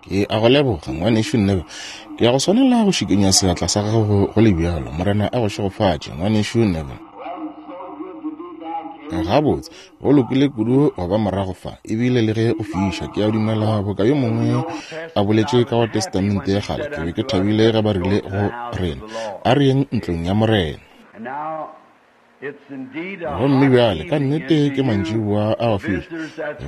Ke a go leboga, Ngwanešu Neville. Ke ya go swanela go šikinya seatla sa gago go le bjalo. Morena a go šegofatše, Ngwanešu Neville. Gabotse, go lokile kudu go ba morago fa, ebile le ge go fiša. Ke a dumela boka yo mongwe a boletše ka go Testamente ya Kgale, ke be ke thabile ge ba rile go rena, A re yeng ntlong ya Morena. Gomme bjale, ka nnete ke mantšiboa a go fiša.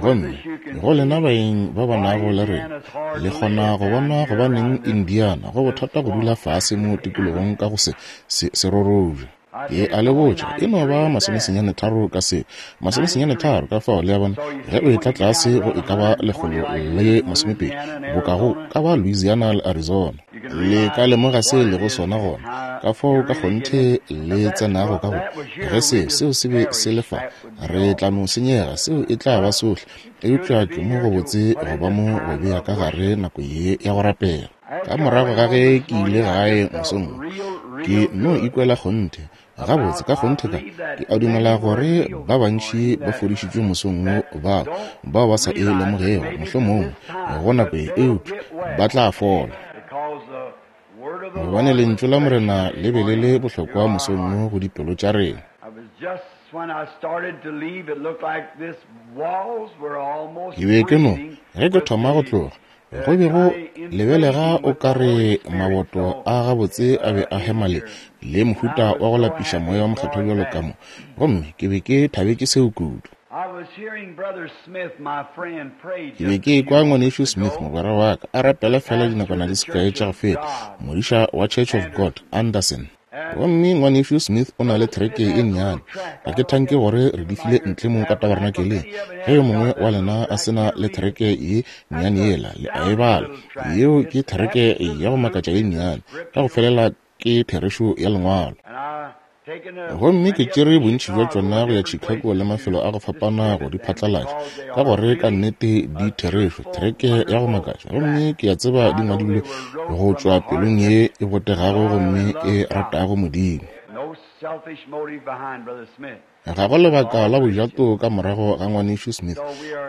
Gomme go lena baeng ba ba nago le rena, le kgona go bona gobaneng Indiana go bothata go dula fase mo tikologong ka go se, se, serorobja. Ke a le botša, e no ba masomesenyane tharo ka se, masomesenyane tharo, ka fao, le a bona, ge o etla tlase go e ka ba 120, boka go ka ba Louisiana le Arizona. Le ka lemoga se e lego sona gona, ka fao ka kgonthe le tsenago ka go. Ge se, seo se be se le fa, re tla no senyega, seo e tla ba sohle. Eupša ke mo gobotse go ba mo go bea ka gare nako ye ya go rapela. Ka morago ga ge ke ile gae mosong wo, ke no ikwela kgonthe Gabotse, ka kgonthe ka, ke a dumela gore ba bantši ba fodišitšwe mosong wo bao, bao ba sa e lemogego, mohlomongwe, go nako ye, eupša ba tla fola. Gobane Lentšu la Morena le be le le bohlokwa mosong wo go dipelo tša rena. Ke be ke no, ge ke thoma go tloga, Go be go lebelega o ka re maboto a gabotse a be a hema le, le mohuta wa go lapiša moya wa mokgethwa bjalo ka mo, gomme ke be ke thabetše seo kudu. Ke be ke ekwa Ngwanešu Smith, mogwera wa ka, a rapela feela dinakwana di se kae tša go feta, modiša wa Church of God, Anderson. Gomme Ngwanešu Smith o na le thereke ye nnyane. Ga ke thanke gore re di file ntle mo ka tabernakeleng. Ge yo mongwe wa lena a se na le thereke ye nnyane yela, le a e bala. Yeo ke thereke ya go makatša ye nnyane. Ka go felela ke therešo ya Lengwalo. Gomme ke tšere bontši bja tšona go ya Chicago le mafelo a go fapana go di phatlalatša, ka gore ka nnete di therešo, thereke ya go makatša. Gomme ke a tseba di ngwadilwe go tšwa pelong ye e botegago gomme e ratago Modimo. Ga go lebaka la bojato ka morago ga Ngwanešu Smith.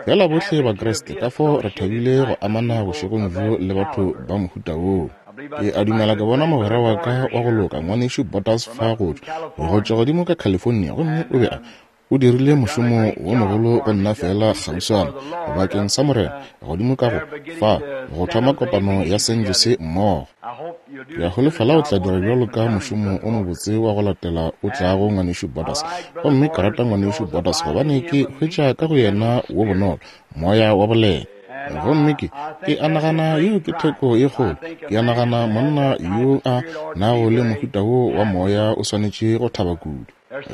Feela bohle Bakriste, ka fao re thabile go amana bošegong bjo le batho ba mohuta woo. Ke a dumela ke bona mogwera wa ka wa go loka, Ngwanešu Borders fa go tšwa, go tšwa godimo ka California, gomme o be a, o dirile mošomo wo mogolo go nna feela kgauswana, bakeng sa Morena, godimo ka go, fa, go thoma kopano ya San Jose mmogo. Ke a holofela o tla dira bjalo ka mošomo o mobotse wa go latela o tlago, Ngwanešu Borders. Gomme ke rata Ngwanešu Borders gobane ke hwetša ka go yena wo bonolo, moya wa boleta. Gomme ke, ke a nagana yeo ke theko ye kgolo. Ke a nagana monna yo a nago le mohuta wo wa moya o swanetše go thaba kudu.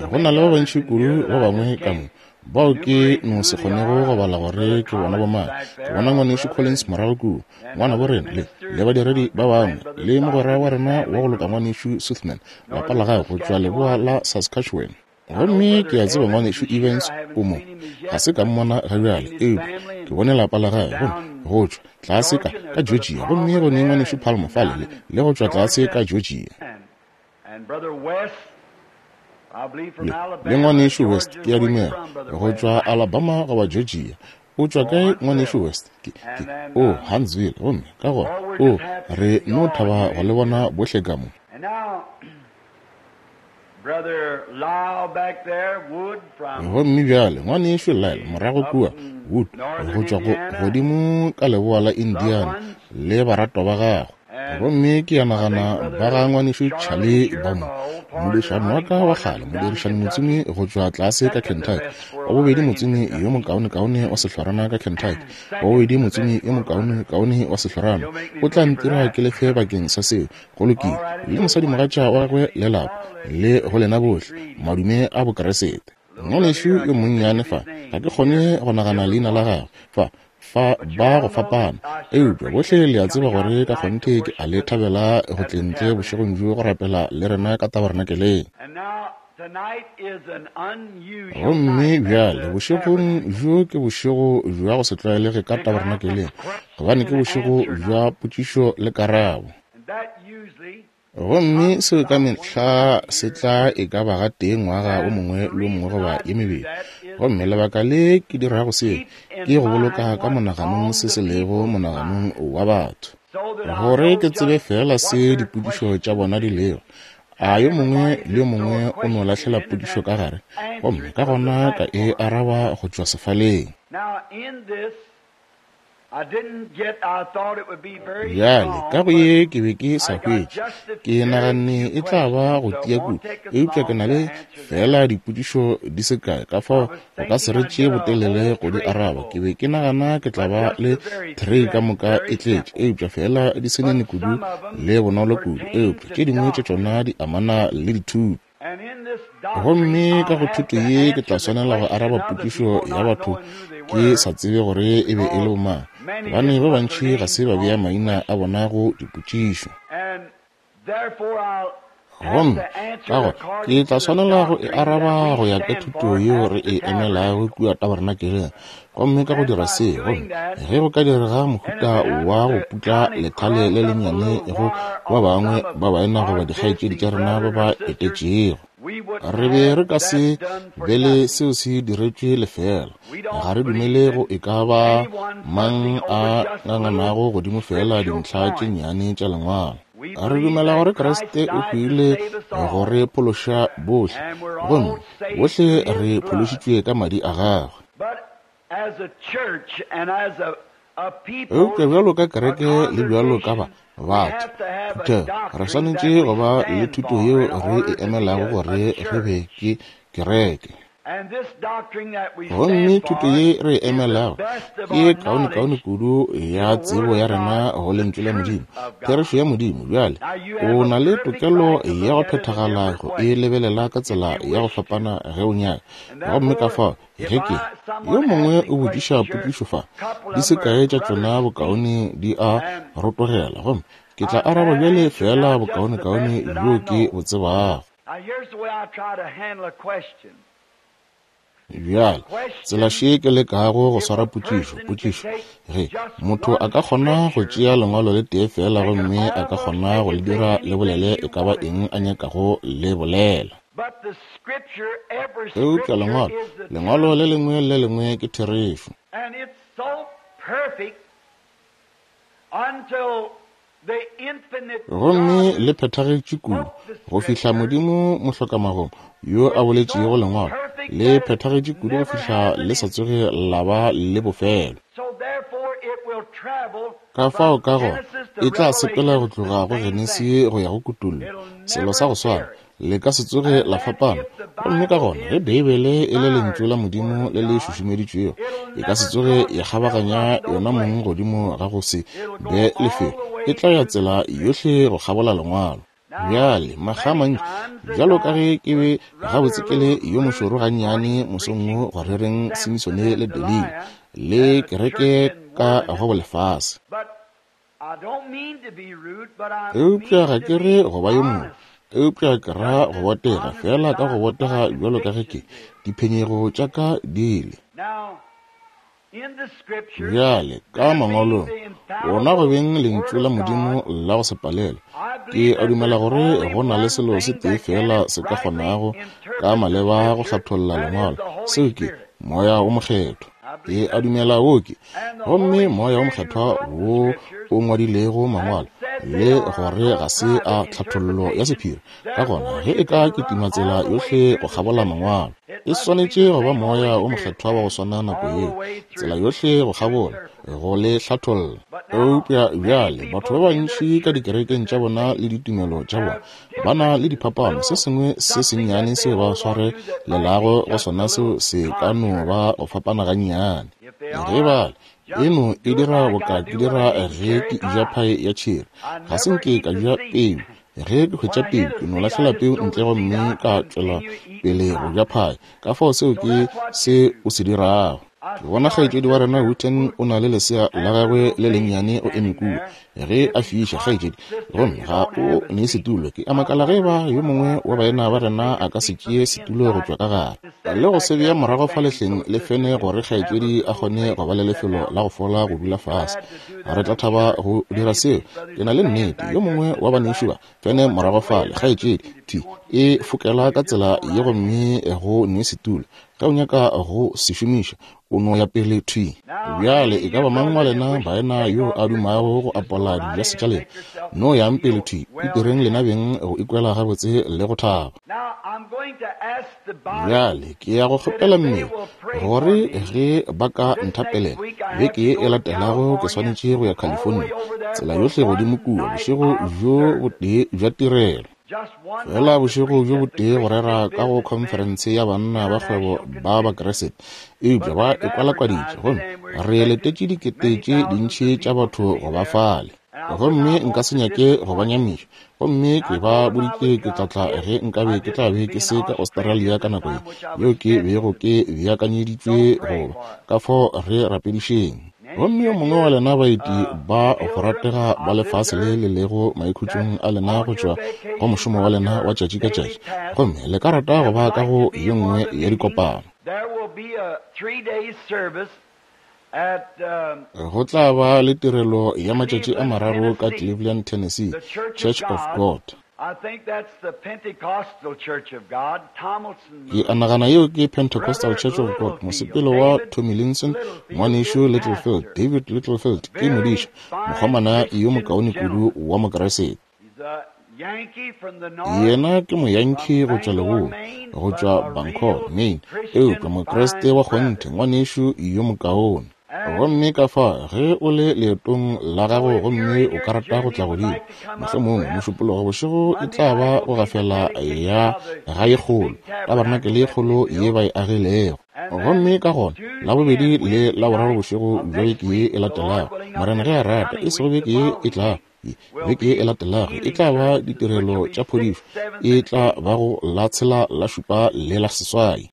Go na le ba bantši kudu ba bangwe ka mo bao ke no se kgonego go bala gore ke bona bomang. Ke bona Ngwanešu Collins morago kua, ngwanabo rena, le, le badiredi ba bangwe, le mogwera wa rena wa go loka Ngwanešu Sothmann, lapa la gagwe go tšwa leboa la Saskatchewan. Gomme ke a tseba Ngwanešu Evans o mo. Ga se ka mmona ga bjale, eupša ke bone lapa la gagwe, gomme go tšwa tlase ka, ka Georgia. Gomme go ne Ngwanešu Palmer fale, le, le go tšwa tlase ka Georgia. Le, le Ngwanešu West, ke a dumela, go tšwa Alabama goba Georgia. O tšwa kae, Ngwanešu West? Ke, ke, o, Huntsville. Gomme ka gona, o, re no thaba go le bona bohle ka mo. Gomme bjale, Ngwanešu Lyle, morago kua, Wood, go tšwa go, godimo ka leboa la Indiana, le baratwa ba gagwe. Gomme ke a nagana ba ga ngwanešu Charlie ba mo, modirišani wa ka wa kgale, modirišani motsomi go tšwa tlase ka Kentucky, wa bobedi motsomi yo mokaonekaone wa sehlorana ka Kentucky, wa bobedi motsomi yo mokaonekaone wa sehlorana, o tla ntira ke lefe bakeng sa seo. Go lokile. Le mosadimogatša wa gagwe le lapa, le go lena bohle, madume a Bokeresete. Ngwanešu yo monnyane fa, ga ke kgone go nagana leina la gagwe, fa, fa ba go fapana. Eupša bohle le a tseba gore ka kgonthe ke a le thabela go tleng ntle bošegong bjo go rapela le rena ka tabernakeleng. Gomme bjale bošegong bjo ke bošego bja go se tlwaelege ka tabernakeleng, gobane ke bošego bja potšišo le karabo. Gomme seo ka mehla se tla e ka ba gatee ngwaga o mongwe le o mongwe goba ye mebedi. Gomme lebaka le ke dirago seo ke go boloka ka monaganong se se lego monaganong wa batho, gore ke tsebe feela se dipotšišo tša bona di lego. A yo mongwe le yo mongwe o no lahlela potšišo ka gare, gomme ka gona ka e araba go tšwa sefaleng. Bjale, ka go ye ke be ke sa hwetše, ke naganne e tla ba go tia kudu, eupša ke na le feela dipotšišo di se kae, ka fao go ka se re tšee botelele go di araba. Ke be ke nagana ke tla ba le tray ka moka e tletše, eupša feela di se nene kudu le bonolo kudu, eupša tše dingwe tša tšona di amana le dithuto. Gomme ka go thuto ye ke tla swanela go araba potšišo ya batho ke sa tsebe gore e be e le bomang, gobane ba bantši ga se ba bea maina a bona go dipotšišo. Gomme ka gore ke tla swanela go e araba go ya ka thuto yeo re e emelago kua tabernakeleng. Gomme ka go dira se, gomme ge go ka direga mohuta wa go putla lethale le lennyane go ba bangwe ba baena goba dikgaetšedi tša rena ba ba etetšego, re be re ka se be le seo se diretšwe lefela. Ga re dumele go e ka ba mang a nganganago godimo feela dintlha tše nnyane tša lengwalo. Re dumela gore Kriste o hwile go re phološa bohle, gomme bohle re phološitšwe ka madi a gagwe. Eupša bjalo ka kereke le bjalo ka ba batho, phuthego, re swanetše go ba le thuto yeo re e emelago gore re be ke kereke. Gomme thuto ye re e emelago ke ye kaonekaone kudu ya tsebo ya rena go Lentšu la Modimo, therešo ya Modimo. Bjale, o na le tokelo ya go phethagala go e lebelela ka tsela ya go fapana ge o nyaka. Gomme ka fao, ge ke yo mongwe o botšiša potšišo fa, di se kae tša tšona bokaone di a rotogela, gomme ke tla araba bjale feela bokaonekaone bjo ke bo tsebago. Bjale, tsela še ke lekago go swara potšišo, potšišo, ge motho a ka kgona go tšea lengwalo le tee feela gomme a ka kgona go le dira le bolele e ka ba eng a nyakago le bolela. Eupša lengwalo, lengwalo le lengwe le lengwe ke therešo. Gomme le phethagetše kudu go fihla Modimo mohlokamagomo yo a boletšego lengwalo le phethagetše kudu go fihla le sa tsoge la ba le bofelo. Ka fao ka gona e tla sepela go tloga go Genesi go ya go Kutollo, selo sa go swana, le ka se tsoge la fapana. Gomme ka gona ge Beibele e le lentšu la Modimo le le šušumeditšwego, e ka se tsoge ya kgabaganya yona mong godimo ga go se be lefelo, e tla ya tsela yohle go kgabola lengwalo. Bjale, makga a mantši, bjalo ka ge ke be gabotse ke le yo mošoro gannyane mosong wo go rereng Simisone le Delila le kereke ka go bolefase. Eupša ga ke re go ba yo mongwe, eupša ke ra go botega, feela ka go botega bjalo ka ge ke, diphenyego tša ka di le. Bjale, ka Mangwalong, wona go beng Lentšu la Modimo la go se palelwe, ke a dumela gore go na le selo se tee feela se ka kgonago ka maleba go hlatholla Lengwalo, seo ke Moya wo Mokgethwa. Ke a dumela wo ke, gomme Moya wo Mokgethwa wo o ngwadilego Mangwalo, le gore ga se a tlhathollo ya sephiri. Ka gona ge e ka kitima tsela yohle go kgabola Mangwalo, e swanetše go ba Moya wo Mokgethwa wa go swana nako yeo, tsela yohle go kgabola, go le hlatholla. Eupša bjale batho ba bantši ka dikerekeng tša bona le ditumelo tša bona ba na le diphapano, se sengwe se sennyane seo ba swarelelago go sona seo se ka no ba go fapana gannyane. Ge ba le, eno e dira boka ke dira ge ke eja phae ya tšheri. Ga se nke ka ja peu. Ge ke hwetša peu, ke no lahlela peu ntle gomme ka tšwela pele go ja phae. Ka fao seo ke se o se dirago. Ke bona kgaetšedi wa rena Witten o na le lesea la gagwe le lennyane o eme kua. Ge a fiša, kgaetšedi, gomme ga o ne setulo. Ke a makala ge eba yo mongwe wa baena ba rena a ka se tšee setulo go tšwa ka gare le go se bea morago fa lehleng le fene gore kgaetšedi a kgone go ba le lefelo la go fola go dula fase. Re tla thaba go dira seo. Ke na le nnete yo mongwe wa banešu ba fene morago fale, kgaetšedi, thwi e fokela ka tsela ye gomme go ne setulo. Ge o nyaka go se šomiša, o no ya pele thwi. Bjale, e ka ba mang wa lena baena yo a dumago go apola dijase tša lena, no yang pele thwi, itireng lena beng go ikwela gabotse le go thaba. Bjale, ke ya go kgopela mmele gore ge ba ka nthapelela, beke ye e latelago ke swanetše go ya California, tsela yohle godimo kua, bošego bjo botee bja tirelo. Feela bošego bjo botee go rera ka go khonferense ya banna ba kgwebo ba Bakriste, eupša ba e kwalakwaditše, gomme re letetše dikete tše dintši tša batho go ba fale. Gomme nka se nyake go ba nyamiša, gomme ke ba boditše ke tla tla ge nkabe ke tla be ke se ka Australia ka nako ye, yeo ke bego ke beakanyeditšwe go ba. Ka fao re rapedišeng. Gomme yo mongwe wa lena baeti ba go ratega ba lefase le le lego maikhutšong a lena go tšwa go mošomo wa lena wa tšatši ka tšatši, gomme le ka rata go ba ka go ye nngwe ya dikopano. Go tla ba le tirelo ya matšatši a mararo ka Cleveland, Tennessee, Church of God. Ke a nagana yeo ke Pentecostal Church of God, mosepelo wa Tomlinson, Ngwanešu Littlefield, David Littlefield ke modiša, mokgomana yo mokaone kudu wa Mokriste. Yena ke Moyankee go tšwa Leboa, go tšwa Bangor, Maine, eupša Mokriste wa kgonthe, ngwanešu yo mokaone. Gomme ka fa, ge o le leetong la gago gomme o ka rata go tla godimo, mohlomongwe Mošupologo bošego e tla ba go gafela ya ga ye kgolo, tabarenakele ye kgolo ye ba e agilego. Gomme ka gona, Labobedi le Laboraro bošego bja beke ye e latelago, Morena ge a rata, e sego beke ye e tlago, ye, beke ye e latelago, e tla ba ditirelo tša phodišo, e tla ba go la tshela, la šupa le la seswai.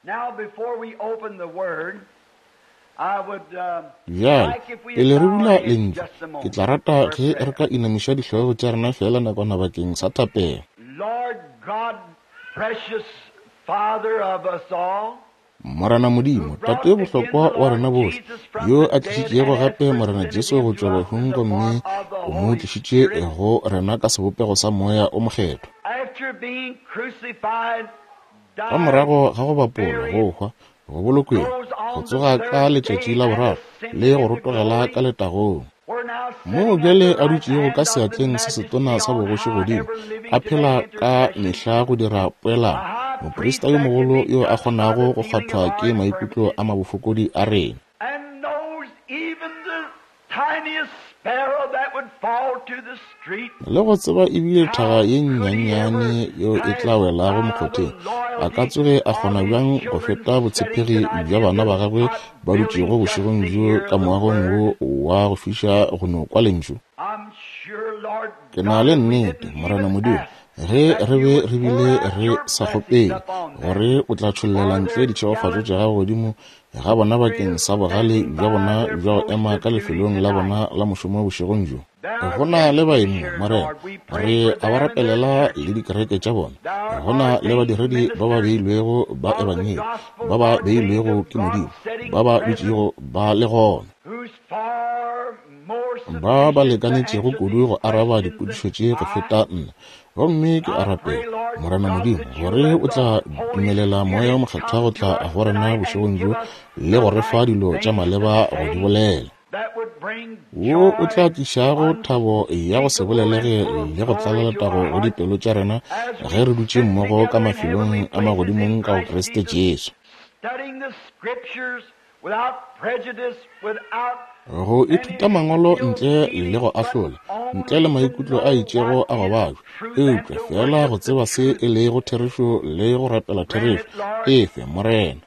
Bjale, pele re bula Lentšu, ke tla rata ge re ka inamiša dihlogo tša rena feela nakwana bakeng sa thapelo. Morena Modimo, Tate yo bohlokwa wa rena bohle, yo a tlišitšego gape Morena Jesu go tšwa bahung gomme o mo tlišitše go rena ka sebopego sa Moya o Mokgethwa. Ka morago ga go bapolwa, go hwa, go bolokweng, go tsoga ka letšatši la boraro le go rotogela ka letagong, moo bjale a dutšego ka seatleng se setona sa bogoši godimo, a phela ka mehla go dira poelano, moprista yo mogolo yo a kgonago go kgwathwa ke maikutlo a mabofokodi a rena. Le go tseba ebile thaga ye nnyannyane yeo e tla welago mokgotheng, a ka tsoge a kgona bjang go feta botshepegi bja bana ba gagwe ba dutšego bošegong bjo ka moagong wo wa go fiša go no kwa Lentšu? Ke na le nnete, Morena Modimo, ge re be re bile re sa kgopele gore o tla tšhollela ntle ditšhegofatšo tša gago godimo ga bona bakeng sa bogale bja bona bja go ema ka lefelong la bona la mošomo bošegong bjo. Go na le baeng mo, Morena, re a ba rapelela le dikereke tša bona. Go na le badiredi ba ba beilwego ba Ebangedi, ba ba beilwego ke Modimo, ba ba dutšego ba le gona, ba ba lekanetšego kudu go araba dipotšišo tše go feta nna. Gomme ke a rapela, Morena Modimo, gore o tla dumelela Moya wo Mokgethwa go tla go rena bošegong bjo le go re fa dilo tša maleba go di bolela, wo o tla tlišago thabo ya go se bolelege le go tlala letago go dipelo tša rena ge re dutše mmogo ka mafelong a magodimong ka go Kriste Jesu. Go ithuta Mangwalo ntle le go ahlola, ntle le maikutlo a itšego a go babja, eupša feela go tseba se e lego therešo le go rapela therešo, efe, Morena.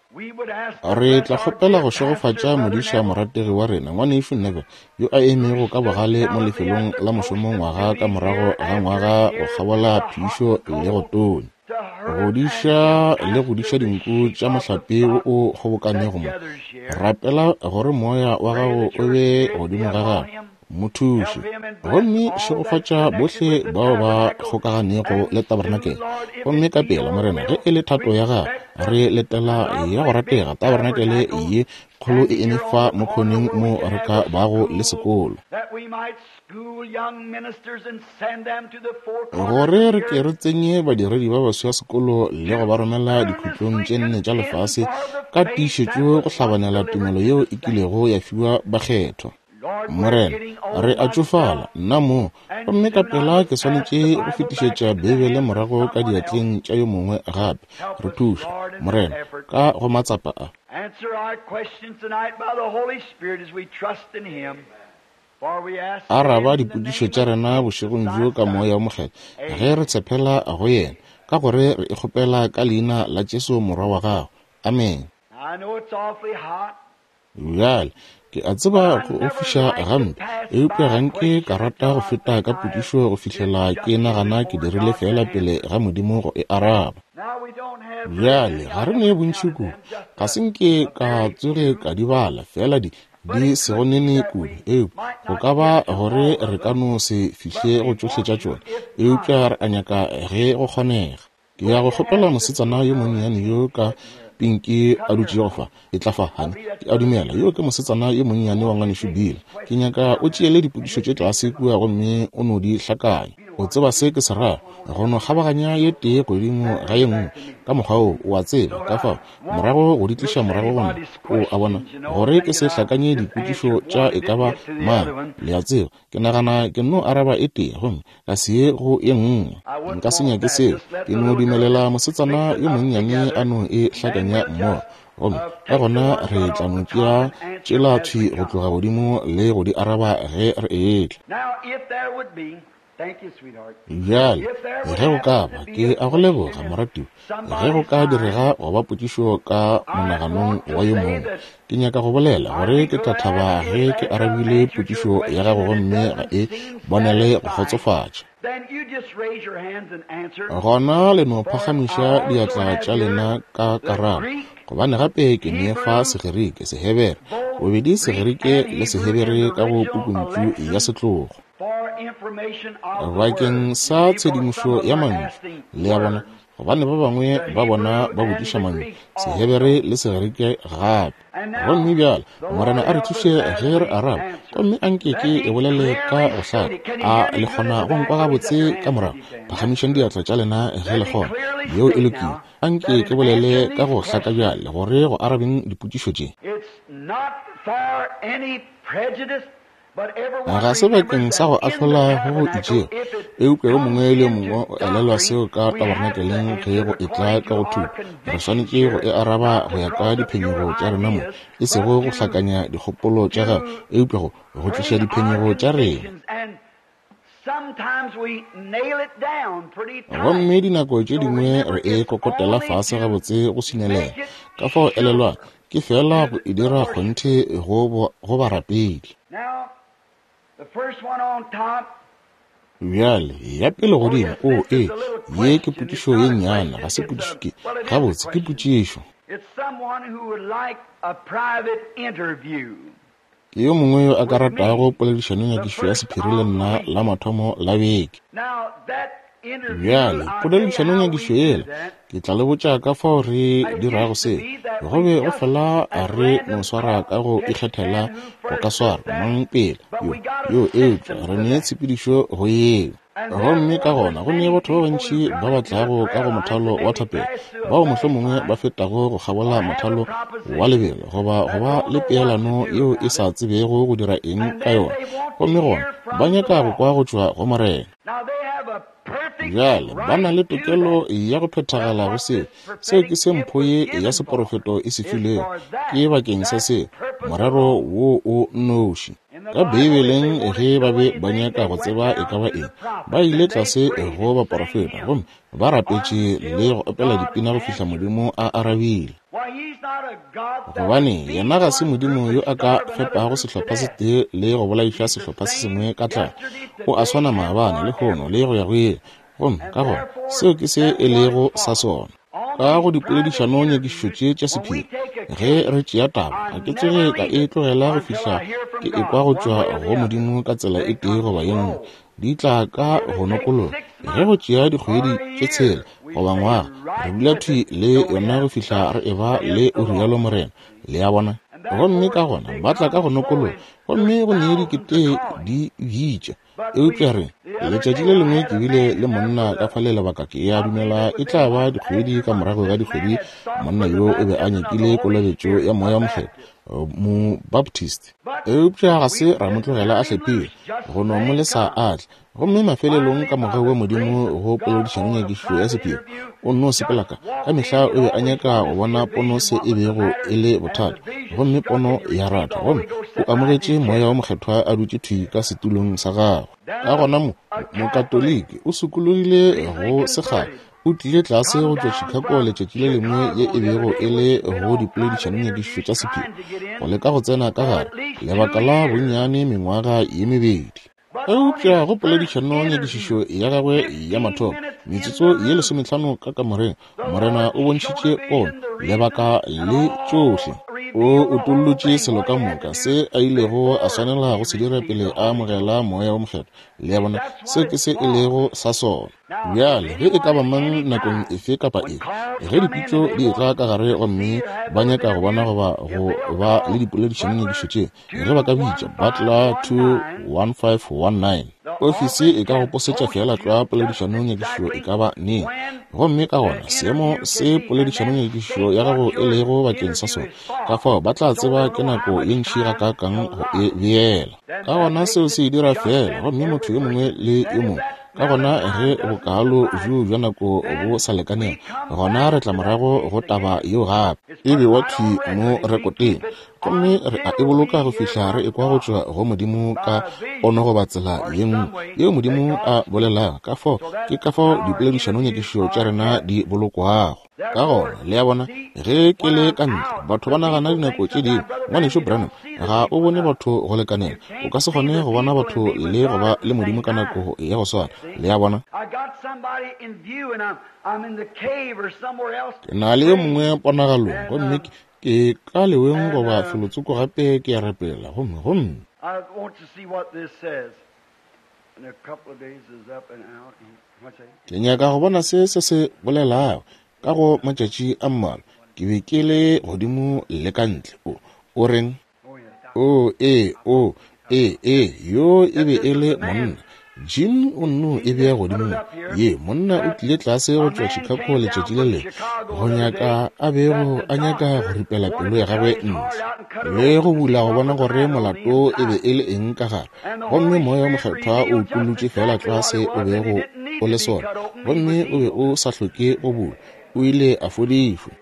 Re tla kgopela go šegofatša modiša morategi wa rena, Ngwanešu Neville, yo a emego ka bogale mo lefelong la mošomo ngwaga ka morago ga ngwaga go kgabola phišo le go tonya. Godiša le godiša dinku tša mohlape wo o kgobokanego mo. Rapela gore moya wa gago o be godimo ga gagwe. Mo thuše. Gomme šegofatša bohle bao ba kgokaganego le tabarenakele. Gomme ka pela, Morena, ge e le thato ya Gago, re letela ya go ratega tabarenakele ye kgolo e eme fa mo khoneng mo re ka bago le sekolo. Gore re ke re tsenye badiredi ba baswa sekolo le go ba romela dikhutlong tše nne tša lefase ka tiišetšo go hlabanela tumelo yeo e kilego ya fiwa bakgethwa. Morena, re a tšofala, nna mo, gomme ka pela ke swanetše go fetišetša Beibele morago ka diatleng tša yo mongwe gape. Re thuše, Morena, ka go matsapa a. Araba dipotšišo tša rena bošegong bjo ka Moya wo Mokgethwa, ge re tshepela go Yena, ka gore re e kgopela ka Leina la Jesu Morwa wa Gago. Amene. Bjale, ke a tseba go ofiša gampe, eupša ga nke ka rata go feta ka potšišo go fihlela ke nagana ke dirile feela pele ga Modimo go e araba. Bjale, ga re ne bontši kudu, ga se nke ka tsoge ka di bala, feela di, di sego nene kudu, eupša go ka ba gore re ka no se fihle go tšohle tša tšona, eupša re a nyaka ge go kgonega. Ke ya go kgopela mosetsana yo monnyane yo ka pinki a dutšego fa. Etla fa, honey. Ke a dumela yo ke mosetsana yo monnyane wa Ngwanešu Bill. Ke nyaka o tšeele dipotšišo tše tlase kua gomme o no di hlakanya. O tseba se ke se rago, go no kgabaganya ye tee godimo ga ye nngwe, ka mokgwa woo, o a tseba, ka fao, morago go di tliša morago go nna, o a bona, gore ke se hlakanye dipotšišo tša e ka ba mang, le a tseba. Ke nagana ke nno araba e tee gomme ka se ye go ye nngwe. Nka se nyake seo. Ke no dumelela mosetsana yo monnyane a no e hlakanya mmogo. Gomme ka gona re tla no tšea tšela thwi go tloga godimo le go di araba ge re etla. Bjale, ge go ka ba, ke a go leboga, moratiwa, ge go ka direga go ba potšišo ka monaganong wa yo mongwe, ke nyaka go bolela gore ke tla thaba ge ke arabile potšišo ya gago gomme ga e bonele go kgotsofatša. Gona le no phagamiša diatla tša lena ka karabo, gobane gape ke ne fa Segerike, Sehebere, bobedi Segerike le Sehebere ka go pukuntšu ya setlogo. Bakeng sa tshedimošo ya mantšu, le a bona, gobane ba bangwe ba bona ba botšiša mantšu, Sehebere le Segerike gape. Gomme bjale, Morena a re thuše ge re araba, gomme a nke ke e bolele ka go hlaka. A le kgona go nkwa gabotse ka morago? Phagamišang diatla tša lena ge le kgona. Yeo e lokile. A nke ke bolele ka go hlaka bjale, gore go arabeng dipotšišo tše. Ga se bakeng sa go ahlola go go itšego, eupša yo mongwe le yo mongwe o elelwa seo ka tabernakeleng ge go etla ka go thuto. Re swanetše go e araba go ya ka diphenyego tša rena mo, e sego go hlakanya dikgopolo tša gagwe, eupša go, go tliša diphenyego tša rena. Gomme dinako tše dingwe re e kokotela fase gabotse go swinelela. Ka fao elelwang, ke feela go e dira kgonthe go, go barapedi. Bjale, ya pele godimo, o, ee, ye ke potšišo ye nnyane, ga se potšišo, ke, gabotse, ke potšišo. Ke yo mongwe yo a ka ratago poledišanonyakišo ya sephiri le nna la mathomo la beke. Bjale, poledišanonyakišo yela, ke tla le botša ka fao re dirago seo. Go be go fela re no swara ka go ikgethela go ka swara mang pele, yo, yo, eupša re ne tshepedišo go yeo. Gomme ka gona go ne batho ba bantši ba ba tlago ka go mothalo wa thapelo, bao mohlomongwe ba fetago go kgabola mothalo wa lebelo goba go ba le peelano yeo e sa tsebego go dira eng ka yona, gomme gona ba nyaka go kwa go tšwa go Morena. Bjale ba na le tokelo ya go phethagala go seo. Seo ke se mpho ye ya seporofeto e se filwego, ke bakeng sa seo, morero wo o nnoši. Ka Beibeleng, ge ba be ba nyaka go tseba e ka ba eng, ba ile tlase go baporofeta gomme ba rapetše le go opela dipina go fihla Modimo a arabile. Gobane yena ga se Modimo yo a ka fepago sehlopha se tee le go bolaiša sehlopha se sengwe ka tlala. O a swana maabane, lehono, le go ya go ile. Gomme ka gona, seo ke se e lego sa sona. Ka go dipoledišano nyakišišo tše tša sephiri, ge re tšea taba, ga ke tsoge ka e tlogela go fihla ke ekwa go tšwa go Modimo ka tsela e tee goba ye nngwe. Di tla ka go nokologa. Ge go tšea dikgwedi tše tshela goba ngwaga, re dula thwi le yona go fihla re eba le o rialo Morena. Le a bona? Gomme ka gona ba tla ka go nokologa, gomme go ne dikete di bitša. Eupša re, letšatši le lengwe ke bile le monna ka fale lebaka ke a dumela e tla ba dikgwedi ka morago ga dikgwedi, monna yo o be a nyakile kolobetšo ya Moya wo Mokgethwa, Mobaptist. Eupša ga se ra mo tlogela a hlephile, go no mo lesa a tle. Gomme mafelelong ka mogau wa Modimo go poledišano nyakišišo ya sephiri, o nno sepela ka, ka mehla o be a nyaka go bona pono se e bego e le bothata, gomme pono ya ratha, gomme o amogetše Moya wo Mokgethwa a dutše thwi ka setulong sa gagwe. Ka gona mo, Mokatoliki o sokologile go sekgala, o tlile tlase go tšwa Chicago letšatši le lengwe ye e bego e le go dipoledišanonyakišišo tša sephiri, go leka go tsena ka gare, lebaka la bonnyane mengwaga ye mebedi. Eupša go poledišano nyakišišo ya gagwe ya mathomo, metsotso ye lesometlhano ka kamoreng, Morena o bontšhitše pono, lebaka le tšohle. O utollotše selo ka moka se a ilego a swanela go se dira pele a amogela Moya wo Mokgethwa. Le a bona, seo ke se e lego sa sona. Bjale, ge e ka ba mang nakong efe kapa efe, ge dipitšo di etla ka gare gomme ba nyaka go bona goba go ba le dipoledišanonyakišo tše, ge ba ka bitša Butler 21519, ofisi e ka go posetša feela tlwa poledišanonyakišo e ka ba neng. Gomme ka gona seemo se poledišanonyakišo ya gago e lego bakeng sa sona, ka fao ba tla tseba ke nako ye ntši gakaakang go e beela. Ka gona seo se e dira feela, gomme motho yo mongwe le yo mongwe Ka gona ge bokaalo bjoo bja nako bo sa lekanela, gona re tla morago go taba yeo gape. E bewa thwi mo rekoteng, gomme re a e boloka go fihla re ekwa go tšwa go Modimo ka pono goba tsela ye nngwe yeo Modimo a bolelago. Ka fao ke ka fao dipoledišanonyakišišo tša rena di bolokwago. Ka gona, le a bona, ge ke le ka ntle, batho ba nagana dinako tše dingwe, Ngwanešu Branham, ga o bone batho go lekanela. O ka se kgone go bona batho le go ba le Modimo ka nako ya go swana. Le a bona? Ke na le yo mongwe ponagalong, gomme ke, ke ka leweng goba felotsoko gape ke a rapela, gomme, gomme. Ke nyaka go bona se se se bolelago. Ka go matšatši a mmalwa ke be ke le godimo le ka ntle. O, o reng? O, ee, o, ee, ee, yo e be e le monna. Jim o nno e bea godimo mo. Ye, monna o tlile tlase go tšwa Chicago letšatši le lengwe, go nyaka a bego a nyaka go ripela pelo ya gagwe ntle le go bula go bona gore molato e be e le eng ka gare. Gomme Moya wo Mokgethwa o utollotše feela tlwa se o bego o le sona, gomme o be o sa hloke go bulwa, o ile a fodišwa.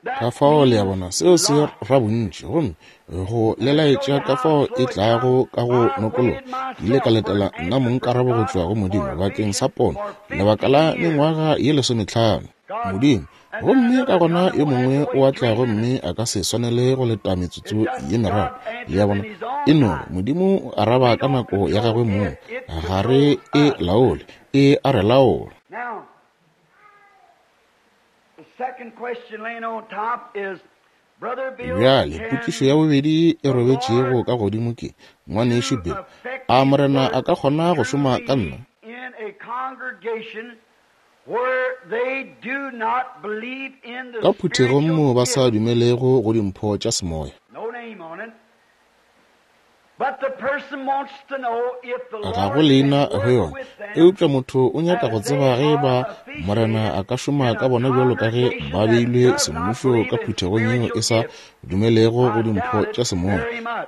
Ka fao le a bona, seo se ra bontši, gomme go le laetša ka fao e tlago ka go nokologa. Ke ile ka letela nna mong karabo go tšwa go Modimo bakeng sa pono lebaka la mengwaga ye lesometlhano. Modimo Gomme ka gona yo mongwe o a tla gomme a ka se swanele go leta metsotso ye meraro. Le a bona? E no re, Modimo o araba ka nako ya gagwe mong. Ga re e laole, e a re laola. Bjale, potšišo ya bobedi e robetšego ka godimo ke, Ngwanešu Bill, a Morena a ka kgona go šoma ka nna? Ka phuthegong moo ba sa dumelego go dimpho tša semoya. Ga go leina go yona, eupša motho o nyaka go tseba ge e ba Morena a ka šoma ka bona bjalo ka ge ba beilwe semmušo ka phuthegong yeo e sa dumelego go dimpho tša semoya.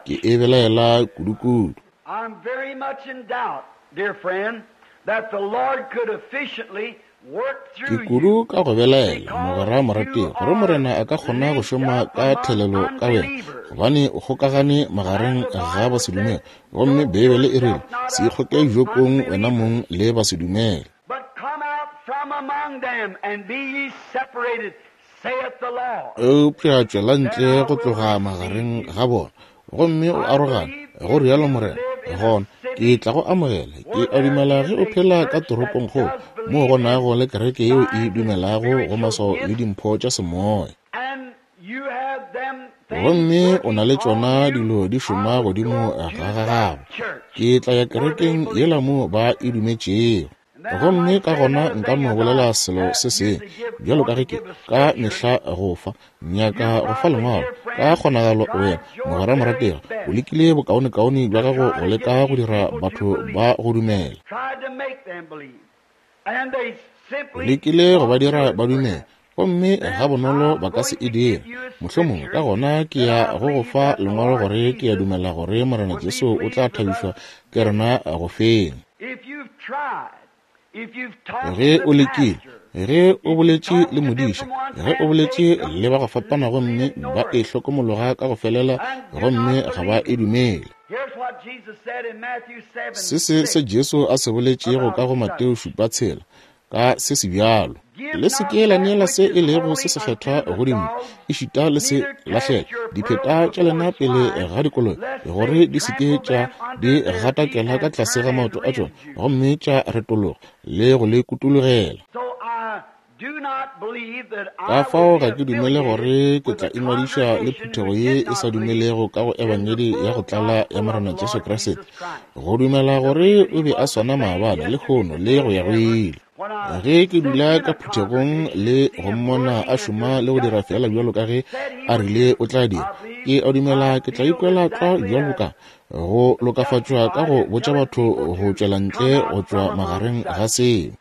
Ke e belaela kudukudu. I'm very much in doubt, dear friend, that the Lord could efficiently work Ke through kudu you ka go belaela, because mogwera morategi, you gore are Morena a ka kgona go linked šoma up ka among thelelo ka wena, unbelievers. gobane o kgokagane magareng And the ga Bible basedumele. says, Gomme Yoke Beibele e rile, yourself not Se up ikgoke with jokong wena unbelievers, mong le basedumele. but come out from among them and be ye separated, saith the Lord. Eupša tšwela Then ntle I go will tloga receive magareng you. ga bona, gomme o arogane, go rialo Morena, gona ke tla go amogela. Ke a dumela ge o phela ka toropongkgolo, moo go nago le kereke yeo e dumelago go maswao le dimpho tša semoya. Gomme o na le tšona dilo di šoma godimo ga gago. Ke tla ya kerekeng yela moo ba e dumetšego. Gomme ka gona nka no bolela selo se sengwe, bjalo ka ge ke ka mehla go fa, nyaka go fa lengwalo. Ka kgonagalo wena, mogwera morategi, o lekile bokaonekaone bja gago go leka go dira batho ba go dumela. O lekile go ba dira ba dumela, gomme gabonolo ba ka se e dire. Mohlomongwe ka gona ke ya go go fa lengwalo gore ke ya dumela gore Morena Jesu o tla thabišwa ke rena go feng. Ge o lekile, ge o boletše le modiša, ge o boletše le ba go fapana gomme ba e hlokomologa ka go felela gomme ga ba e dumele. Se se se Jesu a se boletšego ka go Mateo 7:6 ka se se bjalo. Le se ke la neela se e lego se sekgethwa go dimpša, ešita le se lahlela dipheta tša lena pele ga dikoloi, gore di se ke tša di gatakela ka tlase ga maoto a tšona gomme tša retologa le go le kutologela. Ka fao ga ke dumele gore ke tla ingwadiša le phuthego ye e sa dumelego ka go Ebangedi ya go tlala ya Morena Jesu Kriste, go dumela gore o be a swana maabane, lehono le go ya go ile. Ge ke dula ka phuthegong le go mmona a šoma le go dira feela bjalo ka ge a rile o tla dira, ke a dumela ke tla ikwela tlwa bjalo ka go lokafatšwa ka go botša batho go tšwela ntle go tšwa magareng ga seo.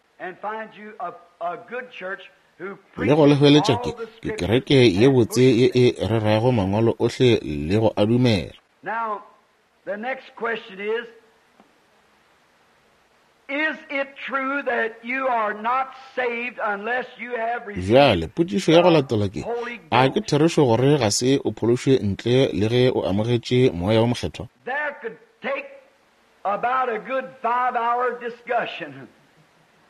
Le go le hweletša ke kereke ye botse ye e rerago mangwalo ohle le go a dumela. Now, the next question is, is it true that you are not saved unless you have received Bjale, potšišo ya go latela ke, Holy a ke Ghost? therešo gore ga se o phološwe ntle le ge o amogetše Moya wo Mokgethwa? There could take about a good 5-hour discussion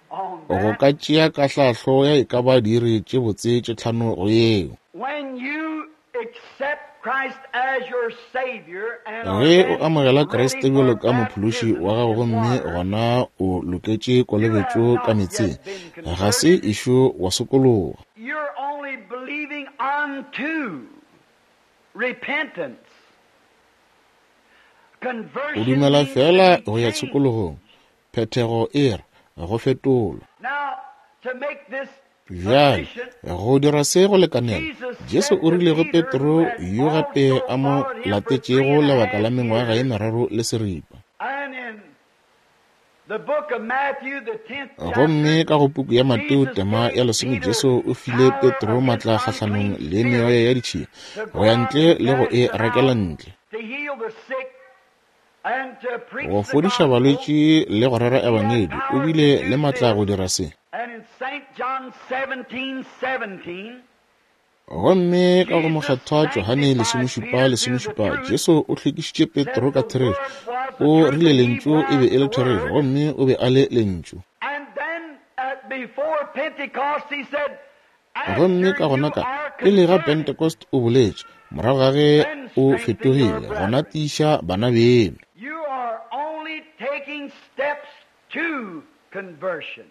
on Go that. ka tšea kahlahlo ya e ka ba diiri tše botse tše 5 go yeo. When you accept Christ as your Savior and are Ge o then amogela ready Kriste for bjalo ka mophološi baptism wa gago in gomme water, gona o loketše you have kolobetšo ka not meetseng, yet been ga se converted. ešo wa sokologa. You're only believing unto repentance. O Conversion dumela means to fela be go ya changed. tshokologong. Phethego e re go fetolwa. Now, to make this Bjale, efficient, go dira se go lekanela, Jesus Jesu said o to rile go Peter, who Petro had yo gape also a mo followed him for latetšego 3.5 lebaka la mengwaga ye years, meraro le seripa. and in the book of Matthew, the 10th Gomme chapter, ka go puku ya Mateo Jesus tema gave ya 10, Peter Jesu o file power Petro against matla kgahlanong unclean le meoya spirits ya ditšhila to go go ya out ntle and le go cast e them rakela out, ntle, to heal the sick, and to preach go the fodiša gospel. balwetši le go rera He had ebangedi. O power to bile le do matla this. go dira se. And in St. John 17:17, Gomme ka go Jesus mokgethwa Johane sanctified 17 Peter through the 17, truth, Jesu o hlwekišitše said Petro ka the therešo. Word was the O truth rile and he lentšu e be was e le the therešo, Word. gomme o be a le lentšu. And then before Pentecost, he said, Gomme after ka gona you ka are pele ga converted, Pentecost o boletše, morago ga ge then o strengthen your fetogile, gona brethren. tiiša bana beno. You are only taking steps to conversion.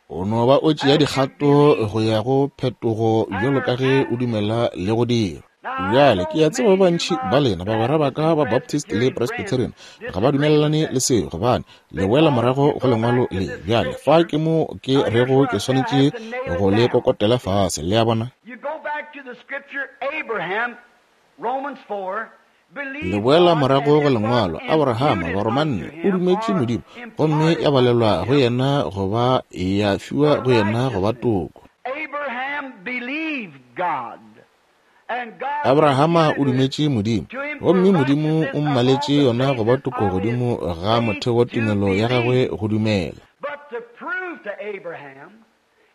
O no ba o tšea As you dikgato believe go ya go phetogo and bjalo ka are ge o asked. dumela le go dira. Now, I Bjale ke know a tseba ba many of you, bantši my ba lena bagwera ba Baptist ka and ba Baptist le Presbyterian friends, Presbyterian ga ba disagree with dumelelane that. le seo, gobane le boela Because morago you go go lengwalo back to le. this Bjale fa scripture. ke mo ke Now, here's rego where ke I say I swanetše have to nail go it le down. kokotela fase, le a bona. You go back to the scripture, Abraham, Romans 4, Le believed boela God, morago and go it was lengwalo, Abrahama imputed Baromanne unto o him dumetše or Modimo, gomme imparted ya balelwa unto go him yena goba ya fiwa for go yena goba righteousness. toko. Abraham believed God, and God Abrahama o imputed it dumetše Modimo, to him for gomme Modimo righteousness o upon mmaletše the yona goba basis toko of his godimo ga faith motheo wa to tumelo ya gagwe believe. go dumela. But to prove to Abraham,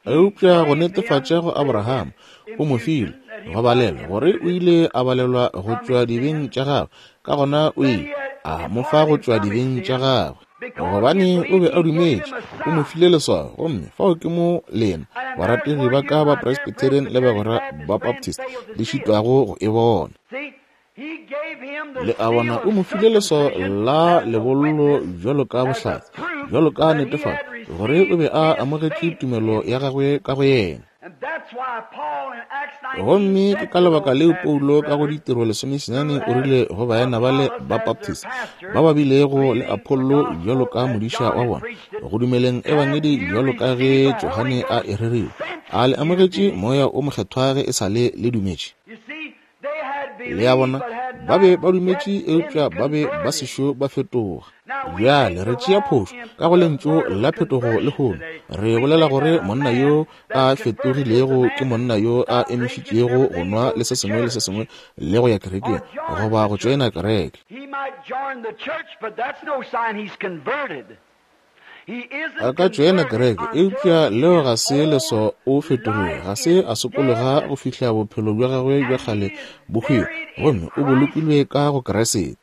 he Eupša go gave him netefatša go the Abrahama, o mo file imputation that he go was balelwa gore o imputed ile a balelwa go from tšwa his dibeng sins, tša gagwe. Ka gona o that ile he had a mo fa go departed tšwa from his dibeng tša sins, gagwe. because he Gobane had o believed be a he gave him dumetše, a o mo sign. file leswao. Gomme fao ke mo lena And there's barategi where ba you, ka ba my dear Presbyterian le Presbyterian bagwera Baptist ba friends, Baptist fail to le see it. šitwago go e bona. See, he gave him the Le a bona, seal o of mo file leswao circumcision la as a lebollo witness, bjalo ka as a bohlatse, proof bjalo ka netefatšo gore o be a amogetše tumelo ya gagwe ka go yena. Gomme ke ka lebaka leo Paulo ka go Ditiro 19 o rile go baena bale ba Baptist ba ba bilego le Apollo bjalo ka modiša wa bona go dumeleng ebangedi bjalo ka ge Johane a e rerile, a le amogetše Moya o Mokgethwa ge e sa le le dumetše? Le a bona, ba be ba dumetše eupša ba be ba sešo ba fetoga. Bjale re tšea phošo ka go lentšu la phetogo lehono. Re bolela gore monna yo a fetogilego ke monna yo a emišitšego go nwa le se sengwe le se sengwe le go ya kerekeng goba go tšoena kereke. A ka tšoena kereke, eupša leo ga se leswao o fetogile. Ga se a sokologa go fihla bophelo bja gagwe bja kgale bo hwile, gomme o bolokilwe ka go Kriste.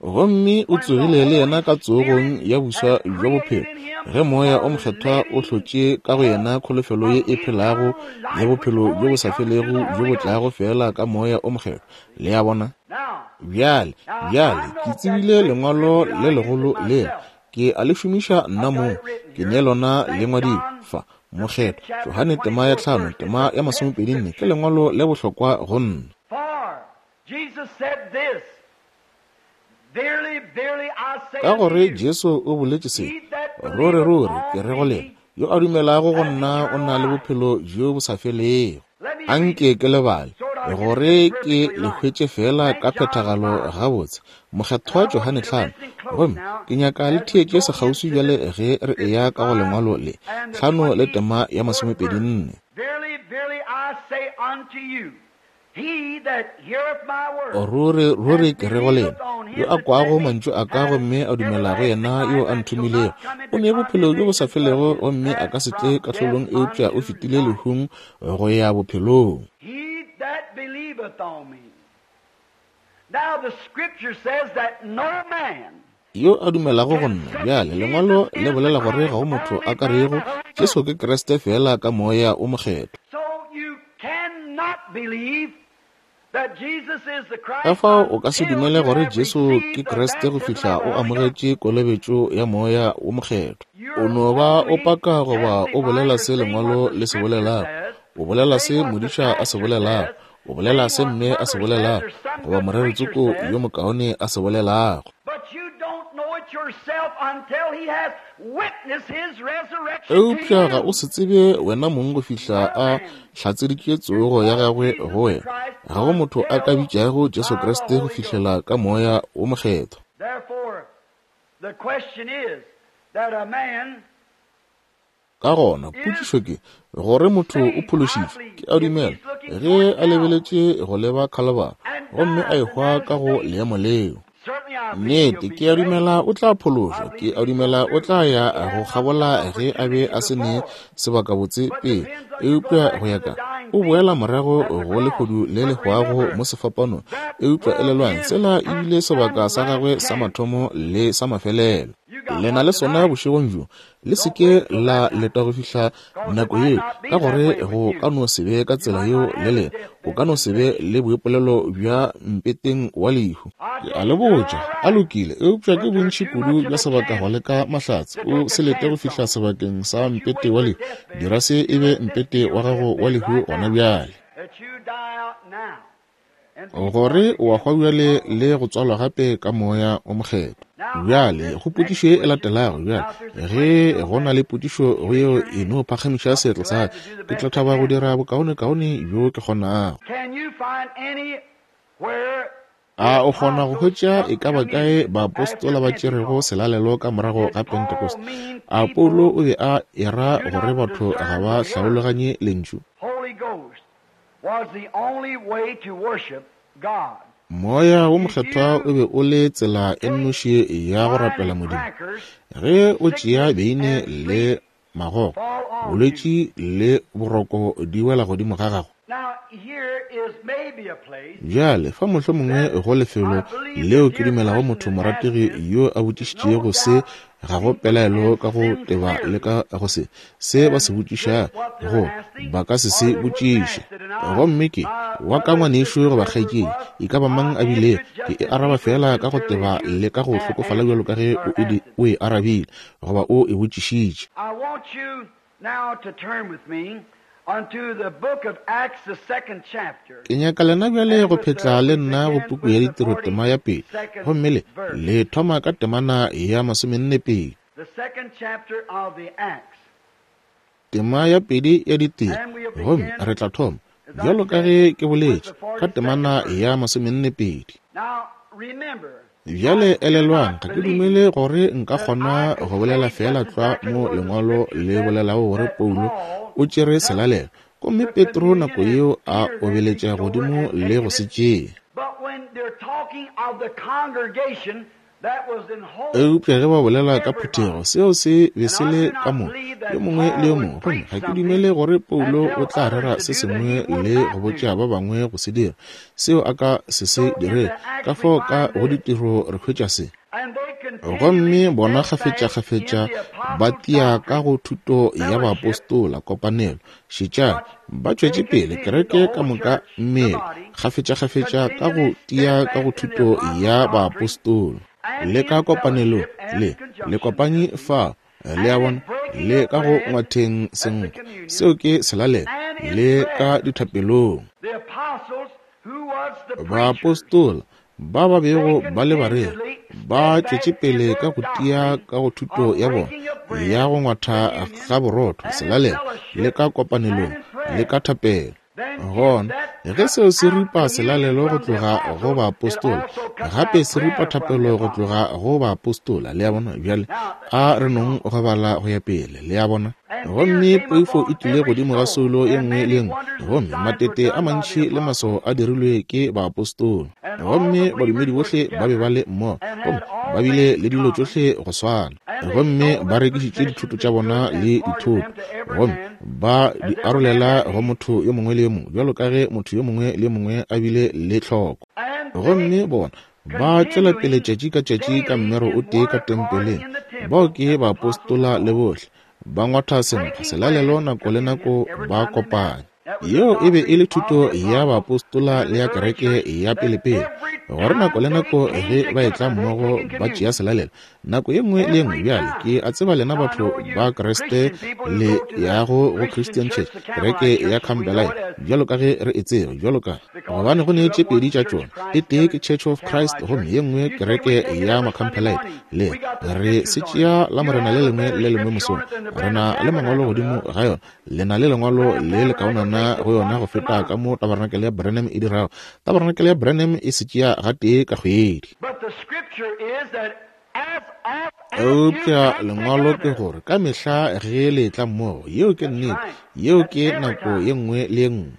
Gomme o tsogile le yena ka tsogong ya boswa bja bophelo, ge Moya o Mokgethwa o hlotše ka go yena kholofelo ye e phelago ya bophelo bjo bo sa felego bjo bo tlago feela ka Moya o Mokgethwa. Le a bona? Bjale, bjale, ke tsebile lengwalo le legolo lela. Ke a le šomiša nna mong. Ke ne lona le ngwadilwe fa. Mokgethwa Johane tema ya 5, tema ya 24 ke lengwalo le bohlokwa go nna. Ka gore Jesu o boletše se, Ruri, ruri, ke re go lena, yo a dumelago go nna o na le bophelo bjo bo sa felego. Anke ke lebale, gore ke le hwetše feela ka phethagalo gabotse. Mokgethwa Johane 5. Gomme ke nyaka le theetše sekgauswi bjale ge re eya ka go lengwalo le, 5 le tema ya 24. Ruri, ruri, ke re go lena, yo a kwago mantšu a ka gomme a dumela go yena yo a nthomilego, o ne bophelo bjo bo sa felego gomme a ka se tle kahlolong, eupša o fetile lehung go ya bophelong. Yo a dumelago go nna. Bjale, Lengwalo le bolela gore ga go motho a ka rego Jesu ke Kriste feela ka Moya o Mokgethwa. Ka fao o ka se dumele gore Jesu ke Kriste go fihla o amogetše kolobetšo ya Moya wo Mokgethwa. O no ba o paka goba o bolela se Lengwalo le se bolelago, o bolela se modiša a se bolelago, o bolela se mme a se bolelago, goba moreritsoko yo mokaone a se bolelago. Eupša ga o se tsebe wena mong go fihla a hlatseditše tsogo ya gagwe go wena. Ga go motho a ka bitšago Jesu Kriste go fihlela ka Moya wo Mokgethwa. Ka gona, potšišo ke, gore motho o phološitšwe, ke a dumela, ge a lebeletše go leba Khalabara gomme a ehwa ka go leemo leo. Nnete, ke a dumela o tla phološwa. Ke a dumela o tla ya go kgabola ge a be a se ne sebakabotse pele. Eupša go ya ka, o boela morago go lehodu le le hwago mo sefapanong. Eupša elelwang, sela e bile sebaka sa gagwe sa mathomo le sa mafelelo. Le na le sona bošegong bjo. Le se ke la leta go fihla nako yeo, ka gore go ka no se be ka tsela yeo le lena. O ka no se be le boipolelo bja mpeteng wa lehu. Ke a le botša, a lokile, eupša ke bontši kudu bja sebaka go leka mahlatse. O se lete go fihla sebakeng sa mpete wa lehu. Dira se e be mpete wa gago wa lehu gona bjale. Gore o a hwa bjale le go tswalwa gape ka Moya o Mokgethwa. Bjale, go potšišo ye e latelago bjale, ge go na le potšišo go yeo, e no phagamiša seatla sa ka. Ke tla thaba go dira bokaonekaone bjo ke kgonago. A o kgona go hwetša e ka ba kae baapostola ba tšerego selalelo ka morago ga Pentecost? A Paulo o be a era gore batho ga ba hlaologanye Lentšu? Moya wo Mokgethwa o be o le tsela e nnoši ya go rapela Modimo. Ge o tšea beine le magogo, bolwetši le boroko di wela godimo ga gago. Bjale, fa mohlomongwe go lefelo leo ke dumelago motho morategi yo a botšišitšego se, ga go pelaelo ka go teba le ka go se, se ba se botšiša go, ba ka se se botšiše. Gomme ke, wa ka ngwanešu goba kgaetšedi, e ka ba mang a bile, ke e araba feela ka go teba le ka go hlokofala bjalo ka ge o e arabile goba o e botšišitše. Ke nyaka lena bjale go phetla le nna go puku ya Ditiro tema ya pele, gomme le, le thoma ka temana ya 42. Tema ya pedi ya Ditiro, gomme re tla thoma, bjalo ka ge ke boletše, ka temana ya 42. Bjale elelwang, ga ke dumele gore nka kgona go bolela feela tlwa mo Lengwalo le bolelago gore Paulo o tšere selalelo, gomme Petro nako yeo a obeletša godimo le go se tšea. Eupša ge ba bolela ka phuthego, seo se be se le ka moka, yo mongwe le yo mongwe. Gomme ga ke dumele gore Paulo o tla rera se sengwe le go botša ba bangwe go se dira, seo a ka se se dire. Ka fao ka go Ditiro re hwetša se. Gomme bona kgafetšakgafetša ba tia ka go thuto ya baapostola, kopanelo. Šetšang, ba tšwetše pele kereke ka moka, mmele, kgafetšakgafetša ka go tia ka go thuto ya baapostola. Le ka kopanelong, le, le kopanyi fao, le a bona, le ka go ngwatheng senkgwa, seo ke selalelo, le ka dithapelong. Baapostola ba ba bego ba le bareri ba tšwetše pele ka go tia ka go thuto ya bona ya go ngwatha ga borotho, selalelo, le ka kopanelong, le ka thapelo. Gona ge seo se ripa selalelo go tloga go baapostola, gape se ripa thapelo go tloga go baapostola. Le a bona? Bjale a re nong go bala go ya pele. Le a bona? Gomme poifo e tlile godimo ga soulo ye nngwe le ye nngwe, gomme matete a mantši le maswao a dirilwe ke baapostola. Gomme badumedi bohle ba be ba le mmogo, gomme ba bile le dilo tšohle go swana. Gomme ba rekišitše dithoto tša bona le dithoto, gomme ba di arolela go motho yo mongwe le yo mongwe, bjalo ka ge motho yo mongwe le yo mongwe a bile le tlhoko. Gomme bona ba tšwela pele tšatši ka tšatši ka mmero o tee ka tempeleng. Bao ke baapostola le bohle, ba ngwatha senkgwa, selalelo nako le nako ba kopanya. Yeo e be e le thuto ya baapostola le ya kereke ya pelepele, gore nako le nako ge ba etla mmogo ba tšea selalelo nako ye nngwe le ye nngwe. Bjale ke a tseba lena batho ba Kriste le yago go Christian Church, kereke ya Campbellite, bjalo ka ge re e tseba, bjalo ka gobane go ne tše pedi tša tšona, e tee ke Church of Christ gomme ye nngwe kereke ya Macampbellite. Le re se tšea la Morena le lengwe le lengwe mosong, re na le mangwalo godimo ga yona. Le na le lengwalo le le kaonana go yona go feta ka mo tabarenakele ya Branham e dirago. Tabarenakele ya Branham e se tšea gatee ka kgwedi. Eupša lengwalo ke gore ka mehla ge le etla mmogo, yeo ke nnete, yeo ke nako ye nngwe le ye nngwe.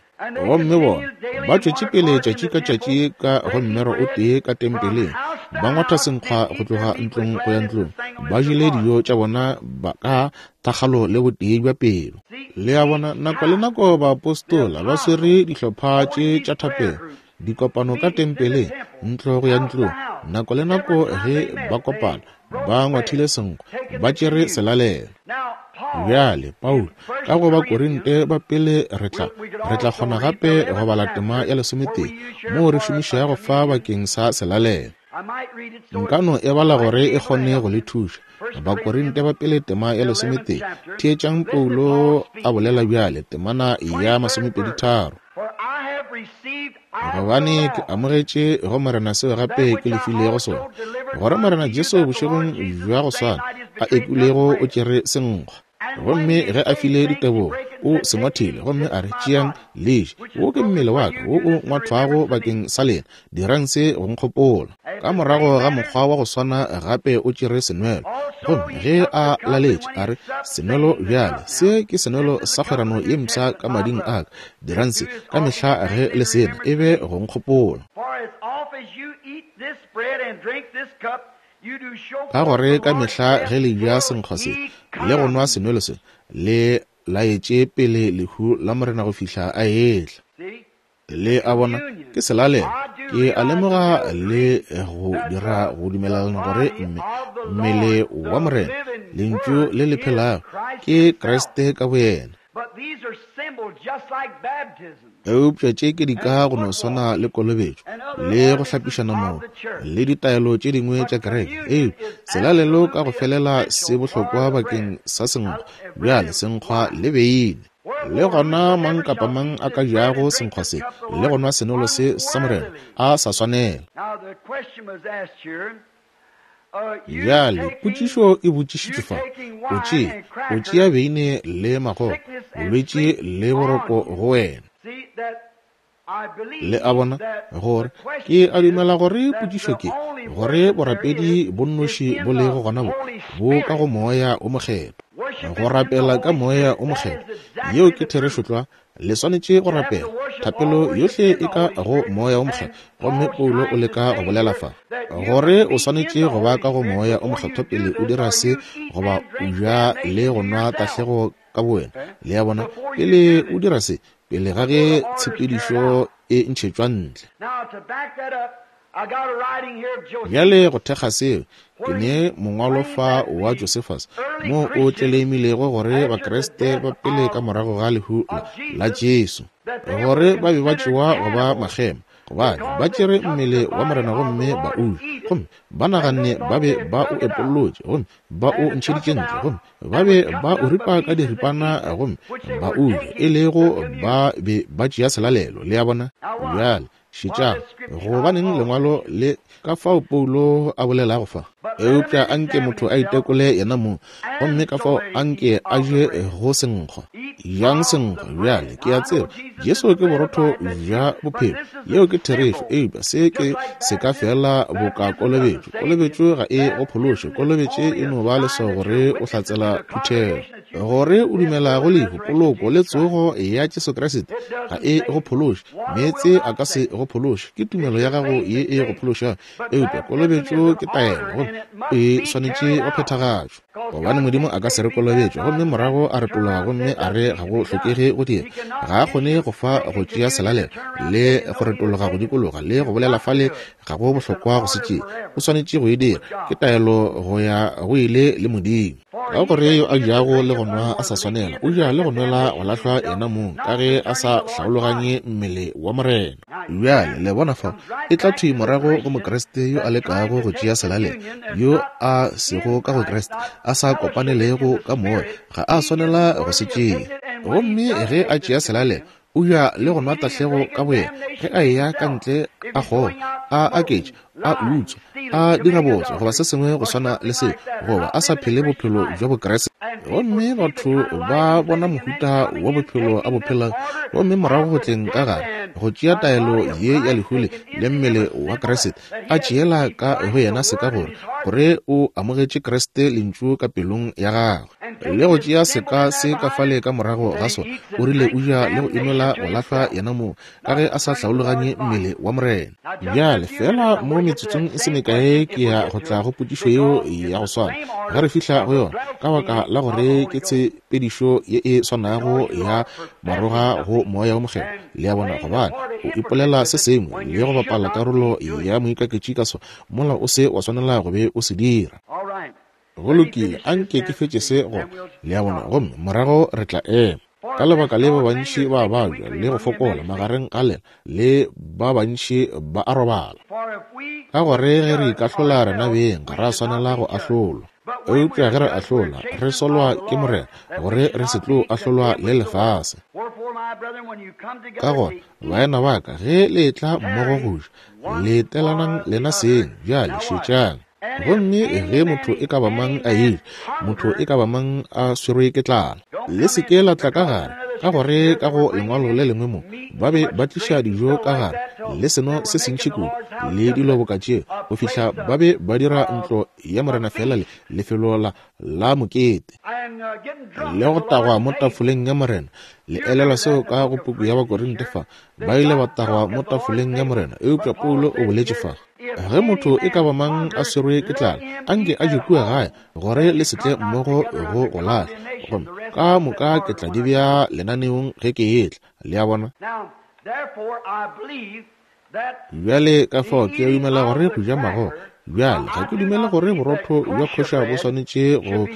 Gomme bona ba tšwetše pele tšatši ka tšatši ka go mmero o tee ka tempeleng, ba ngwatha senkgwa go tloga ntlong go ya ntlong, ba jele dijo tša bona ba ka thakgalo le botee bja pelo. Le a bona, nako le nako baapostola ba swere dihlopha tše tša thapelo, dikopano ka tempeleng, ntlo go ya ntlong. Nako le nako ge ba kopana, ba ngwathile senkgwa, ba tšere selalelo. Bjale, Paulo, ka go Bakorinte ba pele re tla, re tla kgona gape go bala tema ya lesometee, moo re šomišago fa bakeng sa selalelo. Nka no e bala gore e kgone go le thuša. Bakorinte ba pele tema ya lesometee. Theetšang Paulo a bolela bjale, temana ya 23. Gobane ke amogetše go Morena seo gape ke le filego sona, gore Morena Jesu bošegong bja go swana a ekilego o tšere senkgwa, gomme ge a file ditebogo o se ngwathile, gomme a re, Tšeang le je, wo ke mmele wa ka wo o ngwathwago bakeng sa lena, dirang se go nkgopola. Ka morago ga mokgwa wa go swana gape o tšere senwelo, gomme ge a laletše a re, Senwelo bjale, se ke senwelo sa kgwerano ye mpsha ka mading a ka, dirang se ka mehla ge le sena e be go nkgopola. Ka gore ka mehla ge le ja senkgwa se le go nwa senwelo se, le laetše pele lehu la Morena go fihla a etla. Le a bona, ke selalelo. Ke a lemoga le go dira go dumelelana gore mmele wa Morena, Lentšu le le phelago, ke Kriste ka boyena. Eupša tše ke dika go no swana le kolobetšo le go hlapišana maoto le ditaelo tše dingwe tša kereke. Eupša selalelo ka go felela se bohlokwa bakeng sa senkgwa, bjale senkgwa le beine. Le gona mang kapa mang a ka jago senkgwa se le go nwa senolo se sa Morena a sa swanela. Bjale potšišo e botšišitšwe fa, o tšea, o tšea beine le magogo, bolwetši le boroko go wena. Le a bona, gore ke a dumela gore potšišo ke gore borapedi bo nnoši bo lego gona bo bo ka go Moya o Mokgethwa. Go rapela ka Moya o Mokgethwa, yeo ke therešo tlwa. Le swanetše go rapela. Thapelo yohle e ka go Moya o Mokgethwa. Gomme Paulo o leka go bolela fa gore o swanetše go ba ka go Moya o Mokgethwa pele o dira se goba o ja le go nwa tahlego ka bowena. Le a bona, pele o dira se, pele ga ge tshepedišo e ntšhetšwa ntle. Bjale go thekga seo, ke ne mongwalo fa wa Josephus mo o tleleimilego gore Bakriste ba pele ka morago ga lehu la Jesu, gore ba be ba tšewa go ba makgema, gobane ba tšere mmele wa Morena gomme ba o ja, gomme ba naganne ba be ba o epollotše gomme ba o ntšheditše ntle, gomme ba be ba o ripa ka diripana gomme ba o ja, e lego ba be ba tšea selalelo. Le a bona? Bjale šetšang, gobaneng lengwalo le ka fao Paulo a bolelago fa? Eupša anke motho a itekole yena mong, gomme ka fao anke a je go senkgwa. Jang senkgwa. Bjale ke a tseba Jesu ke borotho bja bophelo, yeo ke therešo, eupša se ke se ka fela boka kolobetšo. Kolobetšo ga e go phološe. Kolobetše e no ba leswao gore o hlatsela phuthego, gore o dumela go lehu, poloko le tsogo ya Jesu Kriste. Ga e go phološe. Meetse a ka se go phološe, ke tumelo ya gago ye e go phološago, eupša kolobetšo ke taelo gomme e swanetše go phethagatšwa. Gobane Modimo a ka se re kolobetše gomme morago a retologa gomme a re ga go hlokege go dira. Ga a kgone go fa go tšea selalelo le go retologa go dikologa le go bolela fale ga go bohlokwa go se tšee. O swanetše go e dira. Ke taelo go ya go ile le Modimo. Ka gore yo a jago le go nwa a sa swanela, o ja le go nwela go lahlwa yena mong, ka ge a sa hlaologanye mmele wa Morena. Bjale le bona fao e tla thwi morago go Mokriste yo a lekago go tšea selalelo, yo a sego ka go Kriste, a sa kopanelego ka Moya, ga a swanela go se tšea. Gomme ge a tšea selalelo, o ja le go nwa tahlego ka boyena, ge a eya ka ntle a kgoga, a aketša, a utswa, a dira bootswa goba se sengwe go swana le seo, goba a sa phele bophelo bja Bokriste. Gomme batho ba bona mohuta wa bophelo a bo phelang, gomme morago go tleng ka gare go tšea taelo ye ya lehu le le mmele wa Kriste, a tšeela ka go yena seka gore, gore o amogetše Kriste Lentšu ka pelong ya gagwe, le go tšea seka se ka fale ka morago ga sona, o rile o ja le go inwela go lahlwa yena mong, ka ge a sa hlaologanye mmele wa Morena. Bjale, feela mo metsotsong e se mekae ke ya go tla go potšišo yeo ya go swana ge re fihla go yona, ka baka la gore ke tshepedišo ye e swanago ya maroga go Moya wo Mokgethwa. Le a bona, gobane o ipolela se sengwe le go bapala karolo ya moikaketši ka sona, mola o se wa swanela go be o se dira. Go lokile, anke ke fetše se go, le a bona, gomme morago re tla ema. Ka lebaka le ba bantši ba babja le go fokola magareng ga lena, le ba bantši ba a robala. Ka gore ge re ikahlola rena beng, ga ra swanela go ahlolwa. Eupša ge re ahlola, re solwa ke Morena, gore re se tlo ahlolwa le lefase. Ka gona, baena ba ka, ge le etla mmogo go ja, letelanang lena seng. Bjale šetšang. Gomme ge motho e ka ba mang a eja, motho e ka ba mang a swerwe ke tlala, le se ke la tla ka gare, ka gore ka go lengwalo le lengwe mo ba be ba tliša dijo ka gare le seno se sentši kudu le dilo boka tšeo, go fihla ba be ba dira ntlo ya Morena feela le lefelo la, la mokete, le go tagwa mo tafoleng ya Morena. Le elelwa seo ka go puku ya Bakorinte fa, ba ile ba tagwa mo tafoleng ya Morena. Eupša Paulo o boletše fa, ge motho e ka ba mang a swerwe ke tlala, anke a je kua gae, gore le se tle mmogo go go lahla. Gomme ka moka ke tla di bea lenaneong ge ke etla. Le a bona? Bjale ka fao ke a dumela gore go ja magogo. Bjale ga ke dumele gore borotho bja kosher bo swanetše go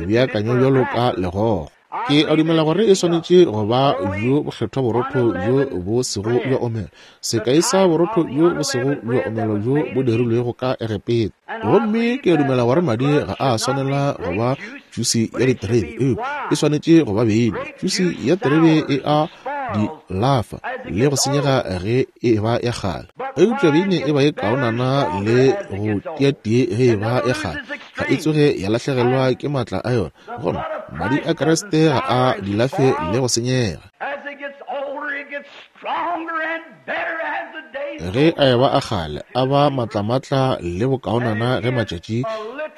beakanywa bjalo ka legogo. Ke a dumela gore e swanetše go ba bjo bokgethwa borotho bjo bo sego bja omelwa, sekai sa borotho bjo bo sego bja omelwa bjo bo dirilwego ka Egepeta. Gomme ke a dumela gore madi ga a swanela go ba jusi ya diterebe, eupša e swanetše go ba beine. Jusi ya terebe e a di lafa le go senyega ge e ba ya kgale, eupša beine e ba e kaonana le go tia tee ge e ba ya kgale, ga e tsoge ya lahlegelwa ke maatla a yona. Gona madi a Kriste ga a di lafe le go senyega. Ge a eba a kgale, a ba matlamatla le bokaonana ge matšatši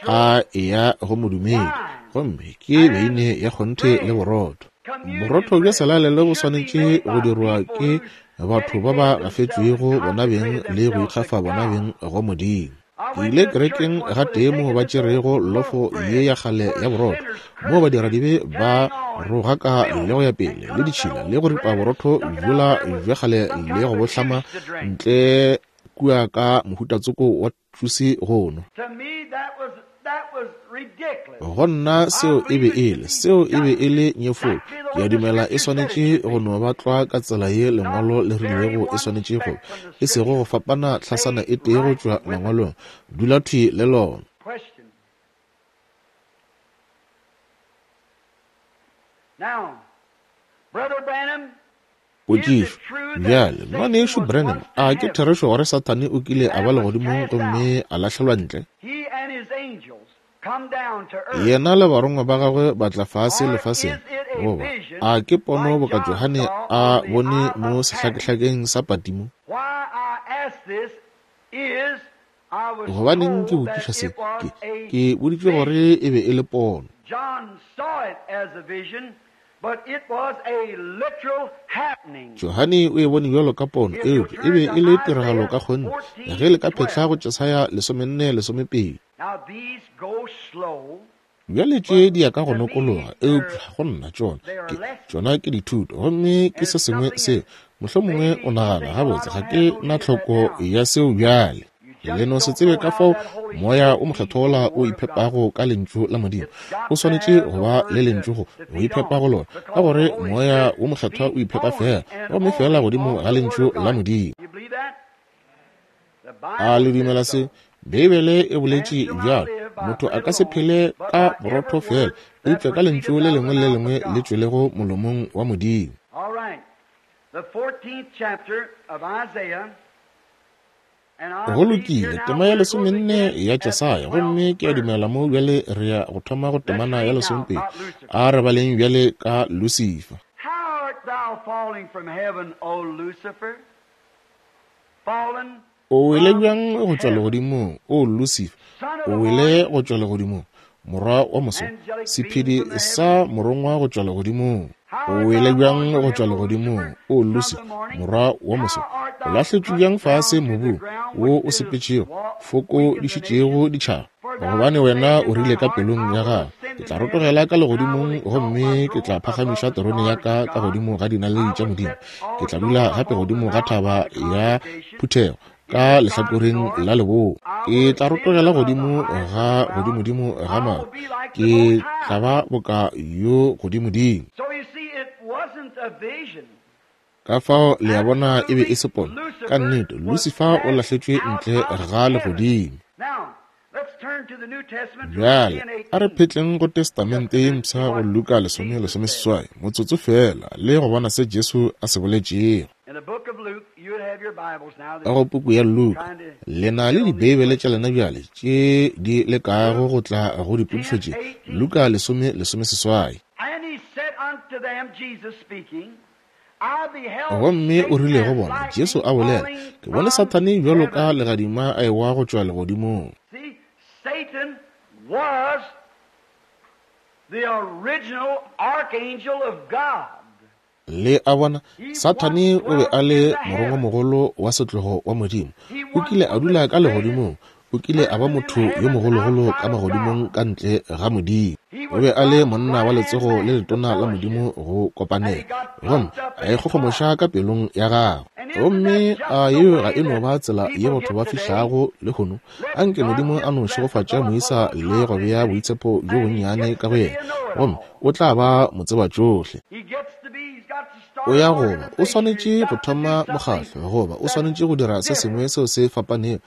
a eya go modumedi. Gomme ke beine ya kgonthe le borotho. Borotho bja selalelo bo swanetše go dirwa ke batho ba ba gafetšwego bona beng le go ikgafa bona beng go Modimo. Ke ile kerekeng gatee moo ba tšerego lofo ye ya kgale ya borotho, moo badiradibe ba rogaka le go ya pele le ditšhila le go ripa borotho bjola bja kgale le go bo hlama ntle kua ka mohutatsoko wa tšusi go nwa. Go nna seo e be e le, seo e be e le nyefolo. Ke a dumela e swanetše go no ba tlwa ka tsela ye Lengwalo le rilego e swanetše go ba, e sego go fapana hlasana e tee go tšwa Mangwalong. Dula thwi le lona. Potšišo, Bjale, Ngwanešu Branham, a ke therešo gore Sathane o kile a ba legodimong gomme a lahlelwa ntle? Yena le barongwa ba gagwe ba tla fase lefaseng, goba a ke pono boka Johane a bone mo sehlakehlakeng sa Patimo? Gobaneng ke botšiša se? Ke, ke boditšwe gore e be e le pono. Johane o e bone bjalo ka pono, eupša e be e le tiragalo ka kgonthe, ge le ka phetla go Jesaya 44:12. Bjale tše di ya ka go nokologa, eupša go nna tšona ke, tšona ke dithuto, gomme ke se sengwe seo mohlomongwe o nagana, gabotse, ga ke na tlhoko ya seo bjale. Le no se tsebe ka fao Moya o Mokgethwa wola o iphepago ka Lentšu la Modimo. O swanetše go ba le Lentšu go go iphepa go lona, ka gore Moya wo Mokgethwa o iphepa feela, gomme feela godimo ga Lentšu la Modimo. A le dumela se? Beibele e boletše bjalo. Motho a ka se phele ka borotho feela, eupša ka Lentšu le lengwe le le lengwe le tšwelego molomong wa Modimo. All right. The 14th chapter of Isaiah. Go lokile, tema ya lesomenne ya Jesaya, gomme ke a dumela mo bjale re ya go thoma go temana ya lesomepedi. A re baleng bjale ka Lucifer. How art thou falling from heaven, O Lucifer? Fallen O wele bjang go tšwa legodimong, O Lucifer? O wele go tšwa legodimong, morwa wa moso, sephedi sa morongwa go tšwa legodimong. O wele bjang go tšwa legodimong, O Lucifer, morwa wa moso? O lahletšwe bjang fase mobung wo o sepetšego, fokodišitšego ditšhaba? Gobane wena o rile ka pelong ya gago, Ke tla rotogela ka legodimong, gomme ke tla phagamiša terone ya ka ka godimo ga dinaledi tša Modimo. Ke tla dula gape godimo ga thaba ya phuthego ka lehlakoreng la leboa. Ke tla rotogela godimo ga godimodimo ga maru, ke tla ba boka yo godimodimo. So you see, it wasn't a vision. Ka fao le a bona e be e se pono. Ka nnete, Lucifer o lahletšwe ntle ga legodimo. Now, let's turn to the New Testament to Luke Bjale a re 10:18. phetleng go Testamente ye Mpsha go Luka 10:18, motsotso feela, le go bona se Jesu a se boletšego. In the book of Luke, you have your Bibles now Ka that go puku ya Luka, trying to le na le get on these Dibeibele tša questions. lena bjale tše di lekago Luke go tla go dipotšišo tše. 10:18. Luka 10:18. And he said unto them, Jesus speaking, I beheld Gomme o Satan rile go as bona, Jesu lightning a bolela, falling Ke bone from Sathane bjalo ka heaven. legadima a ewa go tšwa legodimong. See, Satan was the original archangel of God. Le a bona, He once Sathane o be dwelt a in le the heavens. morongwamogolo wa setlogo wa Modimo. He O once kile a was the dula ka greatest legodimong. O kile a ba motho yo mogologolo ka magodimong ka ntle ga Modimo. O be a le monna wa letsogo le letona la Modimo go kopanela, gomme a ikgogomoša ka pelong ya gagwe. Gomme a yeo ga e no ba tsela ye batho ba fihlago lehono? Anke Modimo a no šegofatša moisa le go bea boitshepo bjo bonnyane ka go yena, gomme o tla ba motsebatšohle. O ya goba o swanetše go thoma mokgatlo, goba o swanetše go dira se sengwe seo se fapanego.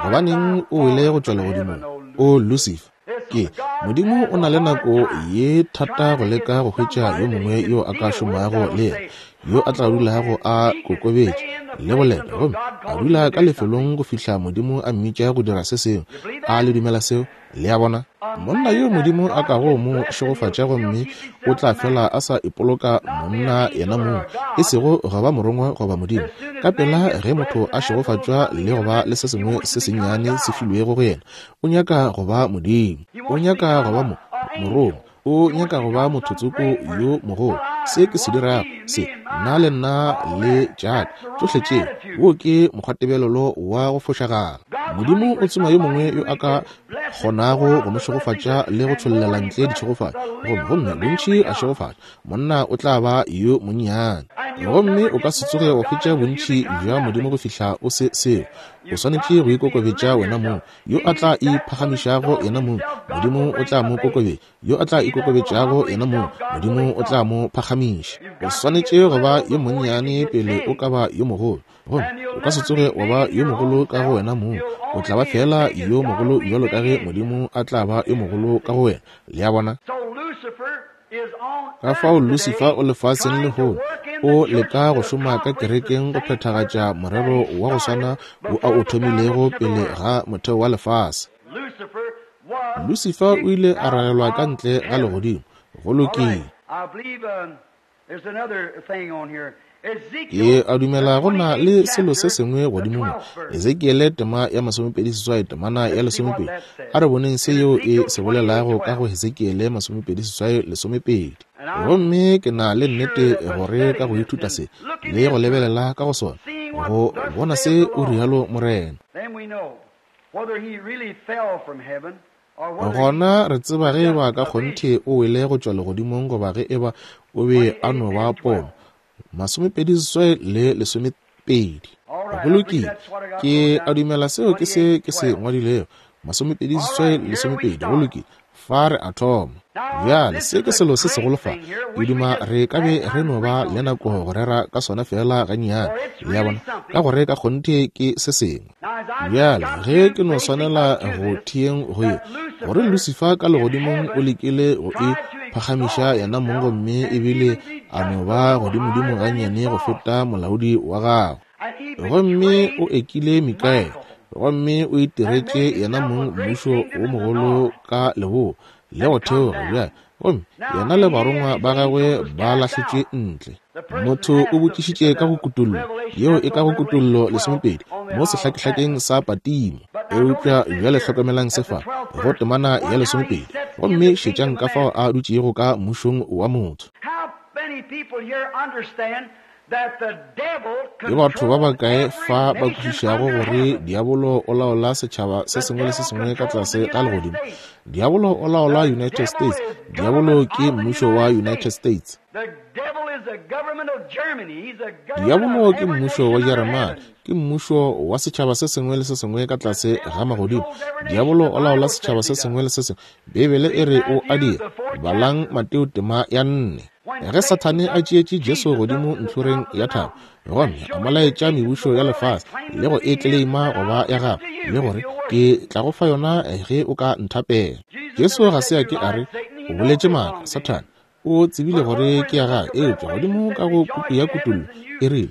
Gobaneng o wele go tšwa legodimong, o Lucifer? Ke Modimo o na le nako ye thata go leka go hwetša yo mongwe yo a ka šomago le yena, yo a tla dulago a kokobetše le go leta, gomme a dula ka lefelong go fihla Modimo a mmitša go dira se sengwe. A le dumela seo? Le a bona? Monna yo Modimo a kago mo šegofatša, gomme o tla fela a sa ipoloka monna yena mong, e sego go ba morongwa goba Modimo. Ka pela ge motho a šegofatšwa le go ba le se sengwe se sennyane se filwego go yena, o nyaka go ba Modimo. O nyaka go ba morongwa. O nyaka go ba mothotsoko yo mogolo. Se ke se dirago, se, nna le nna le tšaka, tšohle tše, wo ke mokgwatebelelo wa go fošagala. Modimo o tsoma yo mongwe yo a ka kgonago go mo šegofatša le go tšhollela ntle ditšhegofatšo, gomme, gomme bontši a šegofatša, monna o tla ba yo monnyane. Gomme o ka se tsoge wa hwetša bontši bja Modimo go fihla o se seo. O swanetše go ikokobetša wena mong. Yo a tla iphagamišago yena mong, Modimo o tla mo kokobetša. Yo a tla ikokobetšago yena mong, Modimo o tla mo phagamiša. O swanetše go ba yo monnyane pele o ka ba yo mogolo. Gomme o ka se tsoge wa ba yo mogolo ka go wena mong. O tla ba feela yo mogolo bjalo ka ge Modimo a tla ba yo mogolo ka go wena. Le a bona? Ka fao Lucifer o lefaseng lehono, o leka go šoma ka kerekeng go phethagatša morero wa go swana wo a o thomilego pele ga motheo wa lefase. Lucifer o ile a ragelwa ka ntle ga legodimo. Go lokile. Ke a dumela go na le selo se sengwe godimo mo. Ezekiele tema ya 28 temana ya 12. A re boneng se yeo e se bolelago ka go Hesekiele 28 12. Gomme ke na le nnete gore ka go ithuta se le go lebelela ka go sona, go bona se o rialo Morena. Gona re tseba ge eba ka kgonthe o wele go tšwa legodimong goba ge eba o be a no ba pono. 28 le 12. Go lokile. Ke a dumela seo ke se ke se ngwadilego. 28 le 12. Go lokile. Fa re a thoma. Bjale, se ke selo se segolo fa. Ke duma re ka be re no ba le nako go rera ka sona feela gannyane. Le a bona? Ka gore ka kgonthe ke se sengwe. Bjale, ge ke no swanela go theeng go ye, gore Lucifer ka legodimong o lekile go e phagamiša yena mong gomme ebile a no ba godimodimo gannyane go feta molaodi wa gagwe. Gomme o ekile Mikaele, gomme o itiretše yena mong mmušo wo mogolo ka leboa le go theoga bjale, gomme yena le barongwa ba gagwe ba lahletšwe ntle. Motho o botšišitše ka go kutollo, yeo e ka go Kutollo 12, mo sehlakehlakeng sa Patimo. Eupša bjale hlokomelang se fa, go temana ya 12, gomme šetšang ka fao a dutšego ka mmušong wa motho. Ke batho ba bakae fa ba kwešišago gore diabolo o laola setšhaba se sengwe le se sengwe ka tlase ga legodimo? Diabolo o laola United States. Diabolo ke mmušo wa United States. Diabolo ke mmušo wa Jeremane, ke mmušo wa setšhaba se sengwe le se sengwe ka tlase ga magodimo. Diabolo o laola setšhaba se sengwe le se sengwe. Beibele e re o a dira. Balang Mateo tema ya 4. Ge Sathane a tšeetše Jesu godimo ntlhoreng ya thaba, gomme a mo laetša mebušo ya lefase le go e tleleima go ba ya gagwe, le gore, Ke tla go fa yona ge o ka nthapela. Jesu ga se a ke a re, O boletše maaka, Sathane. O tsebile gore ke ya gagwe, eupša godimo ka go puku ya Kutollo e rile,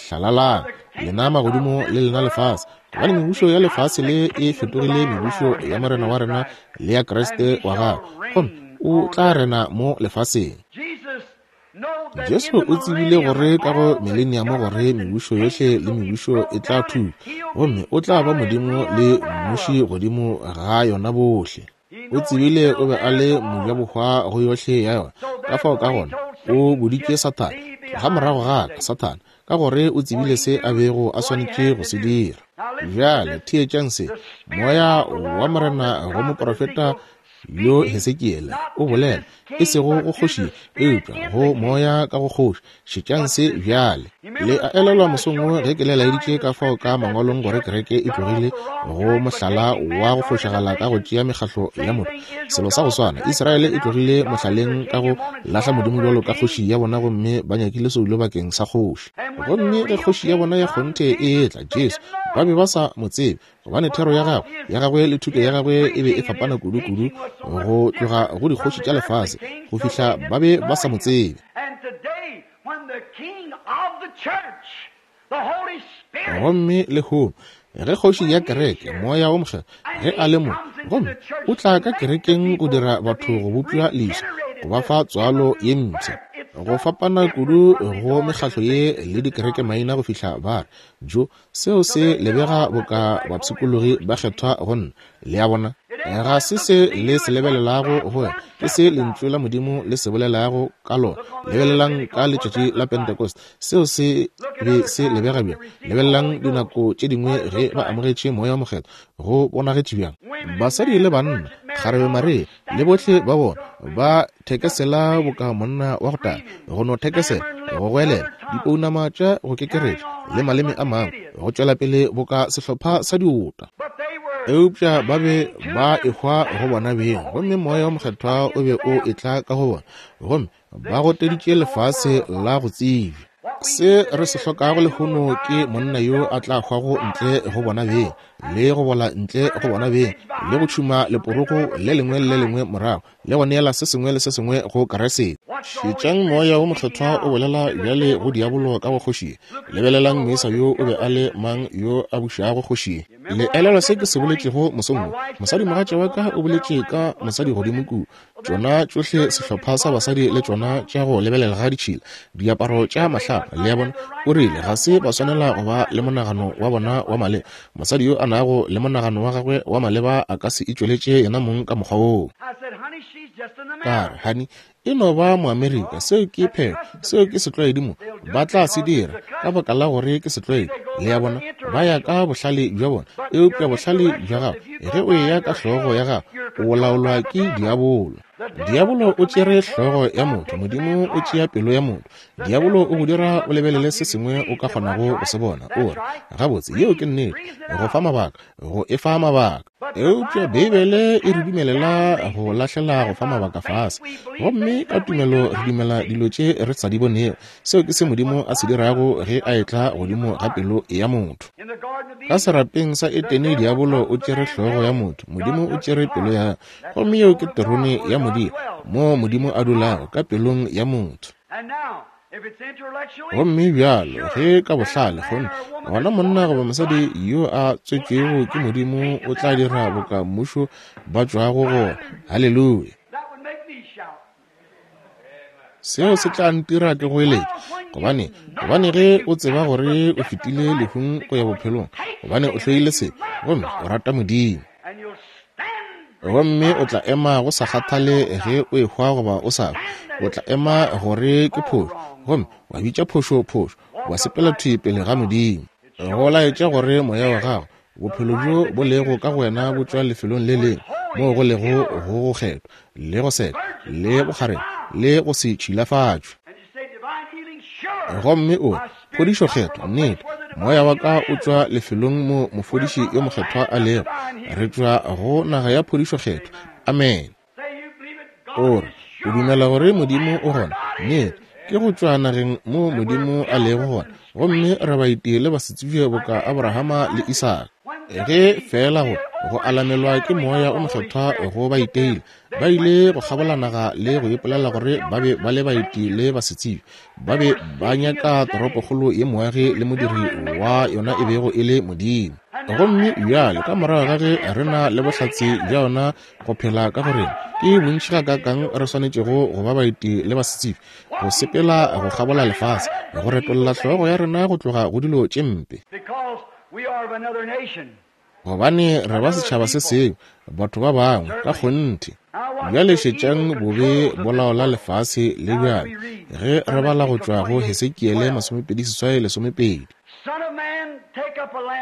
Hlalalang, lena magodimo le lena lefase, gobane mebušo ya lefase le e fetogile mebušo ya Morena wa rena le ya Kriste wa gagwe, gomme o tla rena mo lefaseng. Jesu o tsebile gore ka go mileniamo gore mebušo yohle le mebušo e tla thuba, gomme o tla ba Modimo le mmuši godimo ga yona bohle. O tsebile o be a le mojabohwa go yohle ya yona. Ka fao ka gona o boditše Sathane, Tloga morago ga ka, Sathane, ka gore o tsebile se a bego a swanetše go se dira. Bjale theetšang se. Moya wa Morena go moprofeta yo Hesekiele o bolela, e sego go kgoši, eupša go moya ka go kgoši. Šetšang se bjale. Le a elelwa mosong wo ge ke le laeditše ka fao ka mangwalong gore kereke e tlogile go mohlala wa go fošagala ka go tšea mekgahlo ya motho. Selo sa go swana, Israele e tlogile mohlaleng ka go lahla Modimo bjalo ka kgoši ya bona gomme ba nyakile soulo bakeng sa kgoši. Gomme ge kgoši ya bona ya kgonthe e etla, Jesu, ba be ba sa mo tsebe, gobane thero ya gagwe, ya gagwe le thuto ya gagwe e be e fapana kudu-kudu go tloga go dikgoši tša lefase, go fihla ba be ba sa mo tsebe. Gomme lehono, ge kgoši ya kereke, Moya wo Mokgethwa, ge a le mo, gomme o tla ka kerekeng go dira batho go bopša leswa, go ba fa tswalo ye mpsha, go fapana kudu go mekgahlo ye le dikerekemaina go fihla ba re, Jo, seo se lebega boka bapshikologi ba kgethwa go nna. Le a bona? Ga se se le se lebelelago go wena, ke se Lentšu la Modimo le se bolelago ka lona. Lebelelang ka letšatši la Pentecost, seo se be se lebega bjang? Lebelelang dinako tše dingwe ge ba amogetše Moya wo Mokgethwa, go bonagetše bjang? Basadi le banna, kgarebe Maria, le bohle ba bona, ba thekesela boka monna wa go taga, go no thekesela, go goelela, dipounama tša go kekeretša, le maleme a mangwe, go tšwela pele boka sehlopha sa diota. Eupša ba be ba ehwa go bona beng, gomme Moya wo Mokgethwa o be o etla ka go bona, gomme ba goteditše lefase la go tsebja. Se re se hlokago lehono ke monna yo a tla hwago ntle go bona beng, le go bola ntle go bona beng, le go tšhuma leporogo le lengwe le le lengwe morago, le go neela se sengwe le se sengwe go Kriste. Šetšang Moya wo Mokgethwa o bolela bjale go diabolo ka go kgoši ye. Lebelelang moisa yo o be a le mang yo a bušago kgoši ye. Le elelwa se ke se boletšego mosong wo? Mosadimogatša wa ka o boletše ka mosadi godimo kua. Tšona tšohle sehlopha sa basadi le tšona tša go lebelela ga ditšhila, diaparo tša mahlapa, le a bona. O rile ga se ba swanela go ba le monagano wa bona wa maleba. Mosadi yo a nago le monagano wa gagwe wa maleba a ka se itšweletše yena mong ka mokgwa woo. Ka re, Honey, e no ba Moamerika, seo ke phetho, seo ke setlwaedi mo. Ba tla se dira ka baka la gore ke setlwaedi, le a bona, ba ya ka bohlale bja bona. Eupša bohlale bja gago, ge o eya ka hlogo ya gago, o laolwa ke diabolo. Diabolo o tšere hlogo ya motho, Modimo o tšea pelo ya motho. Diabolo o go dira o lebelele se sengwe o ka kgonago go se bona, o re, Gabotse, yeo ke nnete, go fa mabaka, go e fa mabaka. Eupša Beibele e re dumelela go lahlela go fa mabaka fase, gomme ka tumelo re dumela dilo tše re sa di bonego. Seo ke se Modimo a se dirago ge a etla godimo ga pelo ya motho. Ka serapeng sa Etene, diabolo o tšere hlogo ya motho, Modimo o tšere pelo ya gagwe. Gomme yeo ke terone ya Modimo, moo Modimo a dulago, ka pelong ya motho. Gomme bjalo ge ka bohlale, gomme gona monna goba mosadi yo a tswetšwego ke Modimo o tla dira boka mmušo ba tšwago go. Haleluya! Seo se tla ntira ke goeletše, gobane, gobane ge o tseba gore o fetile lehung go ya bophelong, gobane o hloile sebe gomme o rata Modimo. Gomme o tla ema go sa kgathale ge o ehwa goba o sa hwe, o tla ema gore ke phošo, gomme wa bitša phošo phošo, wa sepela thwi pele ga Modimo. Go laetša gore moya wa gago, bophelo bjo bo lego ka go wena bo tšwa lefelong le lengwe moo go lego go go kgethwa, le go seka, le bokgarebe, le go se tšhilafatšwe. Gomme o re, Phodišo Kgethwa, nnete, moya wa ka o tšwa lefelong mo mofodiši yo mokgethwa a lego. Re tšwa go naga ya phodišo Kgethwa. Amene. O re, O dumela gore Modimo o gona? Nnete, ke go tšwa nageng mo Modimo a lego gona. Gomme re baeti le basetsebje boka Abrahama le Isaka. Ge feela go, go alamelwa ke Moya o Mokgethwa go ba iteile, Ba ile go kgabola naga le go ipolela gore ba be ba le baeti le basetsebje. Ba be ba nyaka toropokgolo ye moagi le modiri wa yona e bego e le Modimo. Gomme bjale ka morago ga ge re na le bohlatse bja yona go phela ka go rena, ke bontši gakaakang re swanetšego go ba baeti le basetsebje, go sepela go kgabola lefase, go retolla hlogo ya rena go tloga go dilo tše mpe. Gobane re ba setšhaba se sengwe, batho ba bangwe, ka kgonthe. Bjale šetšang bobe bo laola lefase le bjale, ge re bala go tšwa go Hesekiele 28 12.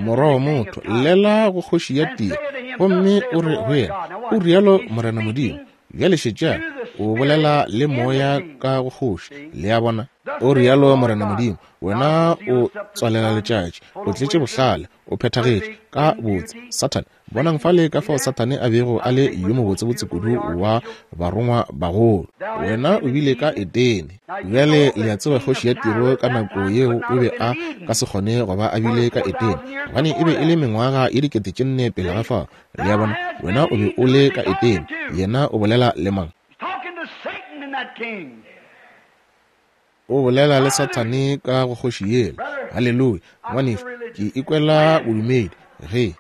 Morwa wa motho, llela go kgoši ya Tiro, gomme o re go yena, O rialo Morena Modimo. Bjale šetšang, o bolela le moya ka go kgoši. Le a bona? O rialo Morena Modimo, wena o tswalela letšatši, o tletše bohlale, o phethagetše ka botse. Sathane, bonang fale ka fao Sathane a bego a le yo mobotsebotse kudu wa barongwa bagolo. Wena o bile ka Edene. Bjale le a tseba kgoši ya Tiro ka nako yeo o be a ka se kgone go ba a bile ka Edene, gobane e be e le mengwaga ye 4000 pele ga fao. Le a bona, wena o be o le ka Edene. Yena o bolela le mang? O bolela le Sathane ka go kgoši yela. Haleluya! Ngwanešu, ke ikwela bodumedi ge.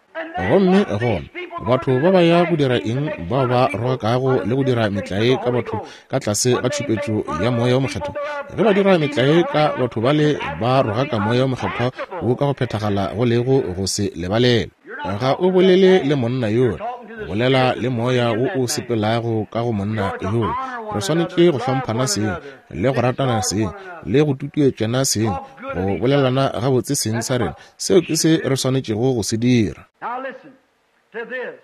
Gomme gona batho ba ba ya go dira eng bao ba rogakago le go dira metlae ka batho ka tlase ga tšhupetšo ya Moya wo Mokgethwa? Ge ba dira metlae ka batho bale ba rogaka Moya wo Mokgethwa wo ka go phethagala go lego go se lebalelwe. Ga o bolele le monna yola, o bolela le moya wo o sepelago ka go monna yola. Re swanetše go hlomphana seng, le go ratana seng, le go tutuetšana seng, go bolelana gabotse seng sa rena. Seo ke se re swanetšego go se dira.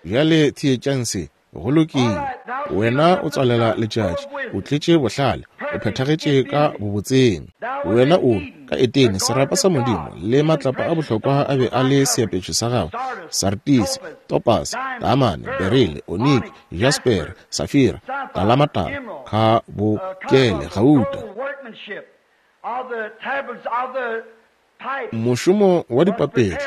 Bjale theetšang se. Go lokile. Wena o tswalela letšatši, o tletše bohlale, o phethagetše ka bobotseng. Wena o ka Etene, serapa sa Modimo, le matlapa a bohlokwa a be a le seapešo sa gago, sartisi, topase, taamane, berile, oniki, jaspere, safira, talamatala, khabokele, gauta. Mošomo wa dipapetla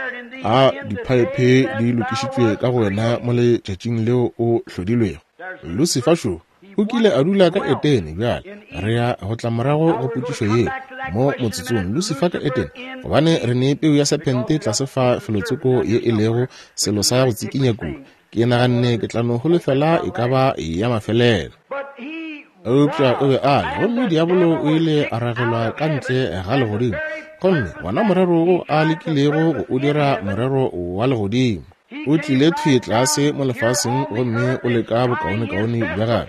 a diphaephe di lokišitšwe ka go wena mo letšatšing leo o hlodilwego. Lusifa šo o kile a dula ka Etene. Bjale re ya go tla morago go potšišo yeo mo motsotsong. Lusifa ka Etene, gobane re ne peu ya sephente tlase fa felotsoko ye e lego selo sa go tsikinya kudu. Ke naganne ke tla no holofela e ka ba ya mafelelo. Eupša o be a le, gomme diabolo o ile a ragelwa ka ntle ga legodimo, gomme wona morero wo a lekilego go o dira morero wa legodimo, o tlile thwi tlase mo lefaseng gomme o leka bokaonekaone bja gagwe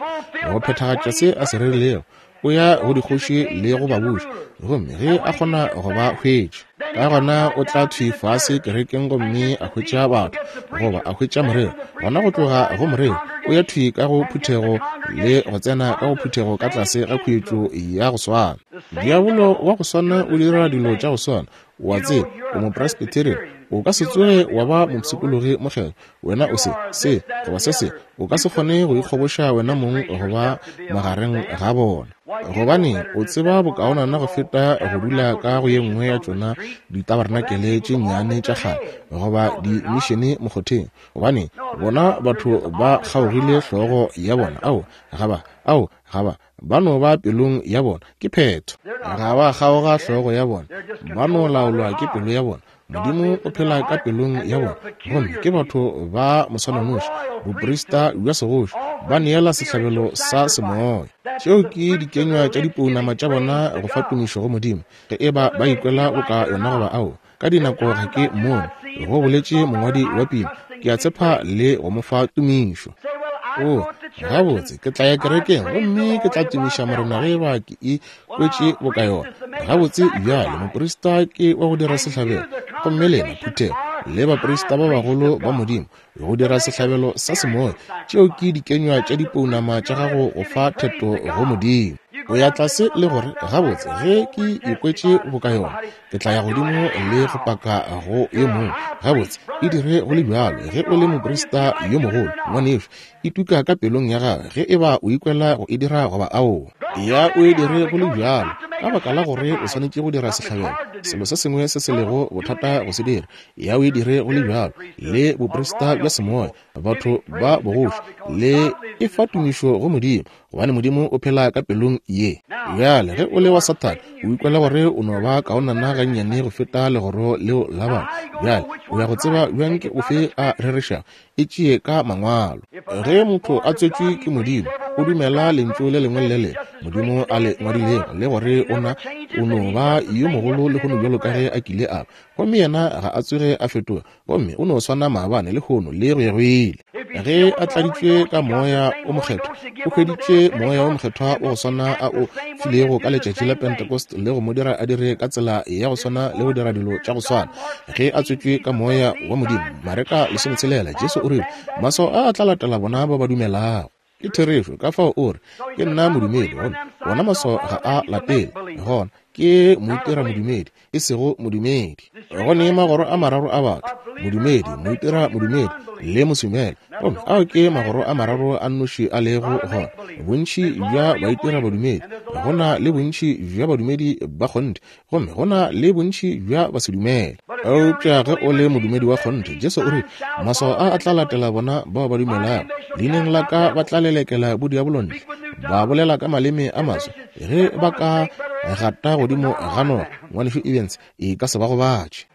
go phethagatša se a se rerilego. O ya go dikgoši le go babuši, gomme ge a kgona go ba hwetša, ka gona o tla thwi fase kerekeng gomme a hwetša batho, goba a hwetša morero. Gona go tloga go morero o ya thwi ka go phuthego le go tsena ka go phuthego ka tlase ga khuetšo ya go swana. Diabolo wa go swana o dira dilo tša go swana. O a tseba, o Mopresbyterian, o ka se tsoge wa ba mopshikologi mokgethwa. Wena o se, se, goba se se. O ka se kgone go ikgoboša wena mong go ba magareng ga bona. Gobane o tseba bokaonana go feta go dula ka go ye nngwe ya tšona ditabarenakele tše nnyane tša kgale goba dimišene mokgotheng. Gobane bona batho ba kgaogile hlogo ya bona. Ao, ga ba, ao, ga ba, ba no ba pelong ya bona. Ke phetho. Ga ba kgaoga hlogo ya bona. Ba no laolwa ke pelo ya bona. Modimo o phela ka pelong ya bona, gomme ke batho ba moswananoši, boprista bja segoši, ba neela sehlabelo sa semoya. Tšeo ke dikenywa tša dipounama tša bona go fa tumišo go Modimo, ge e ba ba ikwela boka yona goba aowa. Ka dinako ga ke mmone, go boletše mongwadi wa pina, ke a tshepa le go mo fa tumišo. O, gabotse, ke tla ya kerekeng gomme ke tla tumiša Morena ge e ba ke e kwetše boka yona. Gabotse, bjale, moprista ke wa go dira sehlabelo, gomme lena, phuthego, le baprista ba bagolo ba Modimo, go dira sehlabelo sa semoya. Tšeo ke dikenywa tša dipounama tša gago go fa theto go Modimo. O ya tlase le gore, gabotse, ge ke ikwetše boka yona, ke tla ya godimo le go paka go yo mongwe. Gabotse, e dire go le bjalo ge o le moprista yo mogolo, ngwanešu. E tuka ka pelong ya gagwe ge e ba o ikwela go e dira goba aowa. Ya o e dire go le bjalo, ka baka la gore o swanetše go dira sehlabelo, selo se sengwe se se lego bothata go se dira. Ya o e dire go le bjalo, le boprista bja semoya, batho ba bogoši, le e fa tumišo go Modimo, gobane Modimo o phela ka pelong ye. Bjale, ge o le wa Sathane, o ikwela gore o no ba kaonana gannyane go feta legoro leo la batho. Bjale, o ya go tseba bjang ke ofe a rerešago? E tšee ka Mangwalo. Ge motho a tswetšwe ke Modimo, o dumela Lentšu le lengwe le le lengwe Modimo a le ngwadilego, le gore o na o no ba yo mogolo lehono bjalo ka ge a kile a ba. Gomme yena ga a tsoge a fetoga, gomme o no swana maabane, lehono, le go ya go ile. Ge a tladitšwe ka Moya o Mokgethwa, o hweditše Moya wo Mokgethwa wa go swana a o filego ka letšatši la Pentecost le go mo dira a dire ka tsela ya go swana le go dira dilo tša go swana. Ge a tswetšwe ka Moya wa Modimo, Mareka 16, Jesu o rile, Maswao a a tla latela bona ba ba dumelago. Ke therešo, ka fao o re, Ke nna modumedi, gomme wona maswao ga a latele. Gona, ke moitiramodumedi, e sego modumedi. Go ne magoro a mararo a batho, modumedi, moitiramodumedi, le mosumela. Gomme ao ke magoro a mararo a nnoši a lego gona. Bontši bja baitirabadumedi, go na le bontši bja badumedi ba kgonthe, gomme go na le bontši bja basedumele. Eupša ge o le modumedi wa kgonthe, Jesu o rile, Maswao a a tla latela bona bao ba dumelago. Leineng la ka ba tla lelekela bodiabolo ntle, ba bolela ka maleme a maswa. Ge ba ka gata godimo ga noga, Ngwanešu Evans, e ka se ba gobatše.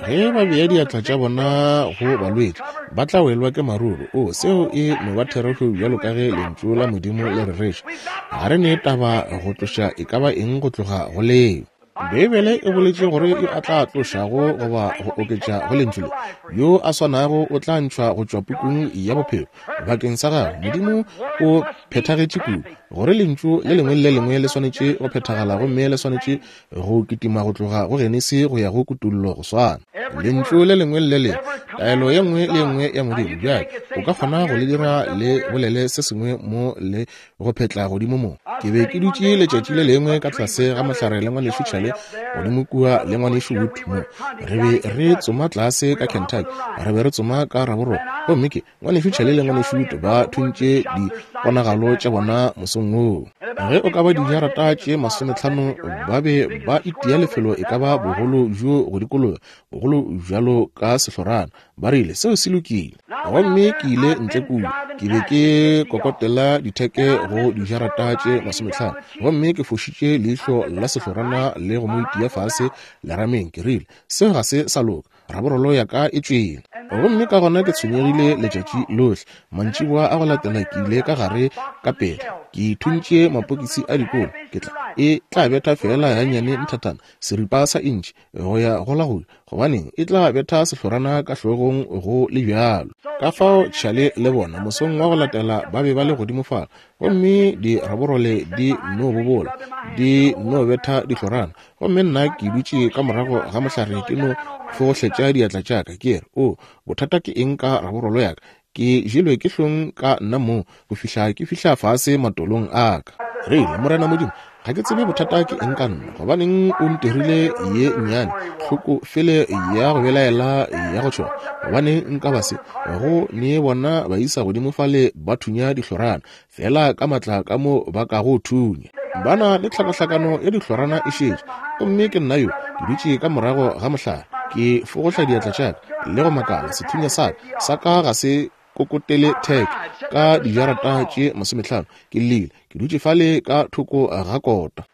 Ge ba bea diatla tša bona go balwetši, ba tla welwa ke maruru. O, seo e no ba therešo bjalo ka ge Lentšu la Modimo le rereša. Ga re ne taba go tloša e ka ba eng go tloga go leo. Beibele e boletše gore yo a tla tlošago goba go oketša go Lentšu le, yo a swanago o tla ntšhwa go tšwa pukung ya bophelo. Bakeng sa gagwe, Modimo o phethagetše kudu gore Lentšu le lengwe le le lengwe le swanetše go phethagala gomme le swanetše go kitima go tloga go Genesi go ya go Kutollo go swana. Lentšu le lengwe le le lengwe, taelo ye nngwe le ye nngwe ya Modimo. Bjale, o ka kgona go le dira le bolele se sengwe mo le go phetla godimo mo. Ke be ke dutše letšatši le lengwe ka tlase ga mohlare le ngwanešu Charlie godimo kua le ngwanešu Wood mo. Re be re tsoma tlase ka Kentucky, re be re tsoma ka raborolo. Gomme ke, Ngwanešu Charlie le Ngwanešu Wood ba thuntše diponagalo tša bona mosong woo. Ge o ka ba dijarata tše masometlhano ba be ba itia lefelo e ka ba bogolo bjo go dikologa, bogolo bjalo ka sehlorana. Ba rile, Seo se lokile. Gomme ke ile ntle kua, ke be ke kokotela ditheke go dijarata tše masometlhano, gomme ke fošitše leihlo la sehlorana le go mo itia fase lerameng. Ke rile, Seo ga se sa loka. Raborolo ya ka e tšwele. Gomme ka gona ke tshwenyegile letšatši lohle. Mantšiboa a go latela ke ile ka gare ka pela. Ke thuntše mapokisi a dikolo. Ke tla, e tla betha feela gannyane nthathana, seripa sa intšhi, go ya go la go ja. Gobaneng, e tla betha sehlorana ka hlogong go le bjalo. Ka fao Charlie le bona, mosong wa go latela ba be ba le godimo fale, gomme diraborole di no bobola, di no betha dihlorana. Gomme nna ke dutše ka morago ga mohlare ke no fogohletša diatla tša ka, ke re, O, bothata ke eng ka raborolo ya ka? Ke jelwe ke hlong ka nna mong go fihla ke fihla fase matolong a ka. Rile, Morena Modimo, ga ke tsebe bothata ke eng ka nna. Gobaneng o ntirile ye nnyane, hloko fele ya go belaela ya go tšhoga? Gobaneng nka ba se go ne bona baisa godimo fale ba thunya dihlorana, feela ka matla ka mo ba kago thunya? Ba na le tlhakahlakano ya dihlorana e šetše. Gomme ke nna yo, ke dutše ka morago ga mohlare, ke fogohla diatla tša ka le go makala, sethunya sa ka, sa ka ga se kokotele theke ka dijarata tše masometlhano. Ke llile, ke dutše fale ka thoko ga kota.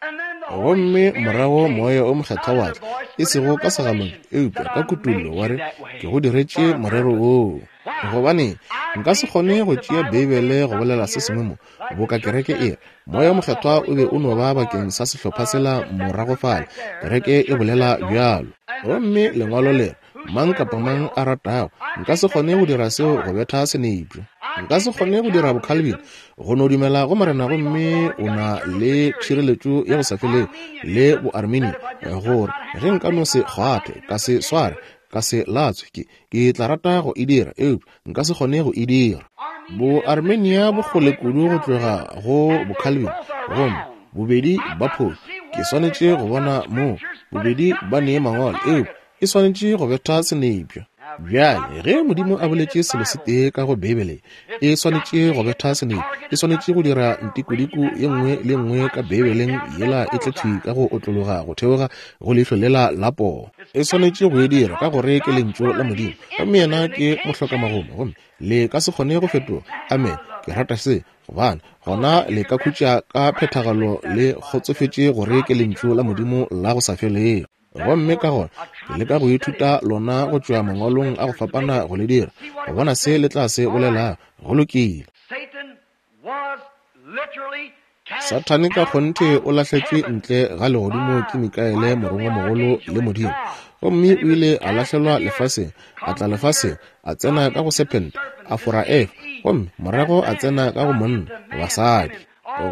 Gomme morago Moya o Mokgethwa wa tla, e sego ka segalong, eupša ka kutollo, wa re, Ke go diretše morero woo. Gobane nka se kgone go tšea Beibele go bolela se sengwe mo, boka kereke e re, Moya wo Mokgethwa o be o no ba bakeng sa sehlopha sela morago fale, kereke e bolela bjalo. Gomme Lengwalo le re, Mang kapa mang a ratago. Nka se kgone go dira seo go betha senepša. Nka se kgone go dira boCalvin, go no dumela go Morena gomme o na le tšhireletšo ya go sa felego, le boArminian, gore ge nka no se kgwathe, ka se sware, ka se latswe, ke, ke tla rata go e dira, eupša nka se kgone go e dira. Boarmenia bo kgole kudu go tloga go boCalvin, gomme bobedi ba phošo. Ke swanetše go bona moo bobedi ba nee mangwalo, eupša e swanetše go betha senepša. Bjale, ge Modimo a boletše selo se tee ka go Beibele, e swanetše go betha senepša. E swanetše go dira ntikodiko ye nngwe le ye nngwe ka Beibeleng yela e tle thwi ka go otlologa go theoga go leihlo lela la poo. E swanetše go e dira ka gore ke Lentšu la Modimo, gomme Yena ke mohlokamagomo, gomme le ka se kgone go fetoga. Amene. Ke rata se, gobane gona le ka khutša ka phethagalo le kgotsofetše gore ke Lentšu la Modimo la go sa felego. Gomme ka gona ke leka go ithuta lona go tšwa mangwalong a go fapana go le dira go bona se le tla se bolelago. Go lokile. Sathane ka kgonthe o lahletšwe ntle ga legodimo ke Mikaele morongwamogolo le Modimo, gomme o ile a lahlelwa lefaseng, a tla lefaseng, a tsena ka go sephente, a fora Efa, gomme morago a tsena ka go monna, basadi.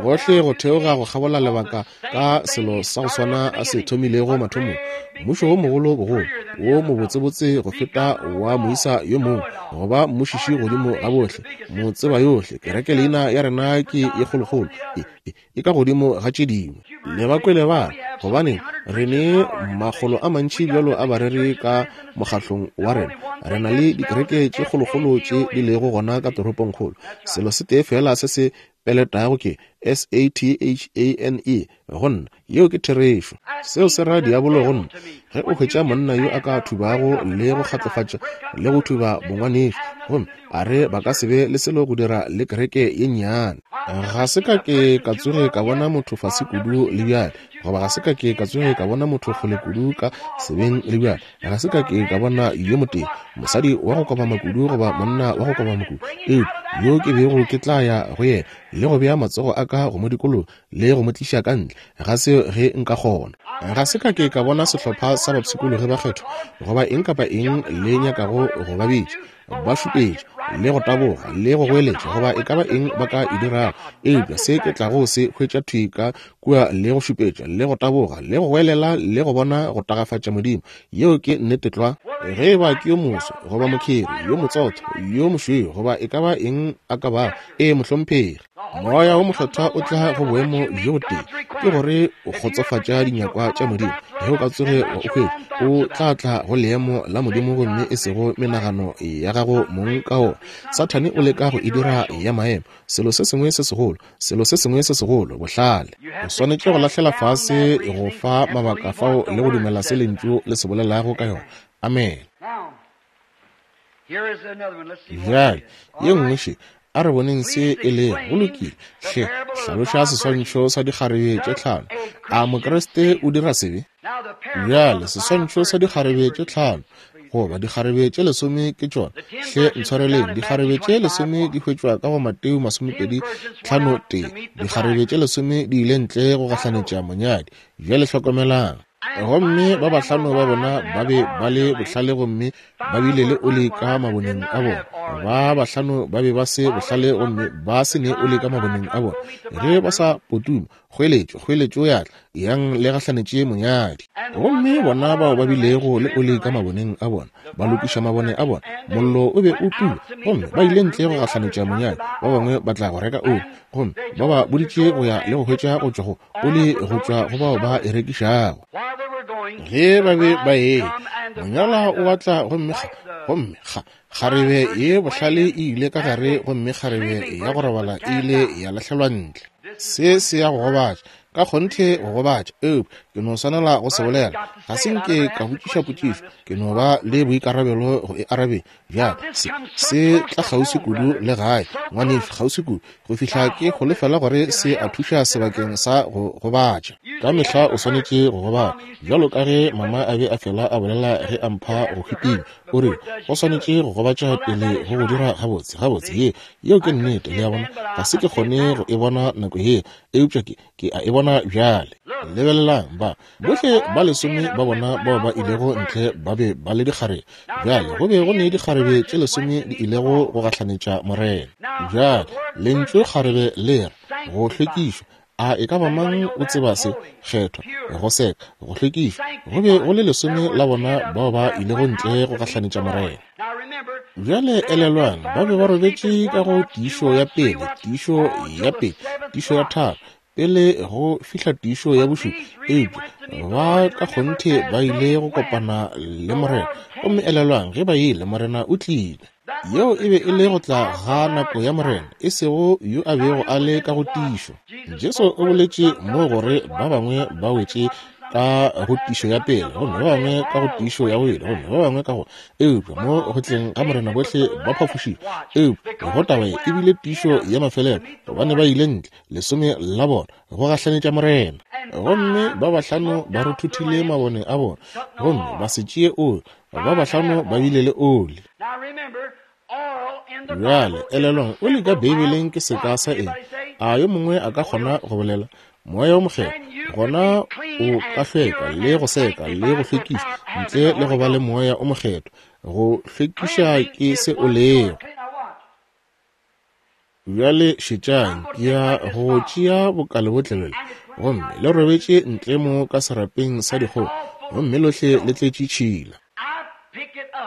Gohle go theoga go kgabola lebaka ka selo sa go swana a se thomilego mathomong, mmušo wo mogolo bogolo, wo mobotsebotse go feta wa moisa yo mongwe, go ba mmušiši godimo ga bohle, motseba yohle, kereke leina ya rena ke ye kgolokgolo, e, e, e ka godimo ga tše dingwe. Le ba kwele ba re, Gobaneng, re ne makgolo a mantši bjalo a bareri ka mokgahlong wa rena. Re na le dikereke tše kgolokgolo tše di lego gona ka toropongkgolo. Selo se tee feela se se peletago ke S-a-t-h-a-n-e go nna. Yeo ke therešo. Seo se ra diabolo go nna. Ge o hwetša monna yo a ka thubago le go kgatlofatša le go thuba bongwanešu, gomme a re ba ka se be le selo go dira le kereke ye nnyane. Ga se ka ke ka tsoge ka bona motho fase kudu le bjale, goba ga se ka ke ka tsoge ka bona motho kgole kudu ka sebeng le bjale. Ga se ka ke ka bona yo motee, mosadi wa go kobama kudu goba monna wa go kobama kudu, eupša yo ke bego ke tla ya go yena le go bea matsogo a ka go mo dikologa le go mo tliša ka ntle ga seo ge nka kgona. Ga se ka ke ka bona sehlopha sa bapshikologi bakgethwa goba eng kapa eng le nyakago go ba bitša, ba šupetša le go taboga le go goeletša goba e ka ba eng ba ka e dirago, eupša se ke tlago se hwetša thwi ka kua le go šupetša le go taboga le go goelela le go bona go tagafatša Modimo. Yeo ke nnete tlwa. Ge e ba ke yo moso goba mokheri, yo motsotho, yo mošweu goba e ka ba eng a ka bago, ee mohlomphegi. Moya wo Mokgethwa o tla go boemo bjo botee, ke gore o kgotsofatša dinyakwa tša Modimo. Ge o ka tsoge wa o hwetša, o tla tla go leemo la Modimo gomme e sego menagano ya gago mong ka wona. Sathane o leka go e dira ya maemo, selo se sengwe se segolo, selo se sengwe se segolo, bohlale. O swanetše go lahlela fase go fa mabaka fao le go dumela se Lentšu le se bolelago ka yona. Amene. Bjale, ye nngwe še, a re boneng se e lego. Go lokile. Hle, hlaloša seswantšho sa dikgarebe tše tlhano. A Mokriste o dira sebe? Bjale, seswantšho sa dikgarebe tše tlhano, goba dikgarebe tše lesome ke tšona. Hle, ntshwareleng, dikgarebe tše lesome di hwetšwa ka go Mateo 25 tee. Dikgarebe tše lesome di ile ntle go gahlanetša monyadi. Bjale hlokomelang. Gomme ba bahlano ba bona ba be ba le bohlale gomme ba bile le oli ka maboneng a bona. Ba bahlano ba be ba se bohlale gomme ba se ne oli ka maboneng a bona. Ge ba sa potuma, kgoeletšo, kgoeletšo ya tla, yang le gahlanetše monyadi. Gomme bona bao ba bilego le oli ka maboneng a bona, ba lokiša mabone a bona, mollo o be o tuba, gomme ba ile ntle go gahlanetša monyadi. Ba bangwe ba tla go reka oli, gomme ba ba boditše go ya le go hwetša go tšwa go oli go tšwa go bao ba e rekišago. Ge ba be ba eya, monyalwa o batla gomme gomme ga kgarebe ye bohlale e ile ka gare gomme kgarebe ya go robala e ile ya lahlelwa ntle. Se se ya go gobatša, ka kgonthe go gobatša, eupša ke no swanela go se bolela. Ga se nke ka botšiša potšišo, ke no ba le boikarabelo go e arabeng. Bjale, se, se tla kgauswi kudu le gae, ngwanešu, kgauswi kudu, go fihla ke holofela gore se a thuša sebakeng sa go gobatša. Ka mehla o swanetše go gobatša, bjalo ka ge mama a be a fela a bolela ge a mpha go hwiping, o rile, O swanetše go gobatša pele go go dira gabotse. Gabotse, ye, yeo ke nnete, le a bona. Ga se ke kgone go e bona nako yela, eupša ke, ke a e bona bjale. Lebelelang, ba bohle ba lesome ba bona bao ba ilego ntle ba be ba le dikgarebe. Bjale go be go ne dikgarebe tše lesome di ilego go gahlanetša Morena. Bjale lentšu kgarebe le re go hlwekišwa. A e ka ba mang o tseba se? Kgethwa, go seka, go hlwekišwa. Go be go le lesome la bona bao ba ilego ntle go gahlanetša Morena. Bjale elelwang, ba be ba robetše ka go tiišo ya pele, tiišo ya pele, tiišo ya tharo, pele go fihla tiišo ya bošupa, eupša ba ka kgonthe ba ile go kopana le Morena. Gomme elelwang, ge ba ile, Morena o tlile. Yeo e be e le go tla ga nako ya Morena, e sego yo a bego a le ka go tiišo. Jesu o boletše mo gore ba bangwe ba wetše ka go tišo ya pele, gomme ba bangwe ka go tišo ya bobedi, gomme ba bangwe ka go, eupša mo go tleng ga Morena bohle ba phafošitšwe. Eupša go taba ye e bile tišo ya mafelelo, gobane ba ile ntle, lesome la bona, go gahlanetša Morena. Gomme ba bahlano ba ruthuthile mabone a bona, gomme ba se tšee oli, ba bahlano ba bile le oli. Bjale, elelwang, oli ka Beibeleng ke seka sa eng? A yo mongwe a ka kgona go bolela? Moya wo Mokgethwa, gona o ka hlweka le go seka le go hlwekiša ntle le go ba le Moya o Mokgethwa. Go hlwekiša ke se o lego. Bjale šetšang, ke ya go tšea bokalebotlelo le, gomme le robetše ntle mo ka serapeng sa dikgogo, gomme lohle le tletše tšhila.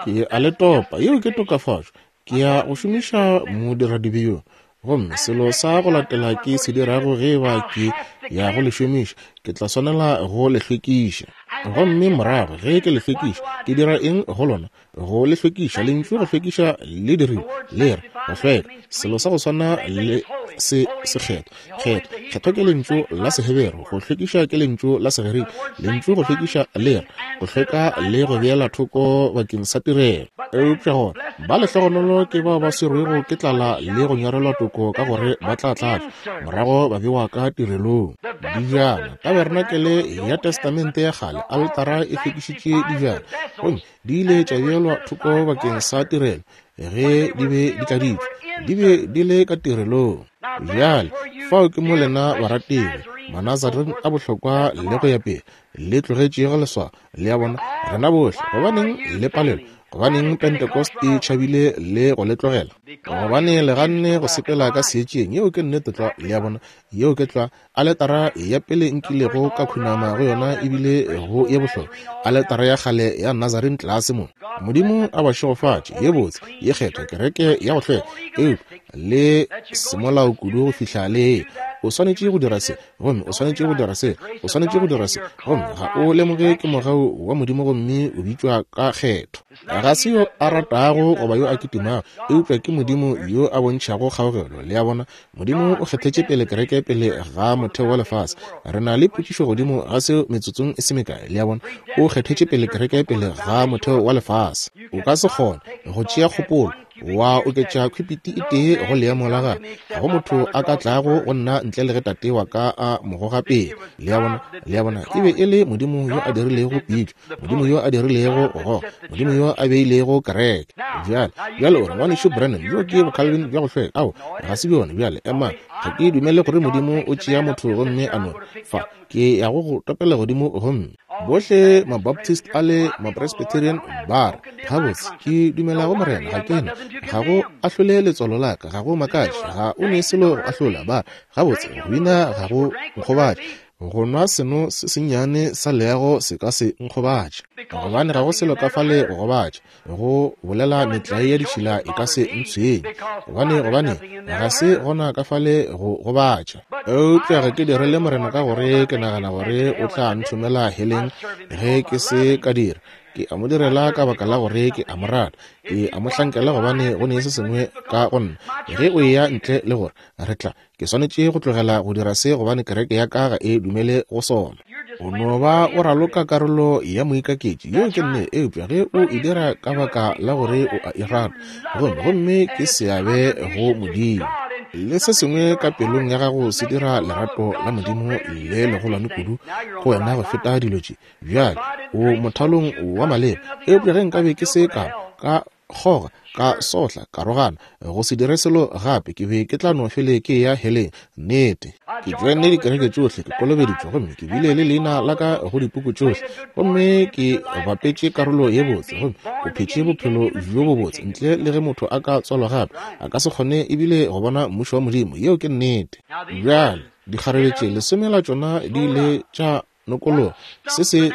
Ke a le topa, yeo ke tokafatšo. Ke ya go šomiša modiradibe yo. Gomme selo sa go latela ke se dirago ge e ba ke ya go le šomiša, ke tla swanela go le hlwekiša. Gomme morago ge ke le hlwekiša, ke dira eng go lona? Go le hlwekiša. Lentšu go hlwekiša le dirilwe le re go hlweka, selo sa go swana le se sekgethwa. Kgethwa, kgethwa ke lentšu la Seheberu, go hlwekiša ke lentšu la Segerika. Lentšu go hlwekiša le re go hlweka le go beela thoko bakeng sa tirelo. Eupša gona ba lehlogonolo ke bao ba swerwego ke tlala le go nyorelwa toko, ka gore ba tla tlatšwa, morago ba bewa ka tirelong. Dijana, taberenakele ya Testamente ya Kgale, aletara e hlwekišitše dijana, gomme di ile tša beelwa thoko bakeng sa tirelo ge di be di tladitšwe, di be di le ka tirelong. Bjale, fao ke mo lena barategi, Manazarene a bohlokwa le go ya pele, le tlogetšego leswao. Le a bona, rena bohle, gobaneng le palelwa? Gobaneng Pentecost e tšhabile le go le tlogela? Gobane le ganne go sepela ka seetšeng. Yeo ke nnete tlwa. Le a bona, yeo ke tlwa. Aletara ya pele nkilego ka khunama go yona e bile go ye bohlokwa, aletara ya kgale ya Nazarene tlase mo. Modimo a ba šegofatše, ye botse, ye kgethwa, kereke ya go hlweka, eupša le semolao kudu go fihla le o swanetše go dira se, gomme o swanetše go dira se, o swanetše go dira se, gomme ga o lemoge ke mogau wa Modimo gomme o bitšwa ka kgetho. Ga se yo a ratago goba yo a kitimago, eupša ke Modimo yo a bontšhago kgaogelo. Le a bona? Modimo o kgethetše pele kereke pele ga motheo wa lefase. Re na le potšišo godimo ga seo metsotsong e se mekae. Le a bona? O kgethetše pele kereke pele ga motheo wa lefase. O ka se kgone go tšea kgopolo wa oketša khwipiti e tee go leemo la gagwe. Ga go motho a ka tlago go nna ntle le ge Tate wa ka a mo goga pele. Le a bona? Le a bona? E be e le Modimo yo a dirilego pitšo, Modimo yo a dirilego go goga, Modimo yo a beilego kereke. Bjale, bjale o re, Ngwanešu Branham, bjo ke boCalvin bja go hlweka. Ao, ga se bjona. Bjale, ema. Ga ke dumele gore Modimo o tšea motho gomme a no re, Fa, ke ya go go topela godimo gomme. Bohle Mabaptist a le Mapresbyterian ba re, Gabotse, ke dumela go Morena, ga ke na. Ga go ahlole letswalo la ka, ga go makatše, ga o ne selo go ahlola. Ba re, Gabotse, go bina ga go nkgobatše. Go nwa seno se sennyane sa leago se ka se nkgobatše, gobane ga go selo ka fale go gobatša. Go bolela metlae ya ditšhila e ka se ntshwenye, gobane, gobane ga se gona ka fale go gobatša. Eupša ga ke direle Morena ka gore ke nagana gore o tla nthomela heleng ge ke se ka dira. Ke a mo direla ka baka la gore ke a mo rata. Ke a mo hlankela gobane go ne se sengwe ka go nna. Ge o eya ntle le gore re tla, Ke swanetše go tlogela go dira se gobane kereke ya ka ga e dumele go sona. O no ba o raloka karolo ya moikaketši, yeo ke nnete, eupša ge o e dira ka baka la gore o a e rata, gomme, gomme ke seabe go Modimo. Le se sengwe ka pelong ya gago se dira lerato la Modimo le legolwane kudu go wena go feta dilo tše. Bjale, o mothalong wa maleba, eupša ge nkabe ke se ka ka kgoga, ka sohla, ka rogana, go se dire selo gape, ke be ke tla no fele ke eya heleng. Nnete. Ke joenne dikereke tšohle, ke kolobeditšwe, gomme ke bile le leina la ka go dipuku tšohle, gomme ke bapetše karolo ye botse, gomme o phetše bophelo bjo bobotse. Ntle le ge motho a ka tswalwa gape, a ka se kgone ebile go bona Mmušo wa Modimo. Yeo ke nnete. Bjale, dikgarebe tše lesome la tšona di ile tša nokologa se se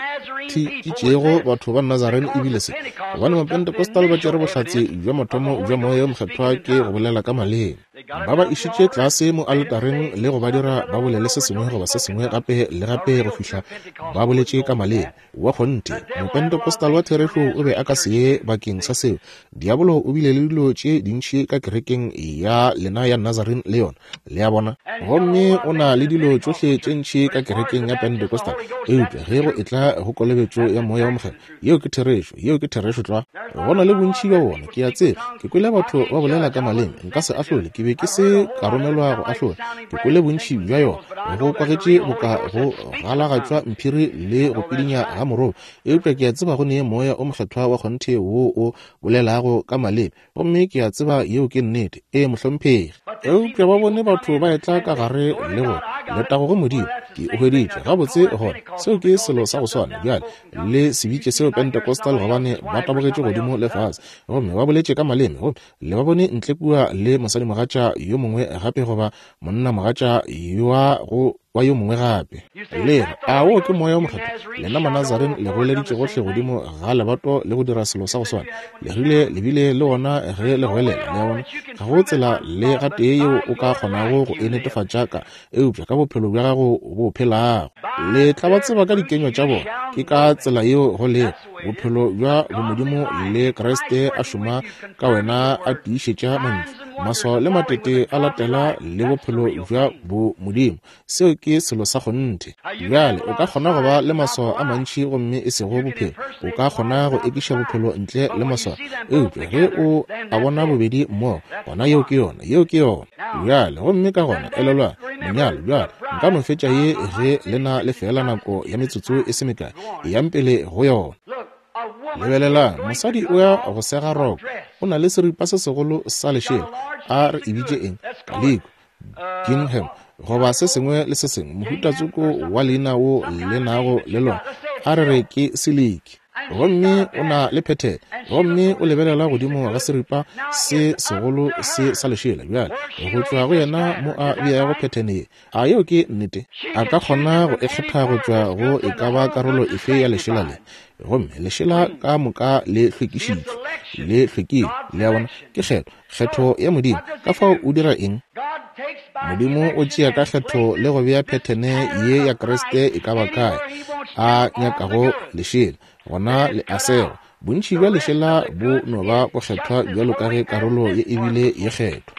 thitšitšego batho ba Nazarene ebile se, gobane Mapentecostal ba tšere bohlatse bja mathomo bja Moya wo Mokgethwa ke go bolela ka maleme. Ba ba išitše tlase mo aletareng le go ba dira ba bolele se sengwe goba se sengwe gape le gape go fihla ba boletše ka maleme. Wa kgonthe, Mopentecostal wa therešo o be a ka se ye bakeng sa seo. Diabolo o bile le dilo tše dintši ka kerekeng ya lena ya Nazarene le yona. Le a bona? Gomme o na le dilo tšohle tše ntši ka kerekeng ya Pentecostal, eupša ge go etla go kolobetšo ya Moya wo Mokgethwa, yeo ke therešo, yeo ke therešo tlwa. Go na le bontši bja bona, ke a tseba. Ke kwele batho ba bolela ka maleme, nka se ahlole, ke be ke se ka romelwa go ahlola. Ke kwele bontši bja yona, go kwagetše boka go galagatšwa mphiri le go pidinya ga moroba, eupša ke a tseba go ne Moya o Mokgethwa wa kgonthe woo o bolelago ka maleme. Gomme ke a tseba yeo ke nnete. Ee, mohlomphegi. Eupša ba bone batho ba etla ka gare le go, Letago go Modimo! Ke o hweditše gabotse gona. Seo ke selo sa go swana. Bjale, le se bitše seo Pentecostal gobane ba tabogetše godimo le fase gomme ba boletše ka maleme, gomme le ba bone ntle kua le mosadimogatša yo mongwe gape goba monnamogatša wa go wa yo mongwe gape. Le re, A wo ke Moya wo Mokgethwa? Lena Manazarene le goeleditše gohle godimo ga lebato le go dira selo sa go swana. Le rile le bile le wona ge le goelela. Le a bona? Ga go tsela le gatee yeo o ka kgonago go e netefatša ka, eupša ka bophelo bja gago bo phelago. Le tla ba tseba ka dikenywa tša bona. Ke ka tsela yeo go lego. Bophelo bja bomodimo le Kriste a šoma ka wena a tiišetša mantšu. Maswao le matete a latela le bophelo bja bomodimo. Seo ke selo sa kgonthe. Bjale, o ka kgona go ba le maswao a mantši gomme e sego bophelo. O ka kgona go ekiša bophelo ntle le maswao. Eupša ge o a bona bobedi mmogo, gona yeo ke yona. Yeo ke yona. Bjale, gomme ka gona, elelwang, monyalo. Bjale, nka no fetša ye ge le na le feela nako ya metsotso e se mekae. Eyang pele go yona. Lebelelang, mosadi o ya go sega roko. O na le seripa se segolo sa lešela. A re e bitše eng? Kaliko, gingham, goba se sengwe le se sengwe, mohuta tsoko wa leina wo le nago le lona. A re re ke siliki. Gomme o na le phethene, gomme o lebelela godimo ga seripa se segolo se sa lešela. Bjale, go tšwa go yena mo a beago phethene ye. A yeo ke nnete? A ka kgona go e kgetha go tšwa go e ka ba karolo efe ya lešela le. Gomme lešela ka moka le hlwekišitšwe, le hlwekile. Le a bona? Ke kgetho, kgetho ya Modimo. Ka fao o dira eng? Modimo o tšea ka kgetho le go bea phethene ye ya Kriste e ka ba kae a nyakago lešela, gona le a segwa. Bontši bja lešela bo no ba bokgethwa bjalo ka ge karolo ye e bile ye kgethwa.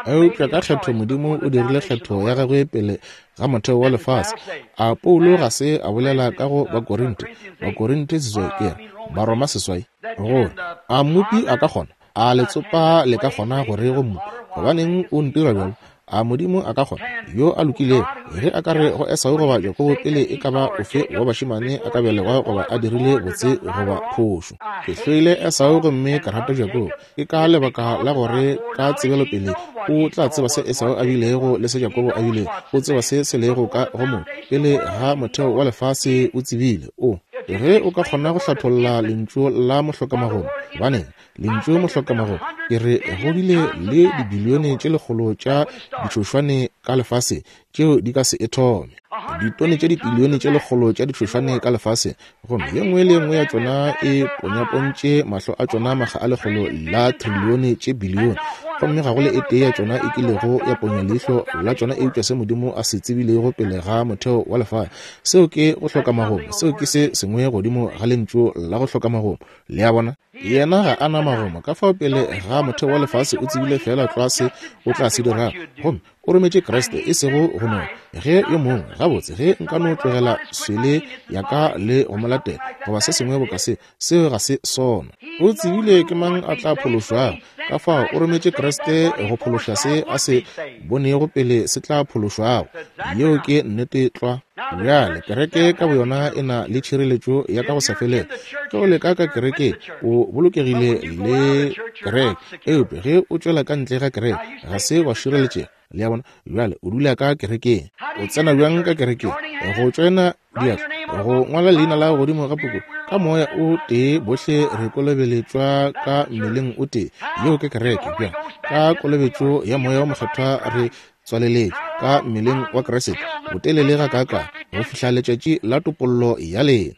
Eupša ka kgetho Modimo o dirile kgetho ya gagwe pele ga motheo wa lefase. A Paulo ga se a bolela ka go Bakorinte, Bakorinte seswai, ke re, Baroma seswai, gore a mmopi a ka kgona, A letsopa le ka kgona go re go mmopi, Gobaneng o ntira bjalo? A Modimo a ka kgona, yo a lokilego, ge a ka re go Esau goba Jakobo pele e ka ba ofe wa bašemane a ka belegwa goba a dirile botse goba phošo? Ke hloile Esau gomme ka rata Jakobo. Ke ka lebaka la gore ka tsebelopele o tla tseba se Esau a bilego le se Jakobo a bilego. O tseba se se lego ka go motho. Pele ga motheo wa lefase o tsebile. O, ge o ka kgona go hlatholla lentšu la mohlokamagomo, gobaneng, Lentšu mohlokamago ke re go bile le dibilione tše lekgolo tša ditšhošwane ka lefase tšeo di ka se e thome. Ditone tše dibilione tše lekgolo tša ditšhošwane ka lefase, gomme ye nngwe le ye nngwe ya tšona e ponyapontše mahlo a tšona makga a lekgolo la trilione tše bilione, gomme ga go le e tee ya tšona e kilego ya ponya leihlo la tšona eupša se Modimo a se tsebilego pele ga motheo wa lefase. Seo ke go hloka magomo. Seo ke se sengwe godimo ga lentšu la go hloka magomo. Le a bona? Yena ga a na magomo, ka fao pele ga motheo wa lefase o tsebile feela tlwa se o tla se dirago. Gomme o rometše Kriste, e sego go no ge yo mongwe, gabotse, ge nka no tlogela swele ya ka le go mo latela, goba se sengwe boka se, seo ga se sona. O tsebile ke mang a tla phološwago, ka fao o rometše Kriste go phološa se a se bonego pele se tla phološwago. Yeo ke nnete tlwa. Bjale, kereke ka boyona e na le tšhireletšo ya ka go sa felego. Ge o leka ka kerekeng, o bolokegile le kereke. Eupša ge o tšwela ka ntle ga kereke, ga se wa šireletšega. Le a bona? Bjale, o dula ka kerekeng. O tsena bjang ka kerekeng? Go tšoena diatla, go ngwala leina la godimo ga puku. Ka moya o tee bohle re kolobeletšwa ka mmeleng o tee. Yeo ke kereke. Bjale, ka kolobetšo ya Moya wo Mokgethwa re tswaleletšwe ka mmeleng wa Kriste botelele gakaakang go fihla letšatši la topollo ya lena.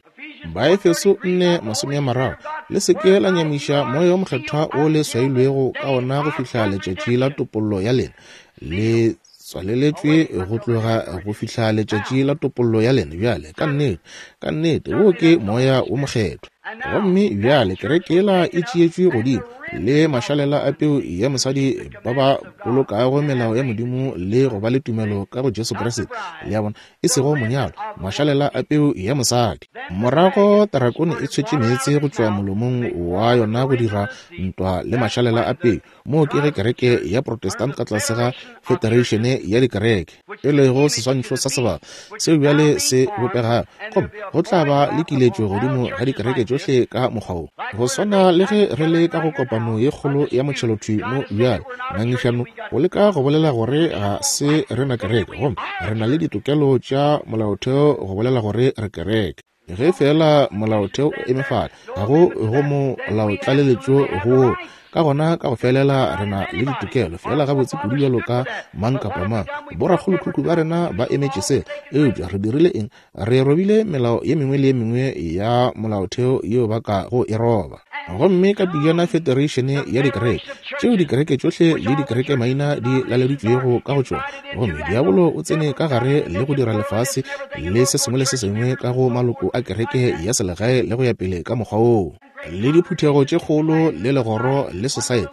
Baefeso 4:30 Le se ke la nyamiša moya wo mokgethwa wo le swailwego ka ona go fihla letšatši la topollo ya lena. Le tswaleletšwe go tloga go fihla letšatši la topollo ya lena. Bjale, ka nnete, ka nnete, wo ke moya wo mokgethwa. Gomme bjale kereke yela e tšeetšwe godimo, le mašalela a peu ya mosadi ba ba bolokago melao ya Modimo le go ba le tumelo ka go Jesu Kriste. Le a bona? E sego monyalo, mašalela a peu ya mosadi. Morago tarakone e tshwetše meetse go tšwa molomong wa yona go dira ntwa le mašalela a peu. Moo ke ge kereke ya Protestant ka tlase ga Federation ya Dikereke, e lego seswantšho sa sebaka seo bjale se bopegago, gomme go tla ba le kiletšo godimo ga dikereke tšohle ka mokgwa wo, go swana le ge re le ka go kopano. kopano ye kgolo ya motšhelo thwi mo bjale, ngangišano, go leka go bolela gore ga se rena kereke, gomme re na le ditokelo tša molaotheo go bolela gore re kereke. Ge feela molaotheo o eme fale, ga go go molaotlaleletšo go ka gona ka go felela re na le ditokelo feela gabotse kudu bjalo ka mang kapa mang. Borakgolokhukhu ba rena ba emetše se, eupša re dirile eng? Re robile melao ye mengwe le ye mengwe ya molaotheo yeo ba ka go e roba. Gomme ka pejana federeišene ya dikereke, tšeo dikereke tšohle le dikereke maina di laleditšwego ka go tšona, gomme diabolo o tsene ka gare le go dira lefase le se sengwe le se sengwe ka go maloko a kereke ya selegae le go ya pele ka mokgwa woo, le diphuthego tše kgolo le legoro le sosaete.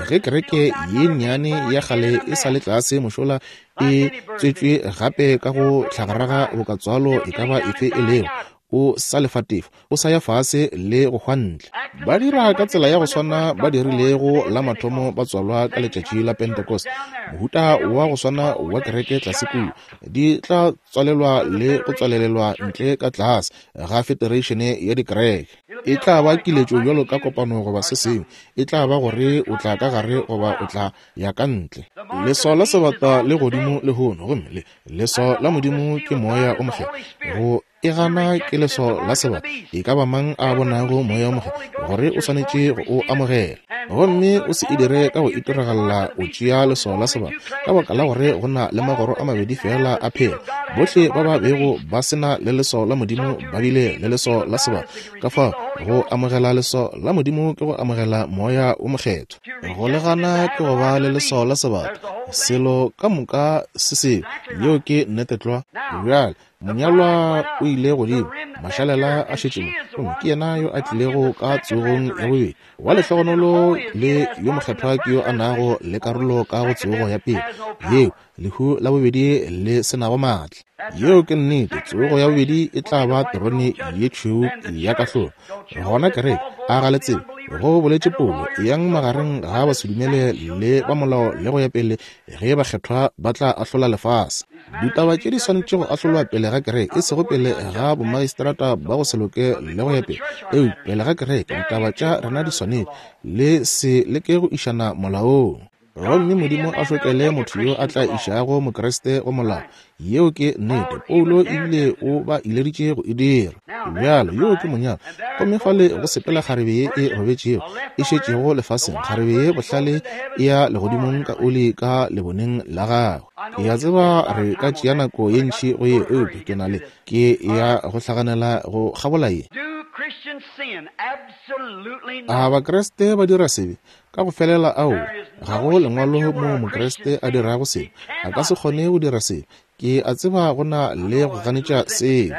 Ge kereke ye nnyane ya kgale e sa le tlase mošola e tswetšwe gape ka go hlagaraga boka tswalo e ka ba efe e lego, o sa lefa tefo, o sa ya fase le go hwa ntle. Ba dira ka tsela ya go swana ba dirilego la mathomo ba tswalwa ka letšatši la Pentecost, mohuta wa go swana wa kereke tlase kua, di tla tswalelwa le go tswalelelwa ntle ka tlase ga federeišene ya dikereke. E tla ba kiletšo bjalo ka kopano goba se sengwe, e tla ba gore o tla ka gare goba o tla ya ka ntle. Leswao la sebata le godimo lehono, gomme le leswao la Modimo ke Moya o Mokgethwa. Go e gana ke leswao la sebata, e ka ba mang a bonago Moya o Mokgethwa gore o swanetše go o amogela. Gomme o se e dire ka go itiragalla o tšea leswao la sebata, ka baka la gore go na le magoro a mabedi feela a phela. Bohle ba ba bego ba se na le leswao la Modimo ba bile le leswao la sebata. Ka fao go amogela leswao la Modimo ke go amogela Moya o Mokgethwa. Go le gana ke go ba le leswao la sebata. Selo ka moka se seo, yeo ke nnete tlwa. Bjale monyalwa o ile godimo, mašalela a šetše mo, gomme ke yena yo a tlilego ka tsogong ya bobedi. Wa lehlogonolo le yo mokgethwa ke yo a nago le karolo ka go tsogo ya pele, yeo lehu la bobedi le se nago maatla. Yeo ke nnete. Tsogo ya bobedi e tla ba terone ye tšhweu ya kahlolo. Gona kereke, a ga le tsebe, go boletše Paulo, eyang magareng ga basedumele le ba molao le go ya pele, ge bakgethwa ba tla ahlola lefase. Ditaba tše di swanetše go ahlolwa pele ga kereke, e sego pele ga bomagistrata ba go se loke le go ya pele, eupša pele ga kereke. Ditaba tša rena di swanetše, le se leke go išana molaong. Gomme Modimo a šokele motho yo a tla išago Mokriste go molao. Yeo ke nnete. Paulo ebile o ba ileditše go e dira. Bjalo, yoo ke monyalwa. Gomme fale go sepela kgarebe ye e robetšego, e šetšego lefaseng, kgarebe ye bohlale e ya legodimong ka oli ka leboneng la gagwe. Ke a tseba re ka tšea nako ye ntši go ye, eupša ke na le, ke ya go hlaganela go kgabola ye. A Bakriste ba dira sebe? Ka go felela aowa. Ga go lengwalo moo Mokriste a dirago sebe. A ka se kgone go dira sebe. Ke a tseba go na le go ganetša seo.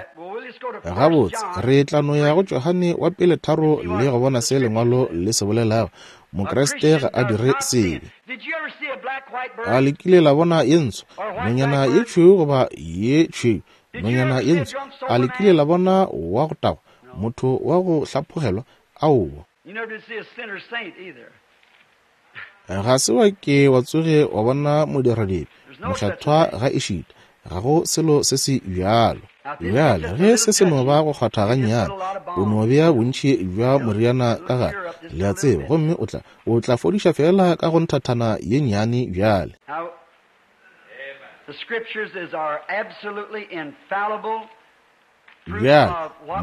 Gabotse, re tla no ya go Johane wa pele 3 le go bona se lengwalo le se bolelago. Mokriste ga a dire sebe. A le kile la bona ye ntsho, nonyana ye tšhweu goba ye tšhweu, nonyana ye ntsho? A le kile la bona wa go tagwa, motho wa go hlaphogelwa? Aowa. Ga se wa ke wa tsoge wa bona modiradibe mokgethwa ga ešita. Ga go selo se se bjalo. Bjale, ge se se no ba go kgwatha gannyane, o no bea bontši bja moriana ka gare, le a tseba, gomme o tla, o tla fodiša feela ka go nthathana ye nnyane bjale. Bjale,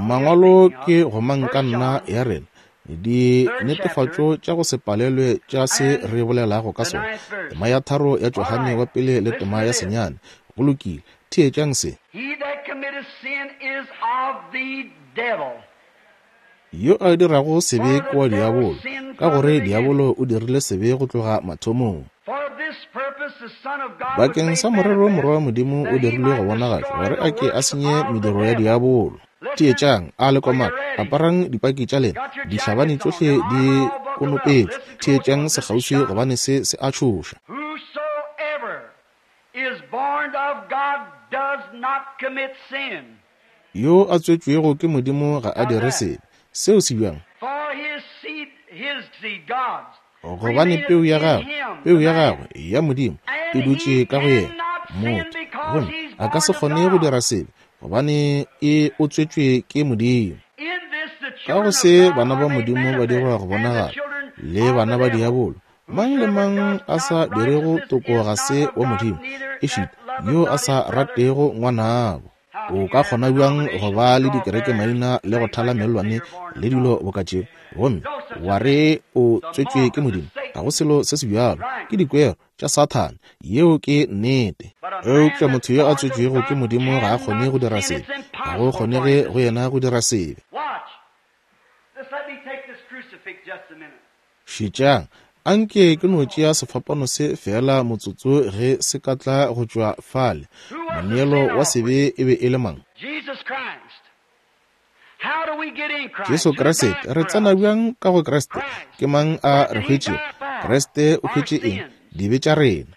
Mangwalo ke gomangkanna ya rena, dinetefatšo tša go se palelwe tša se re bolelago ka sona. Tema ya 3 ya Johane wa pele le tema ya 9. Go lokile, theetšang se. Yo a dirago sebe ke wa diabolo, ka gore diabolo o dirile sebe go tloga mathomong. Bakeng sa morero Morwa wa Modimo o dirilwe go bonagatšwa, gore a ke a senye mediro ya diabolo. Theetšang, a le komana, aparang dipaki tša lena, dihlabani tšohle di konopetšwe. Theetšang sekgauswi, gobane se se a tšhoša. Yo a tswetšwego ke Modimo ga a dire sebe. Seo se bjang? Gobane peu ya gagwe, peu ya gagwe ya Modimo e dutše ka go yena, motho, gomme a ka se kgone go dira sebe, gobane e o tswetšwe ke Modimo. Ka go se bana ba Modimo ba dirwa go bonagala, le bana ba diabolo. Mang le mang a sa dirego toko ga se wa Modimo, ešita yo a sa ratego ngwanabo. O ka kgona bjang go ba le dikerekemaina le go thala mellwane le dilo boka tšeo, gomme wa re o tswetšwe ke Modimo? Ga go selo se se bjalo. Ke dikwero tša Sathane. Yeo ke nnete. Eupša motho yo a tswetšwego ke Modimo ga a kgone go dira sebe. Ga go kgonege go yena go dira sebe. Šetšang, anke ke no tšea sefapano se feela motsotso ge se ka tla go tšwa fale. Moneelo wa sebe e be e le mang? Jesu Kriste. Re tsena bjang ka go Kriste? Ke mang a re hwetšego? Kriste o hwetše eng? Dibe tša rena.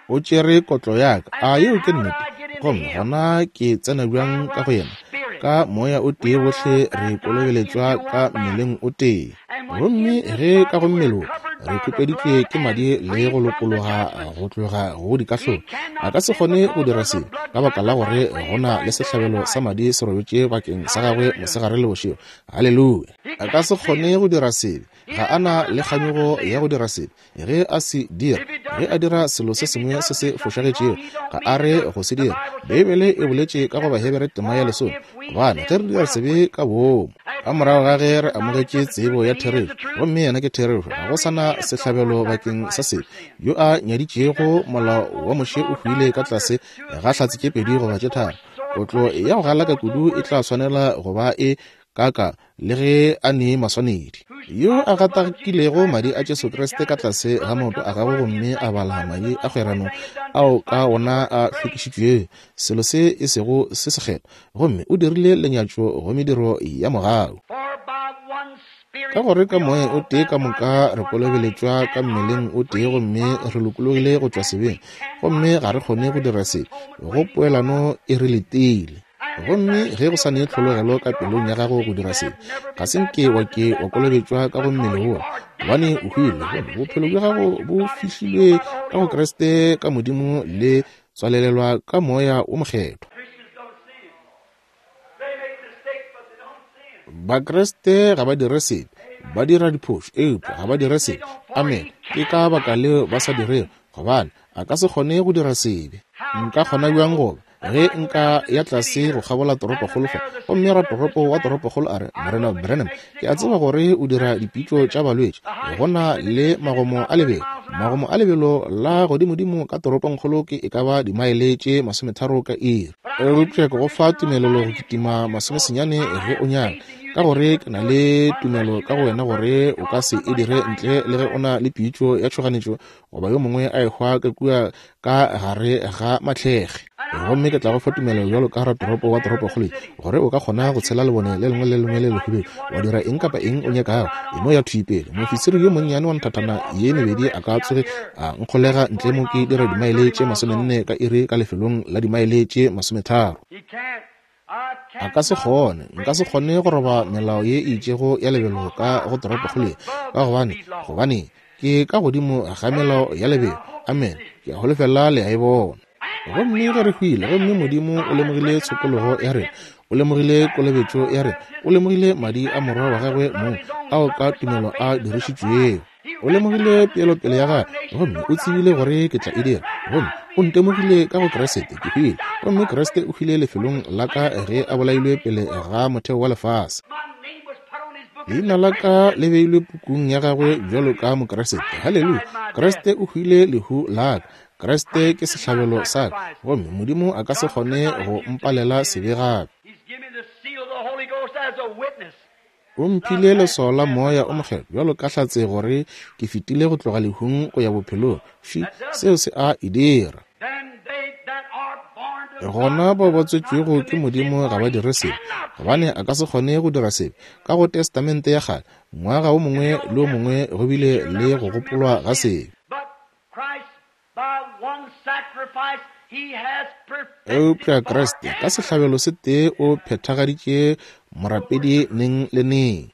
O tšere kotlo ya ka. A yeo ke nnete? Gomme gona ke tsena bjang ka go yena? Ka moya o tee bohle re kolobeletšwa ka mmeleng o tee. Gomme ge ka go mmele wo re khupeditšwe ke madi le go lokologa go tloga go dikahlolo, a ka se kgone go dira sebe ka baka la gore go na le sehlabelo sa madi se robetše bakeng sa gagwe mosegare le bošego. Haleluya! A ka se kgone go dira sebe. Ga a na le kganyogo ya go dira sebe. Ge a se dira, ge a dira selo se sengwe se se fošagetšego, ga a re go se dira. Beibele e boletše ka go Bahebere tema ya lesome, gobane ge re dira sebe ka boomo, ka morago ga ge re amogetše tsebo ya therešo, gomme yena ke therešo, ga go sa na sehlabelo bakeng sa sebe. Yo a nyaditšego molao wa Moshe o hwile ka tlase ga hlatse tše pedi goba tše tharo. Kotlo ya go galaka kudu e tla swanela go ba e kaka le ge a ne maswanedi. Yo a gatakilego madi a Jesu Kriste ka tlase ga maoto a gagwe gomme a bala madi a kgwerano ao ka wona a hlwekišitšwego, selo se e sego se sekgethwa, gomme o dirile lenyatšo go mediro ya mogau. Ka gore ka moya o tee ka moka re kolobeletšwa ka mmeleng o tee gomme re lokologile go tšwa sebeng, gomme ga re kgone go dira sebe, go poelano e re letile. Gomme ge go sa ne tlhologelo ka pelong ya gago go dira sebe, ga se nke wa ke wa kolobetšwa ka go mmele wola, gobane o hwile, gomme bophelo bja gago bo fihlilwe ka go Kriste ka Modimo le tswalelelwa ka Moya wo Mokgethwa. Bakriste ga ba dire sebe, ba dira diphošo, eupša ga ba dire sebe. Amen. Ke ka baka leo ba sa dirego, gobane a ka se kgone go dira sebe. Nka kgona bjang goba ge nka ya tlase go kgabola toropokgolo fa, gomme ratoropo wa toropokgolo a re, Morena Branham, ke a tseba gore o dira dipitšo tša balwetši. Go na le magomo a lebelo. Magomo a lebelo la godimodimo ka toropongkgolo ke e ka ba dimaele tše 30 ka iri. Eupša ke go fa tumelelo go kitima 90 ge o nyaka, ka gore ke na le tumelo ka go wena gore o ka se e dire ntle le ge o na le pitšo ya tšhoganetšo goba yo mongwe a ehwa ka kua ka gare ga mahlege. Gomme ke tla go fa tumelo bjalo ka ratoropo wa toropokgolo ye, gore o ka kgona go tshela lebone le lengwe le lengwe le lehubedu, wa dira eng kapa eng o nyakago. E no ya thwi pele. Moofisiri yo monnyane wa nthathana ye mebedi a ka tsoge a nkgolega ntle mo ke dira dimaele tše 40 ka iri ka lefelong la dimaele tše 30. A ka se kgone, nka se kgone go roba melao ye e itšego ya lebelo ka go toropokgolo ye, ka gobane, gobane ke ka godimo ga melao ya lebelo. Amen. Ke a holofela le a e bona. Gomme ge re hwile, gomme Modimo o lemogile tshokologo ya rena, o lemogile kolobetšo ya rena, o lemogile madi a Morwa wa gagwe mong ao ka tumelo a dirišitšwego. O lemogile peelopele ya gagwe, gomme o tsebile gore ke tla e dira. Gomme o ntemogile ka go Kriste, ke hwile, gomme Kriste o hwile lefelong la ka ge a bolailwe pele ga motheo wa lefase. Leina la ka le beilwe pukung ya gagwe bjalo ka Mokriste. Haleluya! Kriste o hwile lehu la ka. Kriste ke sehlabelo sa ka, gomme Modimo a ka se kgone go mpalela sebe gape. O mphile leswao la Moya o Mokgethwa bjalo ka hlatse gore ke fetile go tloga lehung go ya bophelong. Fše, seo se a e dira. Gona bao ba tswetšwego ke Modimo ga ba dire sebe, gobane a ka se kgone go dira sebe. Ka go Testamente ya Kgale, ngwaga wo mongwe le wo mongwe go bile le go gopolwa ga sebe. Eupša Kriste ka sehlabelo se tee o phethagaditše morapedi neng le neng.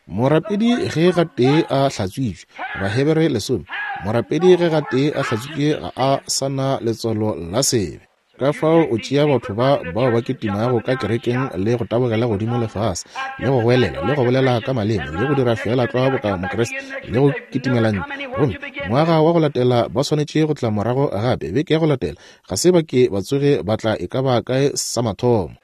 Morapedi ge gatee a hlatswitšwe, Bahebere lesome, morapedi ge gatee a hlatswitšwe ga a sa na letswalo la sebe. Ka fao o tšea batho ba bao ba kitimago ka kerekeng le go tabogela godimo le fase, le go goelela, le go bolela ka maleme, le go dira feela tlwa boka Mokriste, le go kitimela ntle. Gomme ngwaga wa go latela ba swanetše go tla morago gape, beke ya go latela, ga se ba ke ba tsoge ba tla e ka ba kae sa mathomo.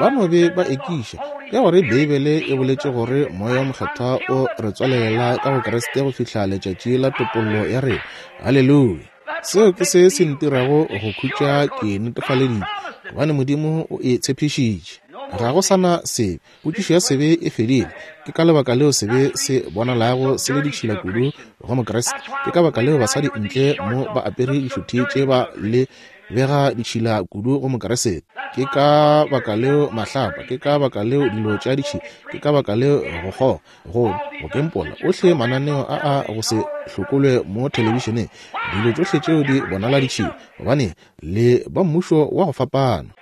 Ba no be ba ekiša, ka gore Beibele e boletše gore Moya wo Mokgethwa o re tswalelela ka go Kriste go fihla letšatši la topollo ya rena. Haleluya! Seo ke se se ntirago go khutša ke netefaleditše, gobane Modimo o e tshepišitše. Ga go sa na sebe. Potšišo ya sebe e fedile. Ke ka lebaka leo sebe se bonalago se le ditšhila kudu go Mokriste. Ke ka baka leo basadi ntle mo ba apere dišuthi tše ba le bega ditšhila kudu go Mokriste. Ke ka baka leo mahlapa, ke ka baka leo dilo tša ditšhila, ke ka baka leo go kgoga, go go kempola, ohle mananeo a a go se hlokolwe mo thelebišeneng, dilo tšohle tšeo di bonala ditšhila, gobane le ba mmušo wa go fapana.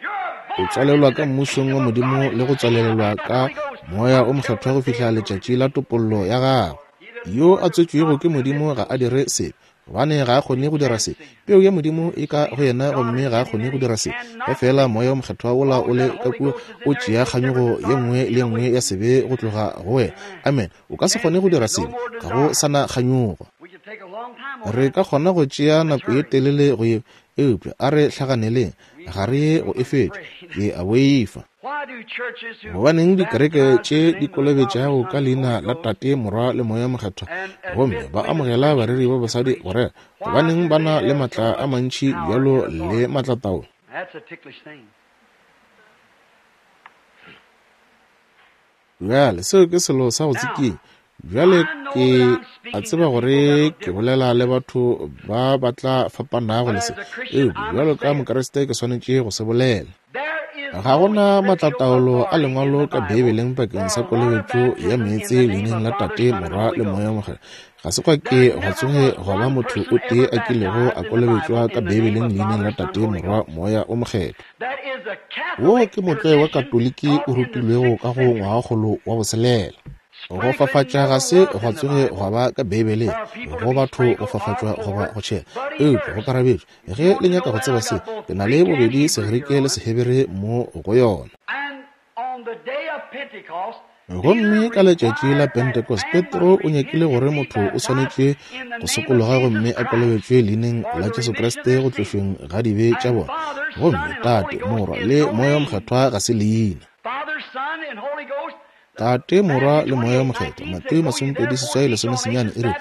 O tswalelwa ka mmušong wa Modimo le go tswalelelwa ka Moya o Mokgethwa go fihla letšatši la topollo ya gago. Yo a tswetšwego ke Modimo ga a dire sebe, gobane ga a kgone go dira se. Peu ya Modimo e ka go yena gomme ga a kgone go dira se. Ge feela Moya wo Mokgethwa wola o le ka kua, o tšea kganyogo ye nngwe le ye nngwe ya sebe go tloga go wena. Amen. O ka se kgone go dira sebe, ga go sa na kganyogo. Re ka kgona go tšea nako ye telele go ye, eupša a re hlaganeleng, ga re ye go e fetša. Ke a boifa. Gobaneng dikereke tše di kolobetšago ka leina la Tate, Morwa le Moya Mokgethwa gomme ba amogela bareri ba basadi go rera, gobaneng ba na le matla a mantši bjalo le matlataolo? Bjale, seo ke selo sa go tsikinya. Bjale ke a tseba gore ke bolela le batho ba ba tla fapanago le se, eupša bjalo ka Mokriste ke swanetše go se bolela. Ga go na matlataolo a Lengwalo ka Beibeleng bakeng sa kolobetšo ya meetse leineng la Tate, Morwa le Moya Mokgethwa. Ga se gwa ke gwa tsoge gwa ba motho o tee a kilego a kolobetšwa ka Beibeleng leineng la Tate, Morwa, Moya o Mokgethwa. Wo ke motlwae wa Katoliki o rutilwego ka go ngwagakgolo wa boselela. Go fafatša ga se gwa tsoge gwa ba ka Beibeleng, go batho go fafatšwa goba go tšhela, eupša go karabetšwe. Ge le nyaka go tseba se, ke na le bobedi Segerike le Sehebere mo go yona. Gomme ka letšatši la Pentecost, Petro o nyakile gore motho o swanetše go sokologa gomme a kolobetšwe leineng la Jesu Kriste go tlošweng ga dibe tša bona. Gomme Tate, Morwa, le Moya wo Mokgethwa ga se leina. Tate, Morwa, le Moya wo Mokgethwa. Mateo 28, 19 e re,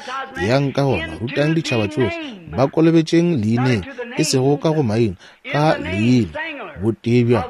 Yang ka gona, rutang ditšhaba tšohle, ba kolobetšeng leineng, e sego ka go maina, ka leina, botee bja.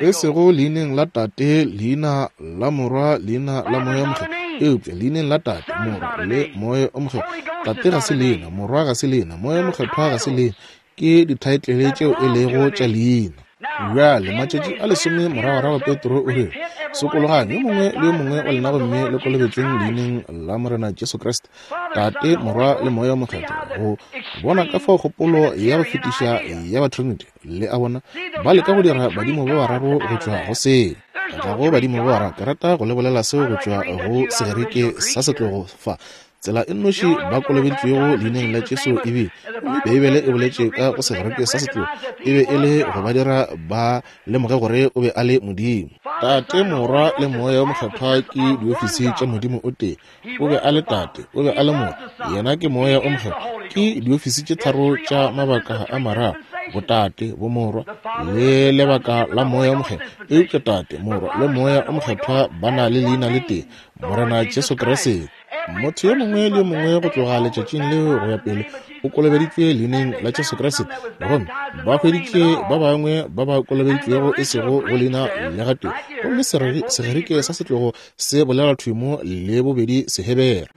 E sego leineng la Tate, leina la Morwa, leina la Moya Mokgethwa, eupša leineng la Tate, Morwa, le Moya o Mokgethwa. Tate ga se leina, Morwa ga se leina, Moya Mokgethwa ga se leina, ke dithaetlele tšeo e lego tša leina. Bjale, matšatši a lesome moragorago Petro o rile, Sokologang, yo mongwe le yo mongwe wa lena gomme le kolobetšweng leineng la Morena Jesu Kriste, Tate, Morwa le Moya wo Mokgethwa, go bona ka fao kgopolo ya go fetiša ya ba Trinity, le a bona, ba leka go dira badimo ba bararo go tšwa go seo. Ga go badimo ba bararo. Ke rata go le bolela seo go tšwa go Segerike sa setlogo fa. Tsela e nnoši ba kolobeditšwego leineng la Jesu e bile, gomme Beibele e boletše ka go Segerike sa setlogo, e be e le go ba dira ba lemoge gore o be a le Modimo. Tate, Morwa le Moya wo Mokgethwa ke diofisi tša Modimo o tee. O be a le Tate, o be a le Morwa, Yena ke Moya o Mokgethwa. Ke diofisi tše tharo tša mabaka a mararo, Botate, Bomorwa, le lebaka la Moya o Mokgethwa. Eupša Tate, Morwa, le Moya o Mokgethwa ba na le leina le tee, Morena Jesu Kriste. Motho yo mongwe le yo mongwe go tloga letšatšing leo go ya pele o kolobeditšwe leineng la Jesu Kriste, gomme ba hweditše ba bangwe ba ba kolobeditšwego e sego go leina le gatee. Gomme Segerike sa setlogo se bolela thwi mo le bobedi Sehebere.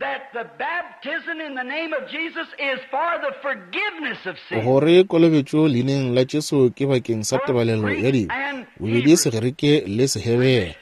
Gore kolobetšo leineng la Jesu ke bakeng sa tebalelo ya dibe, bobedi Segerike le Sehebere.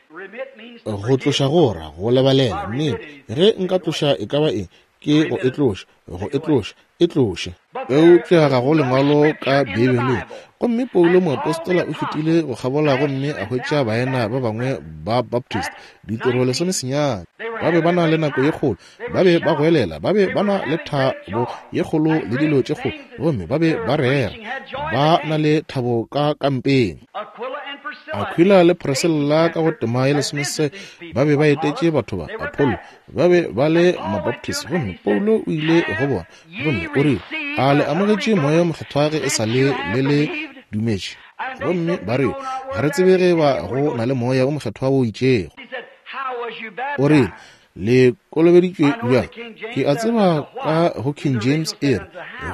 Go tloša go ra go lebalela. Nnete, ge nka tloša e ka ba eng, Ke go e tloša, go e tloša, e tloše. Eupša ga go lengwalo ka Beibeleng. Gomme Paulo moapostola o fetile go kgabola gomme a hwetša baena ba bangwe ba Baptist, ditiro 19. Ba be ba na le nako ye kgolo, ba be ba goelela, ba be ba na le thabo ye kgolo le dilo tše kgolo, gomme ba be ba rera, ba na le thabo ka kampeng. Aquila le Priscilla ka go tema ye 16 ba be ba etetše batho ba Apollo, ba be ba le Mabaptist, gomme Paulo o ile go bona gomme o rile, A le amogetše Moya wo Mokgethwa ge e sa le le le dumetše? Gomme ba re, Ga re tsebe ge ba go na le Moya wo Mokgethwa wo itšego. O rile, Le kolobeditšwe bjang? Ke a tseba ka go King James e re,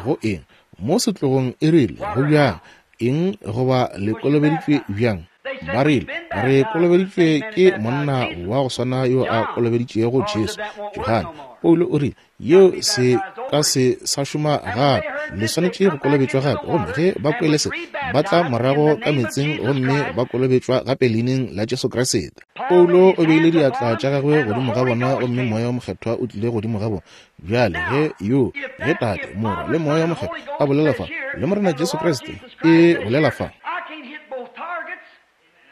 go eng? Mo setlogong e rile, go bjang? Eng goba le kolobeditšwe bjang? Ba rile, Re kolobeditšwe ke monna wa go swana yo a kolobeditšego Jesu, Johane. Paulo o rile, Yeo se ka se sa šoma gape. Le swanetše go kolobetšwa gape. Gomme ge ba kwele se, ba tla morago ka meetseng gomme ba kolobetšwa gape leineng la Jesu Kriste. Paulo o beile diatla tša gagwe godimo ga bona gomme Moya wo Mokgethwa o tlile godimo ga bona. Bjale ge yo, ge Tate, Morwa, le Moya wo Mokgethwa a bolela fa, le Morena Jesu Kriste e bolela fa,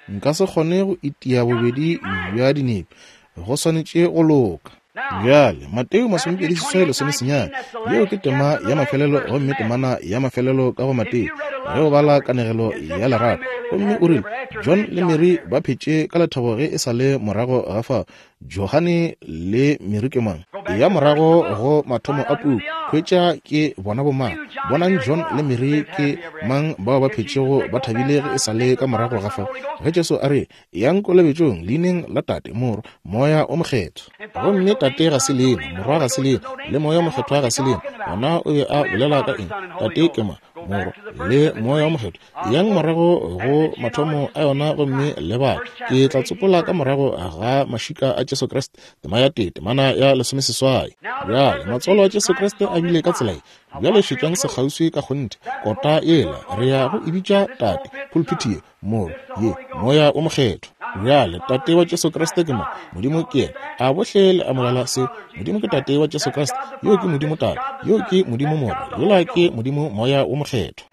nka se kgone go itia bobedi bja dinepe. Go swanetše go loka. Bjale, Mateo 28:19, yeo ke tema ya mafelelo gomme temana ya mafelelo ka go Mateo, ge o bala kanegelo ya lerato. Gomme o rile, John le Mary ba phetše ka lethabo ge e sa le morago ga fao. Johane le Mary ke mang? Ya morago go mathomo a puku, hwetša ke bona bomang. Bonang John le Mary ke mang bao ba phetšego ba thabile ge e sa le ka morago ga fao. Ge Jesu a re, Yang kolobetšong leineng la Tate, Morwa, Moya o Mokgethwa. Gomme Tate ga se leina, Morwa ga se leina, le Moya o Mokgethwa ga se leina. Gona o be a bolela ka eng? Tate ke mang? Morwa, le Moya o Mokgethwa. Yang morago go mathomo a yona gomme le bale. Ke tla tsopola ka morago ga mašika a Jesu Kriste, tema ya tee, temana ya 18. Bjale, matswalo a Jesu Kriste a bile ka tsela ye. Bjale šetšang sekgauswi ka kgonthe, kota yela, re ya go e bitša Tate, pulpiti ye, Morwa, ye, Moya wo Mokgethwa. Bjale, Tate wa Jesu Kriste ke mang? Modimo ke yena. A bohle le amogela se? Modimo ke Tate wa Jesu Kriste. Yo ke Modimo Tate. Yo ke Modimo Morwa. Yola ke Modimo Moya wo Mokgethwa.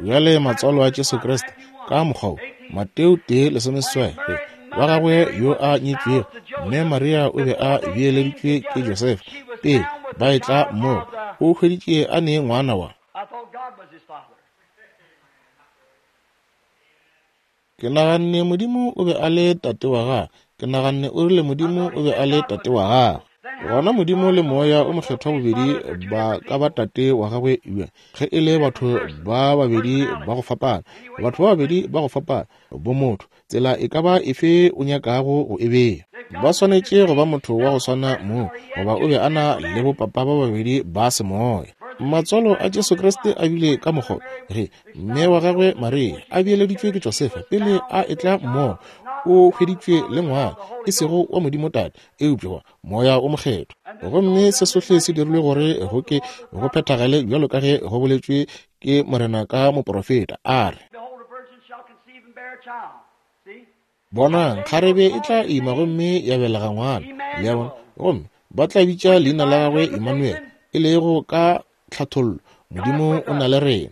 Bjale matswalo a Jesu Kriste ka mokgwa wo, Mateo 1:18, wa gagwe yo a nyetšwego, mme Maria o be a beeleditšwe ke Josefa, pele ba etla mmogo, o hweditše a ne ngwana wa. Ke naganne Modimo o be a le Tate wa gagwe. Ke naganne o rile Modimo o be a le Tate wa gagwe. Gona Modimo le Moya o Mokgethwa bobedi ba ka ba Tate wa gagwe bjang, ge e le batho ba babedi ba go fapana, batho ba babedi ba go fapana, bomotho, tsela e ka ba efe o nyakago go e bea. Ba swanetše go ba motho wa go swana moo, goba o be a na le bopapa ba babedi ba semoya. Matswalo a Jesu Kriste a bile ka mokgwa ge Mme wa gagwe Maria a beeleditšwe ke Josefa pele a etla mmogo, o hweditšwe le ngwana, e sego wa Modimo Tate, eupša wa Moya o Mokgethwa. Gomme se sohle se dirilwe gore go ke go phethagale bjalo ka ge go boletšwe ke Morena ka moporofeta, a re, Bonang, kgarebe e tla ima gomme ya belega ngwana, le a bona, gomme ba tla bitša leina la gagwe Emmanuel, e lego ka tlhathollo, Modimo o na le rena.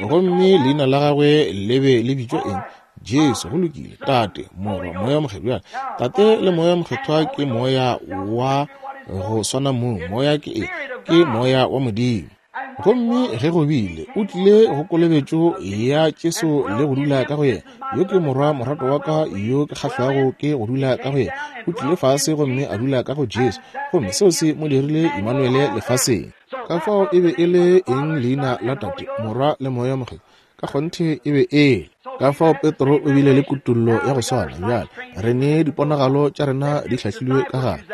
Gomme leina la gagwe le be le bitšwa eng? Jesu. Go lokile. Tate, Morwa, Moya Mokgethwa. Tate le Moya Mokgethwa ke Moya wa go swana mong. Moya ke eng? Ke Moya wa Modimo. Gomme ge go bile, o tlile go kolobetšo ya Jesu le go dula ka go yena. Yo ke Morwa morato wa ka yo ke kgahlwago ke go dula ka go yena. O tlile fase gomme a dula ka go Jesu, gomme seo se mo dirile Imanuele lefaseng. Ka fao e be e le eng leina la Tate, Morwa le Moya Mokgethwa? Ka kgonthe e be e le. Ka fao Petro o bile le kutollo ya go swana. Bjale re ne diponagalo tša rena di hlahlilwe ka gare.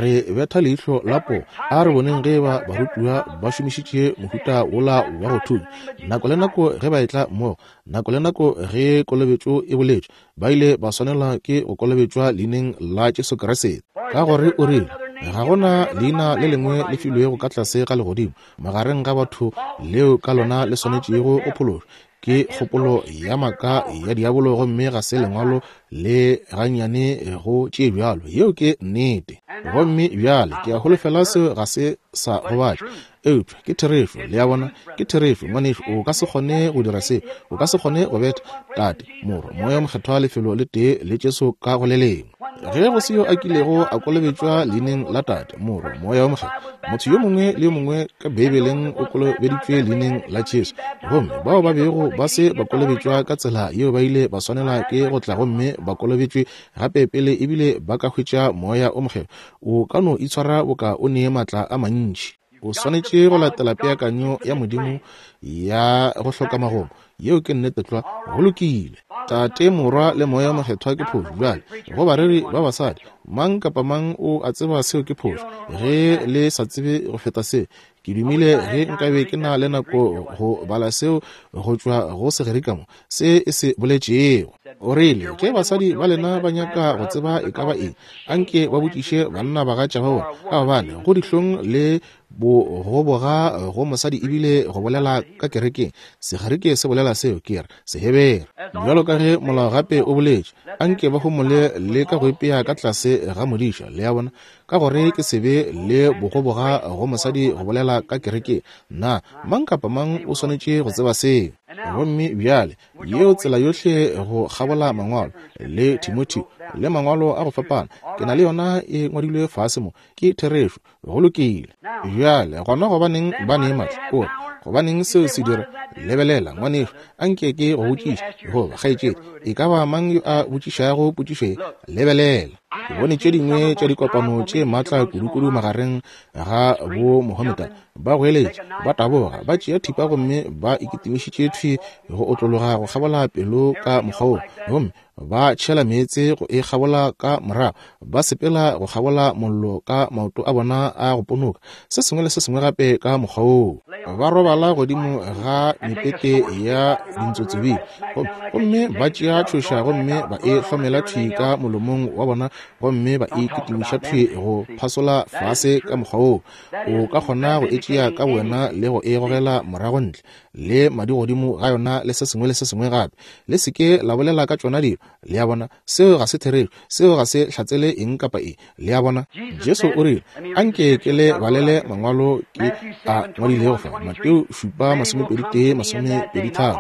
Re betha leihlo la poo. A re boneng ge eba barutiwa ba šomišitše mohuta wola wa go thunya. Nako le nako ge ba etla mmogo, nako le nako ge kolobetšo e boletšwe, ba ile ba swanelwa ke go kolobetšwa leineng la Jesu Kriste. Ka gore o rile, Ga go na leina le lengwe le filwego ka tlase ga legodimo magareng ga batho leo ka lona le swanetšego go phološwa. Ke kgopolo ya maaka ya diabolo gomme ga se Lengwalo le gannyane go tše bjalo. Yeo ke nnete. Gomme bjale ke a holofela seo ga se sa gobatša, eupša ke therešo. Le a bona, ke therešo. Ngwanešu, o ka se kgone go dira seo. O ka se kgone go betha Tate, Morwa, Moya wo Mokgethwa lefelo le tee le Jesu ka go le lengwe. Ge go se yo a kilego a kolobetšwa leineng la Tate, Morwa, Moya wo Mokgethwa, motho yo mongwe le yo mongwe ka Beibeleng o kolobeditšwe leineng la Jesu. Gomme bao ba bego ba se ba kolobetšwa ka tsela yeo ba ile ba swanela ke go tla gomme ba kolobetšwe gape pele ebile ba ka hwetša Moya o Mokgethwa. O ka no itshwara boka o ne maatla a mantši. O swanetše go latela peakanyo ya Modimo ya go hloka magomo. Yeo ke nnete tlwa. Go lokile. Tate, Morwa, le Moya Mokgethwa ke phošo. Bjale, go bareri ba basadi, mang kapa mang o a tseba seo ke phošo. Ge le sa tsebe go feta se, ke dumile ge nkabe ke na le nako go bala seo go tšwa go Segerika mo, se e se boletšego. O rile, Ge basadi ba lena ba nyaka go tseba e ka ba eng, anke ba botšiše bannabagatša ba bona, ka gobane go dihlong le bogoboga go mosadi ebile go bolela ka kerekeng. Segerike se bolela seo, ke re, Sehebere. Bjalo ka ge molao gape o boletše, anke ba homole le ka go ipea ka tlase ga modiša, le a bona, ka gore ke sebe le bogoboga go mosadi go bolela ka kerekeng. Na mang kapa mang o swanetše go tseba seo? Gomme bjale, yeo tsela yohle go kgabola Mangwalo, le Timotheo, le Mangwalo a go fapana, ke na le yona e ngwadilwe fase mo, ke therešo. Go lokile. Bjale, gona gobaneng ba ne matla? O re, gobaneng seo se dira? Lebelela, ngwanešu, a nke ke go botšiše, goba kgaetšedi, e ka ba mang yo a botšišago potšišo ye? Lebelela. Ke bone tše dingwe tša dikopano tše matla kudukudu magareng ga bo Mohomedan. Ba goeletša, ba taboga, ba tšea thipa gomme ba ikitimišitše thwi go otlologa go kgabola pelo ka mokgwa wo, gomme ba tšhela meetse go e kgabola ka morago, ba sepela go kgabola mollo ka maoto a bona a go ponoka, se sengwe le se sengwe gape ka mokgwa woo. Ba robala godimo ga mepete ya dintsotsebile, gomme ba tšea tšhoša gomme ba e hlomela thwi ka molomong wa bona gomme ba e kitimiša thwi go phasola fase ka mokgwa woo. O ka kgona go e tšea ka bowena le go e gogela morago ntle le madi godimo ga yona le se sengwe le se sengwe gape. Le se ke la bolela ka tšona dilo. Le a bona? Seo ga se therešo. Seo ga se hlatsele eng kapa eng. Le a bona? Jesu o rile, Anke ke le balele mangwalo ke a ngwadilego fa, Mateo 7, 21, 23.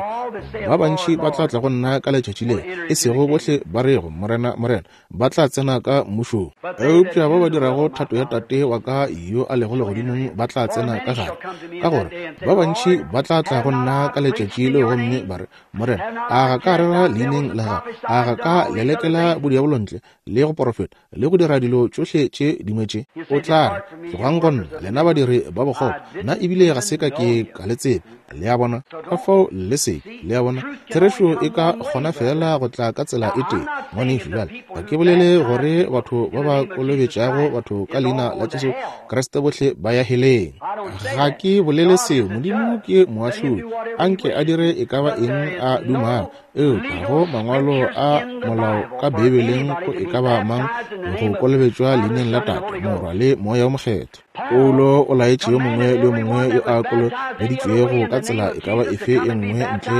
Ba bantši ba tla tla go nna ka letšatši leo, e sego bohle ba rego, Morena, Morena, ba tla tsena ka mmušong, eupša ba ba dirago thato ya Tate wa ka yo a lego legodimong ba tla tsena ka gare. Ka gore ba bantši ba tla tla go nna ka letšatši leo gomme ba re, Morena, a ga ka rera leineng la gago? A ga ka lelekela bodiabolo ntle, le go porofeta, le go dira dilo tšohle tše dingwe tše? O tla re, Tlogang go nna, lena badiri ba bokgopo, nna ebile ga se ka ke ka le tseba. Le a bona? Ka fao le se ke. Le a bona? Therešo e ka kgona feela go tla ka tsela e tee. Ngwanešu, bjale, ga ke bolele gore batho ba ba kolobetšago batho ka Leina la Jesu Kriste bohle ba ya heleng. Ga ke bolele seo. Modimo ke moahlodi. A nke a dire e ka ba eng a dumago. Eupša go mangwalo a molao ka Beibeleng go e ka ba mang go kolobetšwa leineng la Tate, Morwa le Moya wo Mokgethwa. Paulo o laetše yo mongwe le yo mongwe yo a kolobeditšwego ka tsela e ka ba efe e nngwe ntle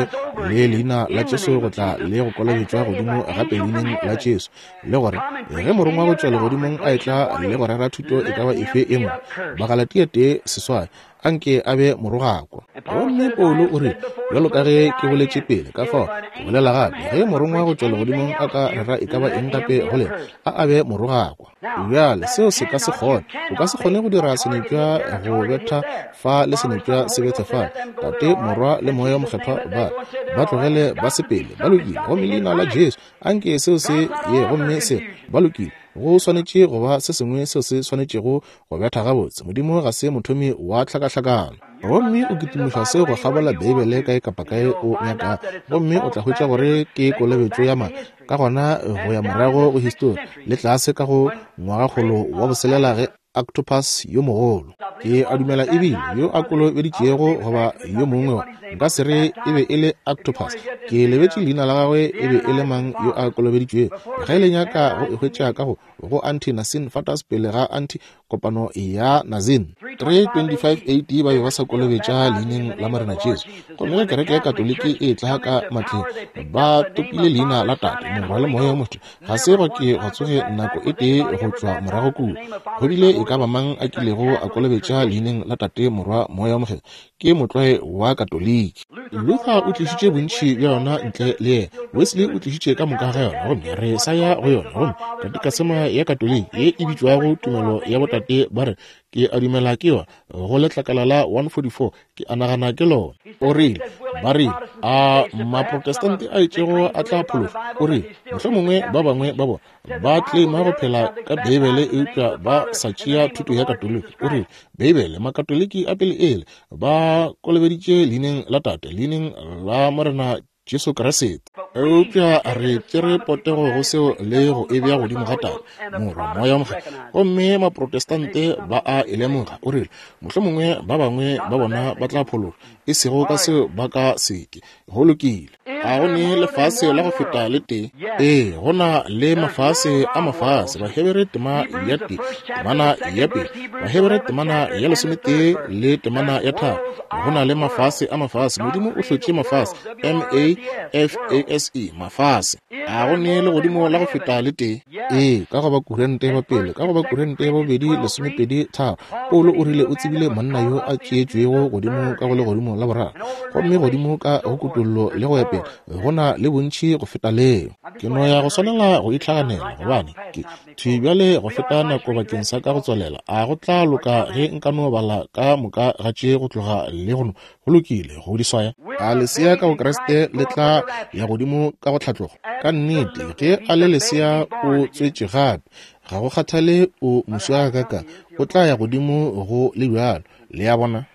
le leina la Jesu go tla le go kolobetšwa godimo gape leineng la Jesu, le gore ge morongwa go tšwa legodimong a etla le go rera thuto e ka ba efe e nngwe, Bagalatia 1:8, anke a be morogakwa. Gomme Paulo o rile, Bjalo ka ge ke boletše pele, ka fao ke bolela gape, ge morongwa go tšwa legodimong a ka rera e ka ba eng gape go lena, a a be morogakwa. Bjale, seo se ka se kgone. O ka se kgone go dira senepša go betha fa le senepša se bethe fale. Tate, Morwa, le Moya wo Mokgethwa ba ba tlogele ba sepele. Ba lokile. Gomme Leina la Jesu, anke seo se ye gomme se ba lokile. Go swanetše go ba se sengwe seo se swanetšego go betha gabotse. Modimo ga se mothomi wa tlhakahlakano. Gomme o kitimiša seo go kgabola Beibele kae kapa kae o nyakago, gomme o tla hwetša gore ke kolobetšo ya mang. Ka gona go ya morago go histori, le tlase ka go ngwagakgolo wa boselela ge Octopus yo mogolo. Ke a dumela e bile yo a kolobeditšego goba yo mongwe wa, nka se re e be e le Octopus, ke lebetše leina la gagwe e be e le mang yo a kolobeditšwego. Ge le nyaka go e hwetša ka go, go Anti-Nicene Fathers pele ga Anti kopano ya Nazin. 325 AD ba be ba sa kolobetša leineng la Morena Jesu. Gomme ge kereke ya Katoliki e etla ka matleng, ba topile leina la Tate, Morwa le Moya wo Mokgethwa. Ga se gwa ke gwa tsoge nako e tee go tšwa morago kua go bile e ka ba mang a kilego a kolobetša leineng la Tate, Morwa, Moya wo Mokgethwa. Ke motlwae wa Katoliki. Luther o tlišitše bontši bja yona ntle le yena. Wesley o tlišitše ka moka ga yona, gomme re sa ya go yona. Gomme katikasema ya Katoliki ye e bitšwago Tumelo ya Botate ba re, Ke a dumela ke yona, go letlakala la 144, ke a nagana ke lona. O rile, ba rile, a Maprotestante a itšego a tla phološwa? O rile, mohlomongwe ba bangwe ba bona ba tlema go phela ka Beibele eupša ba sa tšea thuto ya Katoliki. O rile, Beibele, Makatoliki a pele ele ba kolobeditše leineng la Tate, leineng la Morena Jesu Kriste. Eupša re tšere potego go seo le go e bea godimo ga Tate, Morwa, Moya wo Mokgethwa. Gomme Maprotestante ba a e lemoga. O rile, mohlomongwe ba bangwe ba bona ba tla phološwa, e sego ka seo ba ka se ke. Go lokile. A go ne lefase la go feta le tee? Ee, go na le mafase a mafase. Bahebere tema ya tee, temana ya pele. Bahebere temana ya lesometee le temana ya tharo. Go na le mafase a mafase. Modimo o hlotše mafase, M-A-F-A-S-E, mafase. A go ne legodimo la go feta le tee? Ee, ka go Bakurente ba pele, ka go Bakurente ba bobedi 12 tharo, Paulo o rile o tsebile monna yo a tšeetšwego godimo ka go legodimo la boraro, gomme godimo ka go kutollo le go ya pele, go na le bontši go feta leo. Ke no ya go swanela go itlhaganela, gobane ke thwi bjale go feta nako bakeng sa ka go tswalela. A go tla loka ge nka no bala ka moka ga tše go tloga le go no? Go lokile, go di swaya. A lesea ka go Kriste le tla ya godimo ka go tlhatlogo? Ka nnete, ge a le lesea o tswetše gape. Ga go kgathale o moswa gakaakang, o tla ya godimo go le bjalo. Le a bona?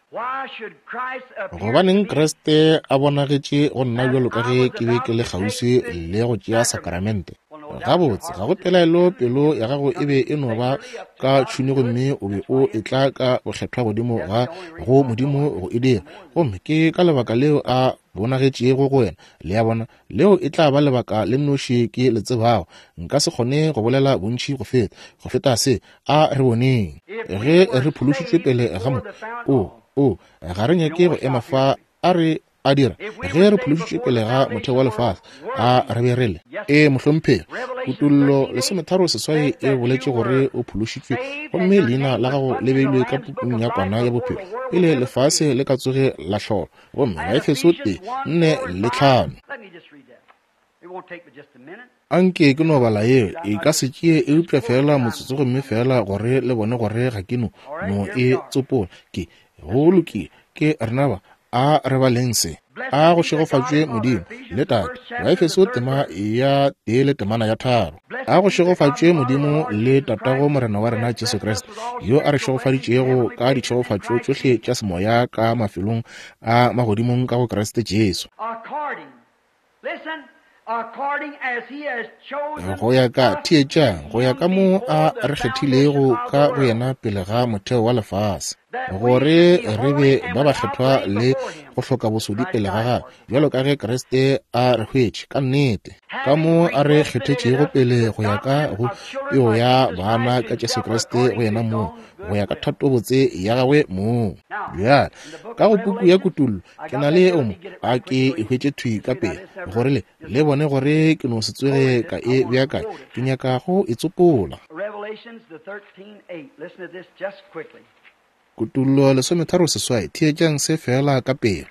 Gobaneng Kriste a bonagetše go nna bjalo ka ge ke be ke le kgauswi le go tšea sakramente? Gabotse, ga go pelaelo pelo ya gago e be e no ba ka tšhuni gomme o be o etla ka bokgethwa godimo ga go Modimo go e dira. Gomme ke ka lebaka leo a bonagetšego go wena. Le a bona? Leo e tla ba lebaka le nnoši ke le tsebago. Nka se kgone go bolela bontši go feta, go feta se. A re boneng. Ge re phološitšwe pele ga mo, o, o, ga re nyake go ema fa. A re a dira? Ge re phološitšwe pele ga motheo wa lefase, a re be re le? Ee, mohlomphegi. Kutollo 38 e boletše gore o phološitšwe gomme leina la gago le beilwe ka pukung ya Kwana ya Bophelo pele lefase le ka tsoge la hlolwa. Gomme Baefeso 1, 4 le 5. Anke ke no bala yeo, e ka se tšee eupša feela motsotso gomme feela gore le bone gore ga ke no, no e tsopola. Ke, go lokile, ke rena ba, a re baleng se. A go šegofatšwe Modimo le Tate, Baefeso tema ya tee le temana ya tharo. A go šegofatšwe Modimo le Tatago Morena wa rena Jesu Kriste, yo a re šegofaditšego ka ditšhegofatšo tšohle tša semoya ka mafelong a magodimong ka go Kriste Jesu. Go ya ka, theetšang, go ya ka mo a re kgethilego ka go yena pele ga motheo wa lefase, gore re be ba bakgethwa le go hloka bosodi pele ga gagwe, bjalo ka ge Kriste a re hwetše, ka nnete, ka mo a re kgethetšego pele go ya ka go peo ya bana ka Jesu Kriste go yena mong, go ya ka thatobotse ya gagwe mong. Bjale, ka go puku ya Kutullo, ke na le o mo, a ke e hwetše thwi ka pele, gore le, le bone gore ke no se tsoge ka e beakanya. Ke nyaka go e tsopola. Kutullo 38, theetšang se feela ka pela.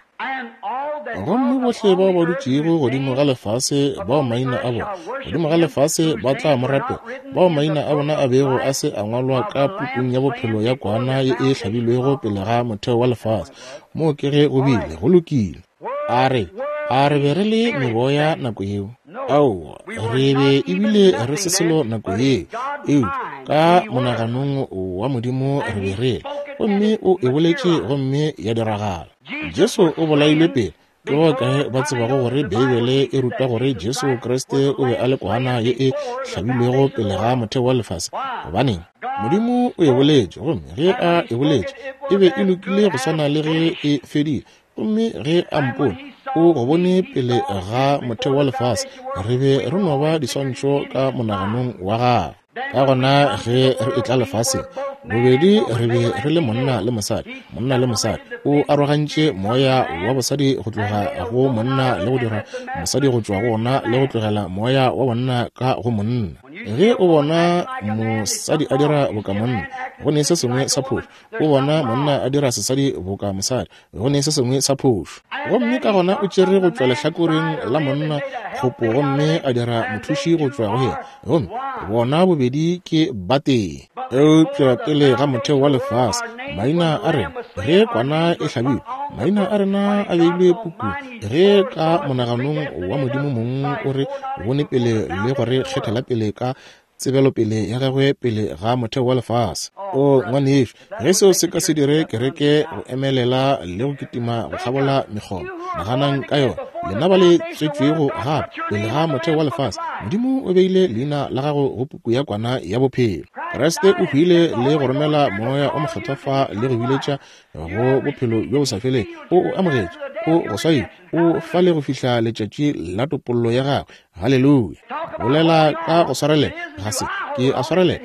Gomme bohle bao ba dutšego godimo ga lefase, bao maina a bona godimo ga lefase ba tla mo rapela, bao maina a bona a bego a se a ngwalwa ka pukung ya bophelo ya Kwana ye e hlabilwego pele ga motheo wa lefase. Moo ke ge go bile, go lokile. A re, a re be re le meboya nako yeo? Aowa, re be ebile re se selo nako yeo, eupša ka monaganong wa Modimo re be re le. Gomme o e boletše gomme ya diragala. Jesu o bolailwe pele. Ke ba kae ba tsebago gore Beibele e ruta gore Jesu Kriste o be a le kwana ye e hlabilwego pele ga motheo wa lefase? Gobaneng? Modimo o e boletše, gomme ge A e boletše, e be e lokile go swana le ge e fedile. Gomme ge A mpone, O go bone pele ga motheo wa lefase. Re be re no ba diswantšho ka monaganong wa Gagwe. Ka gona ge re etla lefaseng, bobedi re be re le monna le mosadi, monna le mosadi. O arogantše moya wa bosadi go tloga go monna le go dira mosadi go tšwa go ona le go tlogela moya wa bonna ka go monna. Ge o bona mosadi a dira boka monna, go ne se sengwe sa phošo. O bona monna a dira sesadi boka mosadi, go ne se sengwe sa phošo. Gomme ka gona o tšere go tšwa lehlakoreng la monna kgopo gomme a dira mothuši go tšwa go yena, gomme bona bobedi ke batee. Eupša pele ga motheo wa lefase, maina a rena, ge kwana e hlabilwe, maina a rena a beilwe pukung, ge ka monaganong wa Modimo mong o re bone pele le go re kgethela pele ka tsebelopele ya gagwe pele ga motheo wa lefase. O ngwanešu, ge seo se ka se dire kereke go emelela le go kitima go kgabola mekgoba, naganang ka yona. Lena ba le tswetšwego gape pele ga motheo wa lefase, Modimo o beile leina la gago go puku ya kwana ya bophelo. Kriste o hwile le go romela Moya o Mokgethwa fa le go biletša go bophelo bjo bo sa felego. O o amogetše, o go swaile, o fa le go fihla letšatši la topollo ya gagwe. Haleluya! Bolela ka go swarelela, ga se ke a swarelela,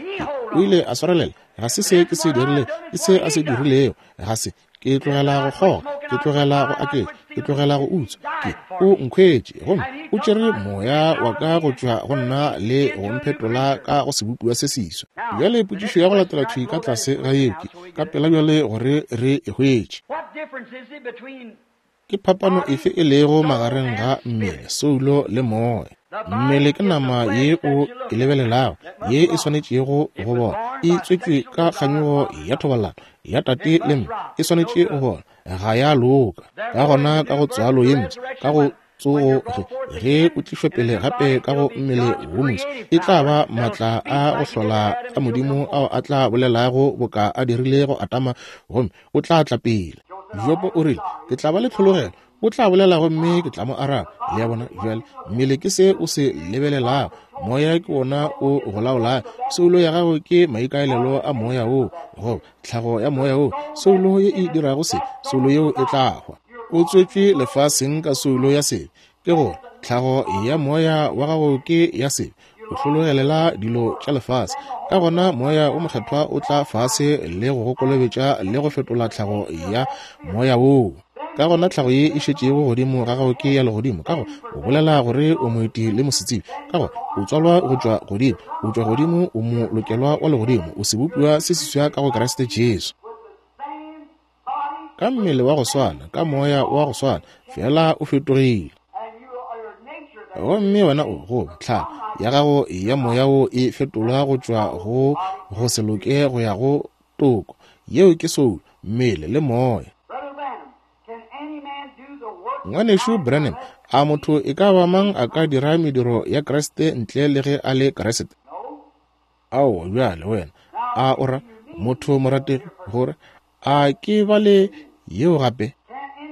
o ile a swarelela. Ga se se ke se dirile, ke se a se dirilego. Ga se ke tlogela go kgoga, ke tlogela go aketša, ke tlogela go utswa. Ke o nkhwetše gomme o tšere moya wa ka go tšwa go nna le go mphetola ka go sebopiwa se seswa. Bjale potšišo ya go latela thwi ka tlase ga yeo ke, ka pela bjale gore re e hwetše. Ke phapano efe e lego magareng ga mmele, soulo le moya? Mmele ke nama ye o e lebelelago, ye e swanetšego go bola. E tswetšwe ka kganyogo ya thobalano ya tate le mme, e swanetše go bola, ga ya loka. Ka gona ka go tswalo ye mpsha, ka go tsogo, ge o tlišwa pele gape ka go mmele wo moswa, e tla ba matla a go hlola a Modimo ao a tla bolelago boka a dirile go Adama, gomme o tla tla pele. Jobo o rile, Ke tla ba le tlhologelo. O tla bolela gomme ke tla mo araba. Le a bona? Bjale, mmele ke se o se lebelelago. Moya ke wona o go laolago. Soulo ya gago ke maikaelelo a moya woo, goba tlhago ya moya woo. Soulo ye e dirago se, soulo yeo e tla hwa. O tswetšwe lefaseng ka soulo ya sebe, ke gore tlhago ya moya wa gago ke ya sebe. O hlologelela dilo tša lefase. Ka gona Moya wo Mokgethwa o tla fase le go go kolobetša le go fetola tlhago ya moya woo. Ka gona tlhago ye e šetšego godimo ga gago ke ya legodimo, ka gore o bolela gore o moeti le mosetsebje, ka gore o tswalwa go tšwa godimo, o tšwa godimo, o molokelwa wa legodimo, o sebopiwa se seswa ka go Kriste Jesu. Ka mmele wa go swana, ka moya wa go swana, fela o fetogile. Gomme wena o, goba tlhago ya gago ya moya wo e fetolwa go tšwa go go se loke go ya go toko. Yeo ke soulo, mmele le moya. Ngwanešu Branham, a motho e ka ba mang a ka dira mediro ya Kriste ntle le ge a le Kriste? Aowa, bjale wena, a o ra, motho morategi, gore a ke bale yeo gape?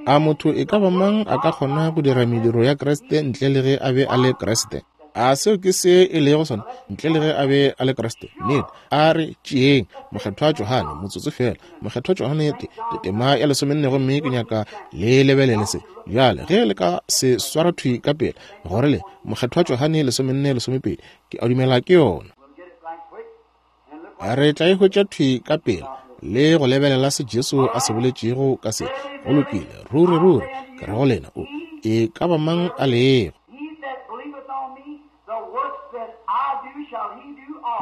A motho e ka ba mang a ka kgona go dira mediro ya Kriste ntle le ge a be a le Kriste? A seo ke se e lego sona, ntle le ge a be a le Kriste? Nnete. A re tšeeng Mokgethwa Johane, motsotso feela. Mokgethwa Johane, te, te tema ya lesomenne, gomme ke nyaka le lebelele se. Bjale, ge le ka se swara thwi ka pela, gore le, Mokgethwa Johane lesomenne lesomepedi, Ke a dumela ke yona. Re tla e hwetša thwi ka pela le go lebelela se Jesu a se boletšego ka se. Go lokile, ruri ruri, ke re go lena, o e ka ba mang a lego.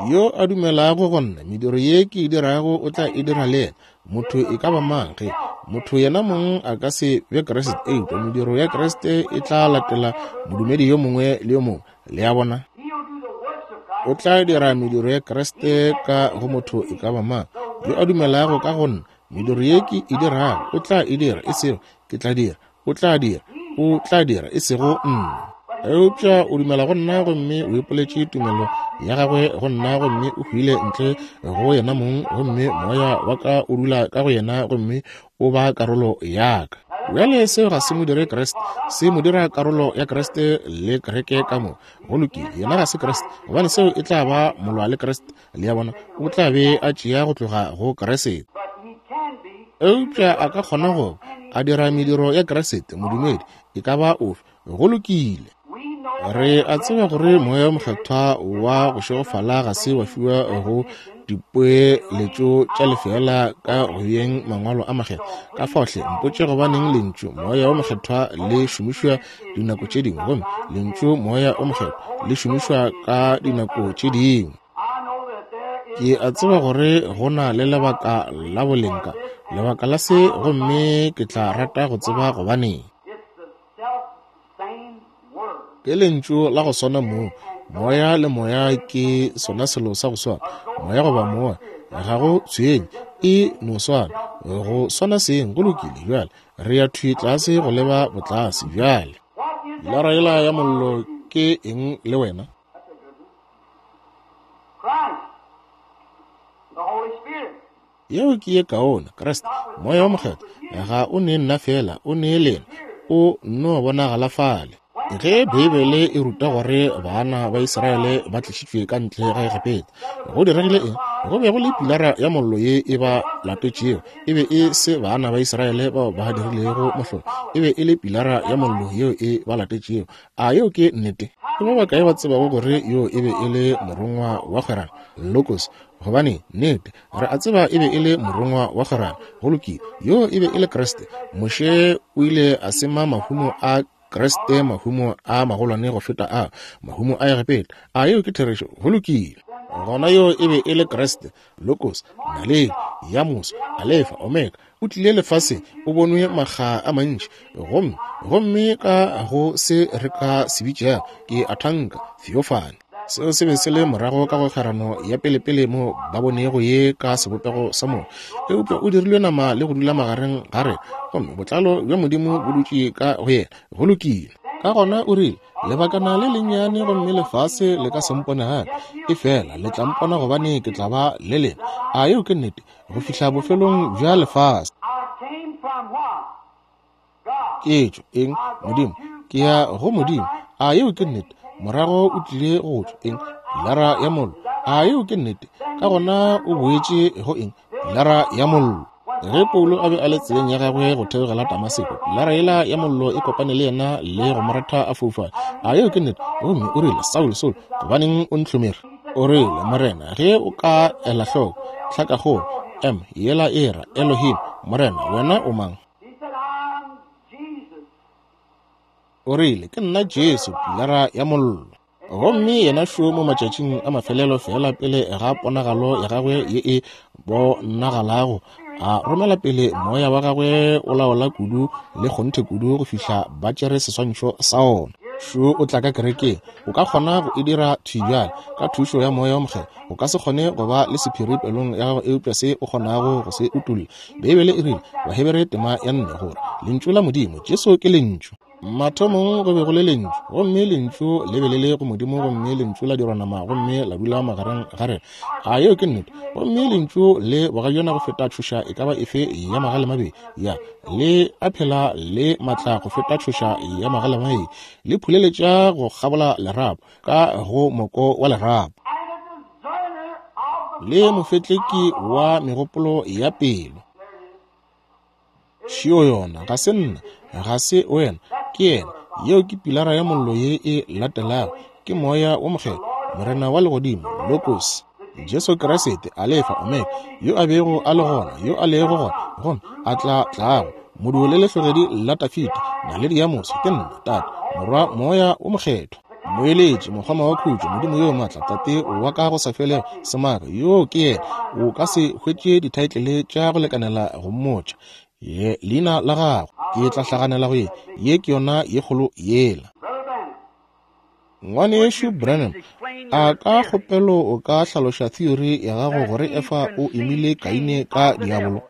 Yo a dumelago go nna, mediro ye ke e dirago o tla e dira le yena. Motho e ka ba mang ge motho yena mong a ka se be Kriste, eupša mediro ya Kriste e tla latela modumedi yo mongwe le yo mongwe. Le a bona? O tla dira mediro ya Kriste ka go motho e ka ba mang yo a dumelago ka go nna. Mediro ye ke e dirago o tla e dira, e sego ke tla dira, o tla dira, o tla dira, e sego nna. Eupša o dumela go nna gomme o ipoletše tumelo ya gagwe go nna gomme o hwile ntle go yena mong, gomme moya wa ka o dula ka go yena gomme o ba karolo ya ka. Bjale seo ga se mo dire Kriste, se mo dira karolo ya Kriste le kereke ka moka. Go lokile, yena ga se Kriste, gobane seo e tla ba molwa le Kriste. Le a bona, o tla be a tšea go tloga go Kriste. Eupša a ka kgona go a dira mediro ya Kriste, modumedi e ka ba ofe. Go lokile. Re a tseba gore Moya wo Mokgethwa wa go šegofala ga se wa fiwa go dipoeletšo tša lefeela ka go beeng mangwalo a makgethwa. Ka fao hle mpotše gobaneng lentšu Moya wo Mokgethwa le šomišwa dinako tše dingwe gomme lentšu Moya wo Mokgethwa le šomišwa ka dinako tše dingwe. Ke a tseba gore go na le lebaka la boleng ka lebaka la se, gomme ke tla rata go tseba gobaneng. Ke lentšu la go swana moo. Moya le moya ke sona selo sa go swana. Moya goba moya, ga go tshwenye, e no swana. Go swana seng, go lokile. Bjale re ya thwi tlase go leba botlase bjale. Pilara yela ya mollo ke eng le wena? Yeo ke ye kaone, Kriste, Moya wo Mokgethwa, ga o ne nna feela, o ne lena, o nno bonagala fale. Ge Beibele e ruta gore bana ba Israele ba tlišitšwe ka ntle ga Egepeta, go diregile eng? Go be go le pilara ya mollo ye e ba latetšego. E be e se bana ba Israele bao ba dirilego mohlolo, e be e le pilara ya mollo yeo e ba latetšego. A yeo ke nnete? Ke ba bakae ba tsebago gore yoo e be e le morongwa wa kgwerano? Logos. Gobane, nnete, re a tseba e be e le morongwa wa kgwerano. Go lokile. Yoo e be e le Kriste. Moshe o ile a sema mahumo a Kriste, mahumo a magolwane go feta a mahumo a Egepeta. A yeo ke therešo? Go lokile. Gona yoo e be e le Kriste, Logos, naledi ya moso, Alefa, Omega. O tlile lefaseng, o bonwe makga a mantši, gomme, gomme ka go se re ka se bitšago ke a thanka theophany. Seo se be se le morago ka go kgwerano ya pelepele mo ba bonego ye ka sebopego sa moya, eupša o dirilwe nama le go dula magareng ga rena, gomme botlalo bja Modimo bo dutše ka go yena. Go lokile. Ka gona o rile, Lebakana le lennyane gomme lefase le ka se mpone gape, efela le tla mpona gobane ke tla ba le lena. A yeo ke nnete? Go fihla bofelong bja lefase. Ke tšwa eng? Modimo. Ke ya go Modimo. A yeo ke nnete? Morago o tlile go tšwa eng? Pilara ya mollo. A yeo ke nnete? Ka gona o boetše go eng? Pilara ya mollo. Ge Paulo a be a le tseleng ya gagwe go theogela Damaseko, pilara yela ya mollo e kopane le yena le go mo ratha a foufala. A yeo ke nnete? Gomme o rile, Saulo, Saulo, gobaneng o ntlhomere? O rile, Morena, ge o ka ela hloko, tlhakakgolo M yela e ra Elohim, Morena, wena o mang? O rile, Ke nna Jesu, pilara ya mollo. Gomme yena šo mo matšatšing a mafelelo feela pele ga ponagalo ya gagwe ye e bonagalago, a romela pele moya wa gagwe o laola kudu le kgonthe kudu go fihla ba tšere seswantšho sa ona. Šo o tla ka kerekeng. O ka kgona go e dira thwi bjale ka thušo ya Moya wo Mokgethwa. O ka se kgone go ba le sephiri pelong ya gago eupša se o kgonago go se utolla. Beibele e rile, Bahebere tema ya 4, gore Lentšu la Modimo, Jesu ke Lentšu. Mathomong go be go le Lentšu, gomme Lentšu le be le le go Modimo, gomme Lentšu la dirwa nama gomme la dula magareng ga rena. A yeo ke nnete? Gomme Lentšu le bogajana go feta tšhoša e ka ba efe ya magalemabedi, ya, le a phela le matla go feta tšhoša ya magalemabedi, le phuleletša go kgabola lerapo, ka go moko wa lerapo, le mofetleki wa megopolo ya pelo. Šio yona, ga se nna, ga se wena, ke yena. Yeo ke pilara ya mollo ye e latelago, ke Moya wo Mokgethwa, Morena wa Legodimo, Logos, Jesu Kriste, Alefa, Omega, yo a bego a le gona, yo a lego gona, gomme a tla tlago, modu le lehlogedi la Dafida, naledi ya moso, ke nna, Tate, Morwa, Moya wo Mokgethwa. Moeletši, mokgoma wa khutšo, Modimo yo maatla, Tate wa ka go sa felego, Semaka, yoo ke yena. O ka se hwetše dithaetlele tša go lekanela go mmotša ye leina la gago. Ke tla hlaganela go ye. Ye ke yona ye kgolo yela. Ngwanešu Branham, a ka kgopelo o ka hlaloša theory ya gago gore Efa o imile Kaine ka diabolo?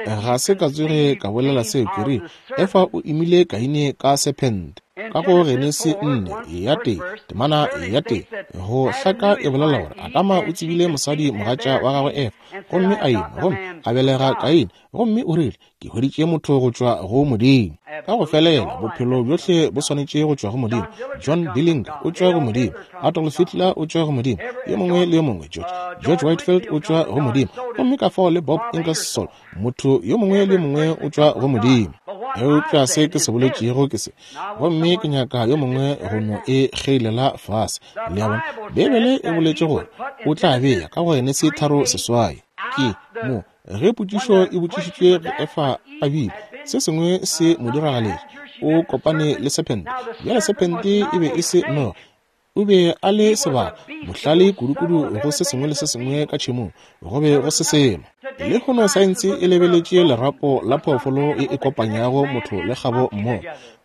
Ga se ka tsoge ka bolela seo, ke rile, Efa o imile Kaine ka sephente. Ka go Genesi 4 ya tee, temana ya tee, go hlaka e bolela gore Adama o tsebile mosadi mogatša wa gagwe Efa, gomme a ima, gomme a belega Kaine. Gomme o rile, Ke hweditše motho go tšwa go Modimo. Ka go felela, bophelo bjohle bo swanetše go tšwa go Modimo. John Dillinger o tšwa go Modimo. Adolf Hitler o tšwa go Modimo. Yo mongwe le yo mongwe, George, George Whitefield o tšwa go Modimo. Gomme ka fao le Bob Ingersoll, motho yo mongwe le yo mongwe o tšwa go Modimo. Eupša se ke se boletšego ke se, gomme ke nyaka yo mongwe go no e kgeilela fase. Le a bona? Beibele e boletše gore o tla bea ka go Genesi 3:8. Ke mo Ge potšišo e botšišitšwe ge Efa a bile, se sengwe se mo diragaletše. O kopane le sephente. Bjale sephente e be e se noga. O be a le sebaka, bohlale kudukudu go se sengwe le se sengwe ka tšhemong. Go be go se selo. Lehono saense e lebeletše lerapo la phoofolo e e kopanyago motho le kgabo mmogo.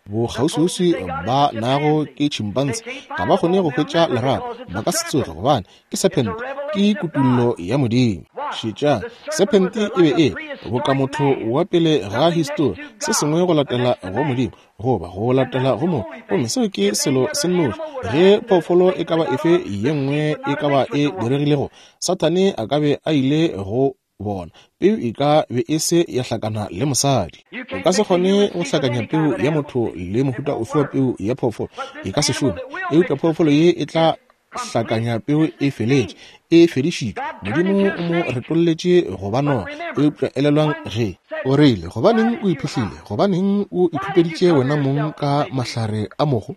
Bokgauswiuswi ba nago ke chimpanse ga ba kgone go hwetša lerapo. Ba ka se tsoge, gobane ke sephente, ke kutullo ya Modimo. Šetšang, sephente e be e boka motho wa pele ga histori, se sengwe go latela go Modimo, goba go latela go mo, gomme seo ke selo se nnoši. Ge phoofolo e ka ba efe ye nngwe e ka ba e diregilego, Sathane a ka be a ile go bona peu e ka be e se ya hlakana le mosadi. O ka se kgone go hlakanya peu ya motho le mohuta ofe wa peu ya phoofolo, e ka se šome. Eupša phoofolo ye e tla hlakanya peu e feletše, e fedišitšwe. Modimo o mo retolletše go ba noga. Eupša elelwang ge o rile, Gobaneng o iphihlile? Gobaneng o ikhupeditše wena mong ka mahlare a mogo?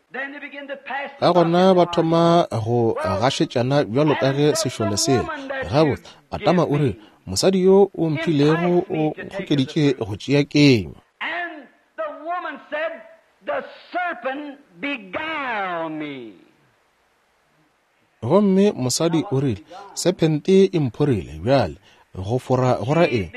Ka gona ba thoma go gašetšana bjalo ka ge sešole sela. Gabotse, Adama o rile, Mosadi yo o mphilego o nkgokeditše go tšea kenywa. And the woman said, The serpent beguiled me. Gomme mosadi o rile, Sephente e mphorile. Bjale, go fora go ra eng?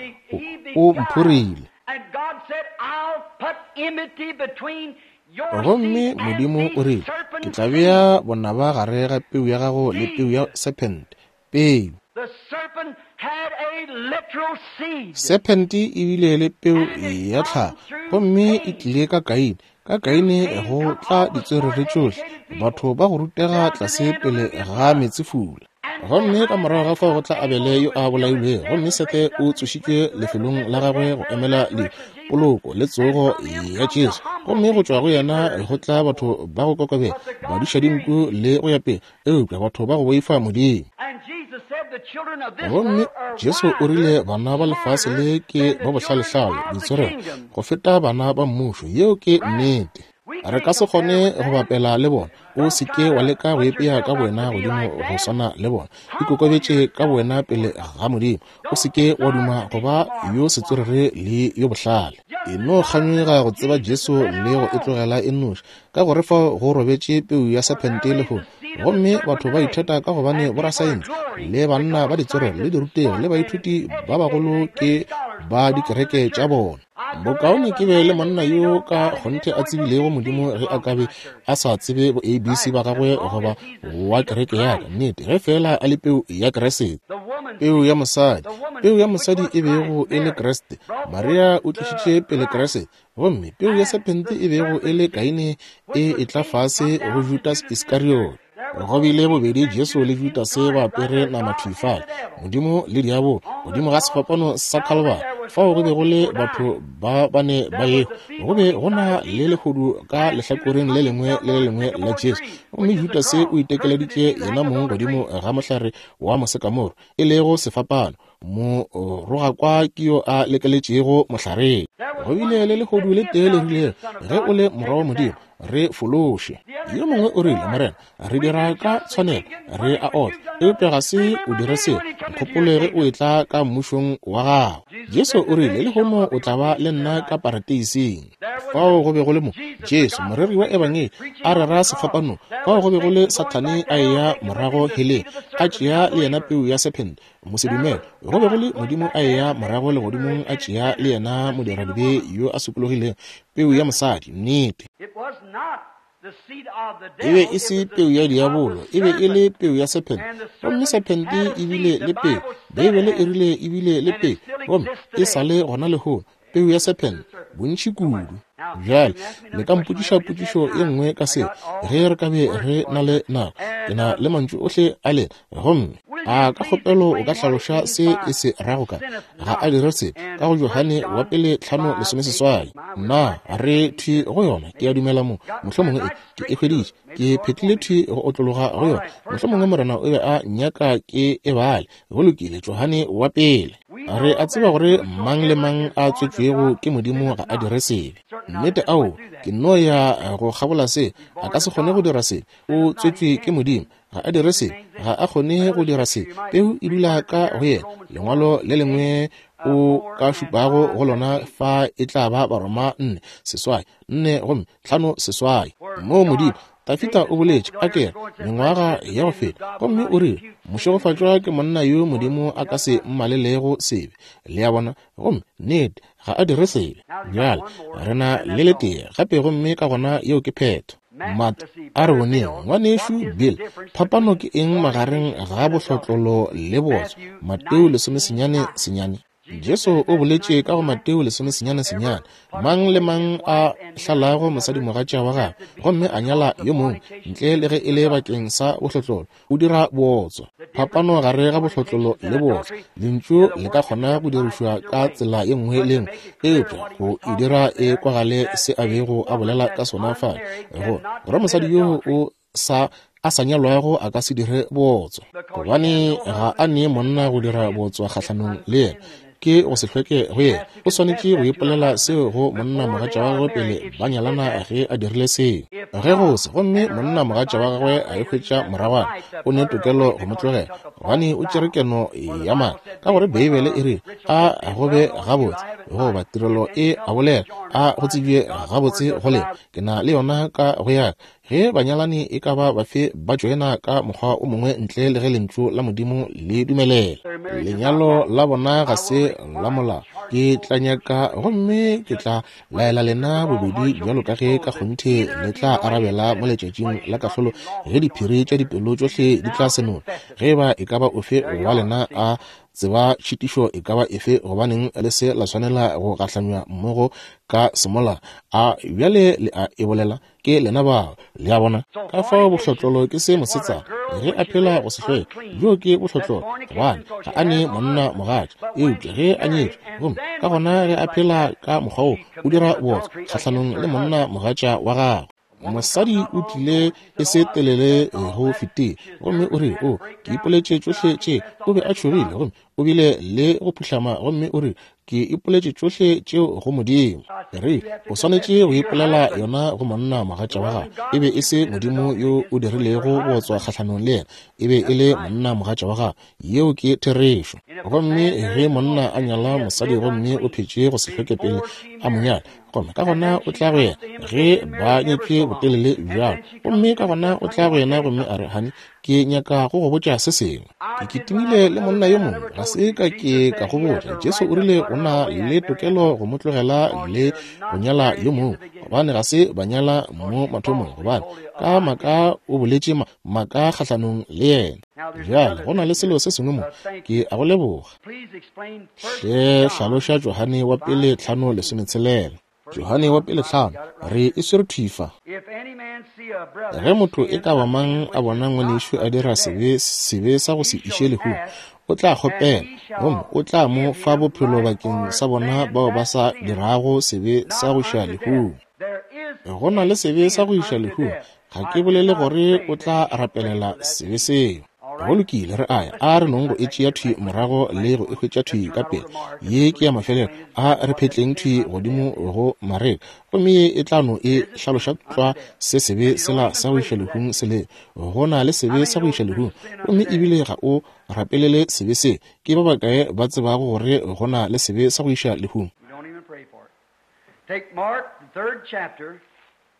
O, o mphorile. And God said, I'll put enmity between your Gomme seed and Modimo the o rile, Ke serpent's tla seed. bea bonaba gare ga peu ya gago le peu ya sephente, peu. Sephente e bile le peu ya tlhago, gomme e tlile ka Kaine. Ka Kaine go tla ditswerere tšohle, batho ba go rutega tlase pele ga meetsefula. Gomme ka morago ga fao go tla Abele yo a bolailwego, gomme Sethe o tsošitšwe lefelong la gagwe go emela le poloko le tsogo ya Jesu. Gomme go tšwa go yena go tla batho ba go kokobela, badišadinku le go ya pele, eupša batho ba go boifa Modimo. Gomme Jesu o rile bana ba lefase le ke ba bohlalehlale, boitshwarelo, go feta bana ba mmušo. Yeo ke nnete. Re ka se kgone go bapela le bona. O se ke wa leka go ipea ka bowena godimo go swana le bona. Ikokobetše ka bowena pele ga Modimo. O se ke wa duma go ba yo setswerere le yo bohlale. E no kganyoga go tseba Jesu le go e tlogela e nnoši, ka gore fao go robetše peu ya sephente lehono. Gomme batho ba itheta ka gobane borasaense le banna ba ditswerere le dirutegi le baithuti ba bagolo ke ba dikereke tša bona. Bokaone ke be le monna yo ka kgonthe a tsebilego Modimo ge a ka be a sa tsebe bo ABC ba gagwe goba wa kereke ya ka. Nnete, ge feela a le peu ya Kriste. Peu ya mosadi, peu ya mosadi e bego e le Kriste. Maria o tlišitše pele Kriste. Gomme peu ya sephente e bego e le Kaine e etla fase go Judas Iskariot. Go bile bobedi Jesu le Judase ba apere nama thwi fale, Modimo le diabolo, godimo ga sefapano sa Khalibari, fao go be go le batho ba bane ba ehwa. Go be go na le lehodu ka lehlakoreng le lengwe le le lengwe la Jesu. Gomme Judase o itekeleditše yena mong godimo ga mohlare wa mosekamoro, e lego sefapano. Morogakwa ke yo a lekeletšego mohlareng. Go bile le lehodu le tee le rilego, Ge o le Morwa wa Modimo, re fološe. Yo mongwe o rile, Morena, re dira ka tshwanelo, re a otla, eupša ga se o dire selo. Nkgopole ge o etla ka mmušong wa gago. Jesu o rile, Lehono o tla ba le nna ka parateising. Fao go be go le mo Jesu, moreri wa Ebangedi, a rera sefapanong. Fao go be go le Sathane a eya morago heleng, a tšea le yena peu ya sephente, mosedumele. Go be go le Modimo a eya morago legodimong, a tšea le yena modiradibe yo a sokologilego, peu ya mosadi. Nnete. E be e se peu ya diabolo, e be e le peu ya sephente. Gomme sephente e bile le peu. Beibele e rile e bile le peu, gomme e sa le gona lehono, peu ya sephente, bontši kudu. Bjale, le ka mpotšiša potšišo ye nngwe ka seo, ge re ka be re na le nako. Ke na le mantšu ohle a lena. Gomme. A ka kgopelo o ka hlaloša se e se rago ka ga a dire sebe ka go Johane wa pele 5:18? Nna re thwi go yona, ke a dumela mo, mohlomongwe e, ke e hweditše, ke phetlile thwi go otlologa go yona. Mohlomongwe Morena o be a nyaka ke e bale. Go lokile, Johane wa pele. Re a tseba gore mang le mang a tswetšwego ke Modimo ga a dire sebe. Nnete, ao, ke nno ya go kgabola se, a ka se kgone go dira sebe. O tswetšwe ke Modimo, ga a dire sebe, ga a kgone go dira sebe. Peu e dula ka go yena. Lengwalo le lengwe o ka šupago go lona fa e tla ba Baroma 4 seswai, 4 gomme 5 seswai. Moo Modimo, Dafida o boletše, a ke re, mengwaga ya go feta, gomme o rile, Mošegofatšwa ke monna yo Modimo a ka se mmalelego sebe. Le a bona? Gomme, nnete, ga a dire sebe. Bjale, re na le letee gape, gomme ka gona yeo ke phetho. Mat, a re boneng, ngwanešu Bill, phapano ke eng magareng ga bohlotlolo le bootswa? Mateo 19:9. Jesu o boletše ka go Mateo 19:9, Mang le mang a hlalago mosadimogatša wa gagwe gomme a nyala yo mongwe, ntle le ge e le bakeng sa bohlotlolo, o dira bootswa. Phapano gare ga bohlotlolo le bootswa, lentšu le ka kgona go dirišwa ka tsela ye nngwe le nngwe, eupša go e dira e kwagale se a bego a bolela ka sona fale, go gore mosadi yoo o sa a sa nyalwago a ka se dire bootswa, gobane ga a nee monna go dira bootswa kgahlanong le yena, ke go se hlweke go yena. O swanetše go ipolela seo go monna mogatša wa gagwe pele ba nyalana ge a dirile seo. Ge go se, gomme monna mogatša wa gagwe a e hwetša moragwana, o ne tokelo go mo tlogela, gobane o tšere keno ya maaka, ka gore Beibele e rile a go be gabotse, goba tirelo e a bolela, a go tsebje gabotse go lena, ke na le yona ka go yaka. Ge banyalani e ka ba bafe ba tšoena ka mokgwa o mongwe ntle le ge Lentšu la Modimo le dumelela, lenyalo la bona ga se la molao. Ke tla nyaka gomme ke tla laela lena bobedi bjalo ka ge ka kgonthe le tla arabela mo letšatšing la kahlolo ge diphiri tša dipelo tšohle di tla senolwa. Ge e ba e ka ba ofe wa lena a tseba tšhitišo e ka ba efe, gobaneng le se la swanela go gahlanywa mmogo ka semola? A bjale le a e bolela? Ke lena bao, le a bona. Ka fao bohlotlolo ke se mosetsana ge a phela go se hlweke, bjoo ke bohlotlolo, gobane ga a ne monna mogatša. Eupša ge a nyetšwe, gomme ka gona ge a phela ka mokgwa woo, o dira bootswa kgahlanong le monna mogatša wa gagwe. Mosadi o tlile e se telele go fetile, gomme o rile, O, ke ipoletše tšohle tše. O be a tšhogile, gomme o bile le go phuhlama, gomme o rile, Ke ipoletše tšohle tšeo go Modimo. Re, o swanetše go ipolela yona go monna mogatša wa gago. E be e se Modimo yo o dirilego bootswa kgahlanong le yena, e be e le monna mogatša wa gago. Yeo ke therešo. Gomme ge monna a nyala mosadi gomme o phetše go se hlweke pele a mo nyala, gomme ka gona o tla go yena ge ba nyetšwe botelele bjalo, gomme ka gona o tla go yena gomme a re, Honey, ke nyaka go go botša se sengwe. Ke kitimile le monna yo mongwe, ga se ka ke ka go botša. Jesu o rile o na le tokelo go mo tlogela le go nyala yo mongwe, gobane ga se ba nyala mo mathomong, gobane ka maaka o boletše maaka kgahlanong le yena. Bjale go na le selo se sengwe mo, ke a go leboga. Hle hlaloša Johane wa pele 5:16. Johane wa pele 5, re e swere thwi fa. Ge motho e ka ba mang a bona ngwanešu a dira sebe, sebe sa go se iše lehung, o tla kgopela, gomme o tla mo fa bophelo bakeng sa bona bao ba sa dirago sebe sa go iša lehung. Go na le sebe sa go iša lehung, ga ke bolele gore o tla rapelela sebe seo. Go lokile, re a ya. A re nong go e tšea thwi morago le go e hwetša thwi ka pele. Ye ke ya mafelelo. A re phetleng thwi godimo go Mareka, gomme ye e tla no e hlaloša tlwa se sebe sela sa go iša lehung se le. Go na le sebe sa go iša lehung, gomme ebile ga o rapelele sebe se. Ke ba bakae ba tsebago gore go na le sebe sa go iša lehung?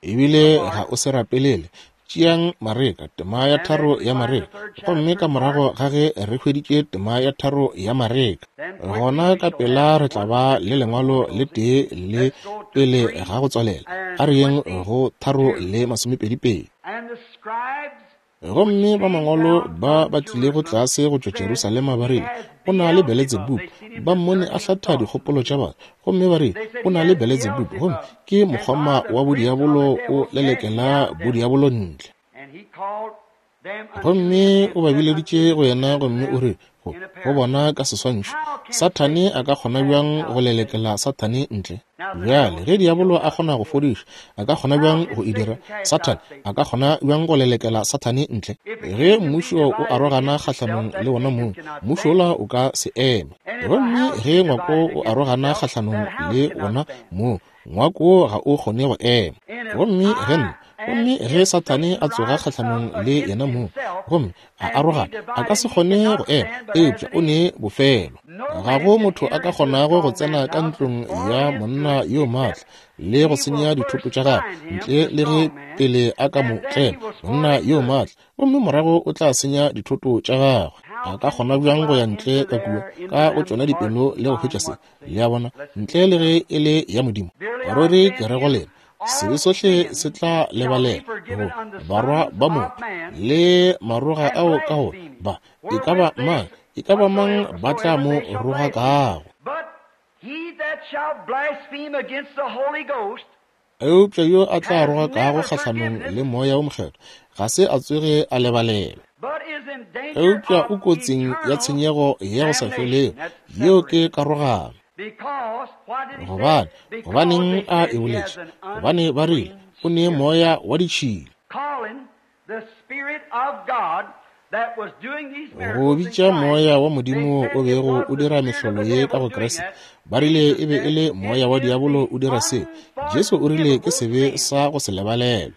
Ebile ga o se rapelele. Tšeang Mareka, tema ya 3 ya Mareka. Gomme ka morago ga ge re hweditše tema ya 3 ya Mareka, gona ka pela re tla ba le lengwalo le tee le pele ga go tswalela. A re yeng go 3:22. Gomme ba mangwalo ba ba tlilego tlase go tšwa Jerusalema ba rile, O na le Beletsebubu. Ba mmone a hlatha dikgopolo tša batho, gomme ba rile, O na le Beletsebubu, gomme ke mokgoma wa bodiabolo o lelekela bodiabolo ntle. Gomme o ba bileditše go yena gomme o re go bona ka seswantšho, Sathane a ka kgona bjang go lelekela Sathane ntle? Bjale, ge diabolo a kgona go fodiša, a ka kgona bjang go e dira? Sathane a ka kgona bjang go lelekela Sathane ntle? Ge mmušo o arogana kgahlanong le wona mong, mmušo wola o ka se eme. Gomme ge ngwako o arogana kgahlanong le wona mong, ngwako ga o kgone go ema. Gomme ge nna, gomme ge Sathane a tsoga kgahlanong le yena mong, gomme a arogana, a ka se kgone go ema, eupša o ne bofelo. Ga go motho a ka kgonago go tsena ka ntlong ya monna yo maatla le go senya dithoto tša gagwe ntle le ge pele a ka mo tlema monna yo maatla, gomme morago o tla senya dithoto tša gagwe. A ka kgona bjang go ya ntle ka kua ka go tšona dipelo le go hwetša se? Le a bona, ntle le ge e le ya Modimo. Ruri ke re go lena, sebe sohle se tla lebalela go barwa ba motho le maroga ao ka go ba e ka ba mang, e ka ba mang ba tla mo rogakago. Eupša yo a tla rogakago kgahlanong le Moya wo Mokgethwa ga se a tsoge a lebalelwa, eupša o kotsing ya tshenyego ya go sa felego. Yeo ke karogano. Gobane, gobaneng a e boletše? Gobane ba rile o ne moya wa ditšhila. Go bitša moya wa Modimo o bego o dira mehlolo ye ka go Kriste, ba rile e be e le moya wa diabolo o dira seo. Jesu o rile ke sebe sa go se lebalelwe.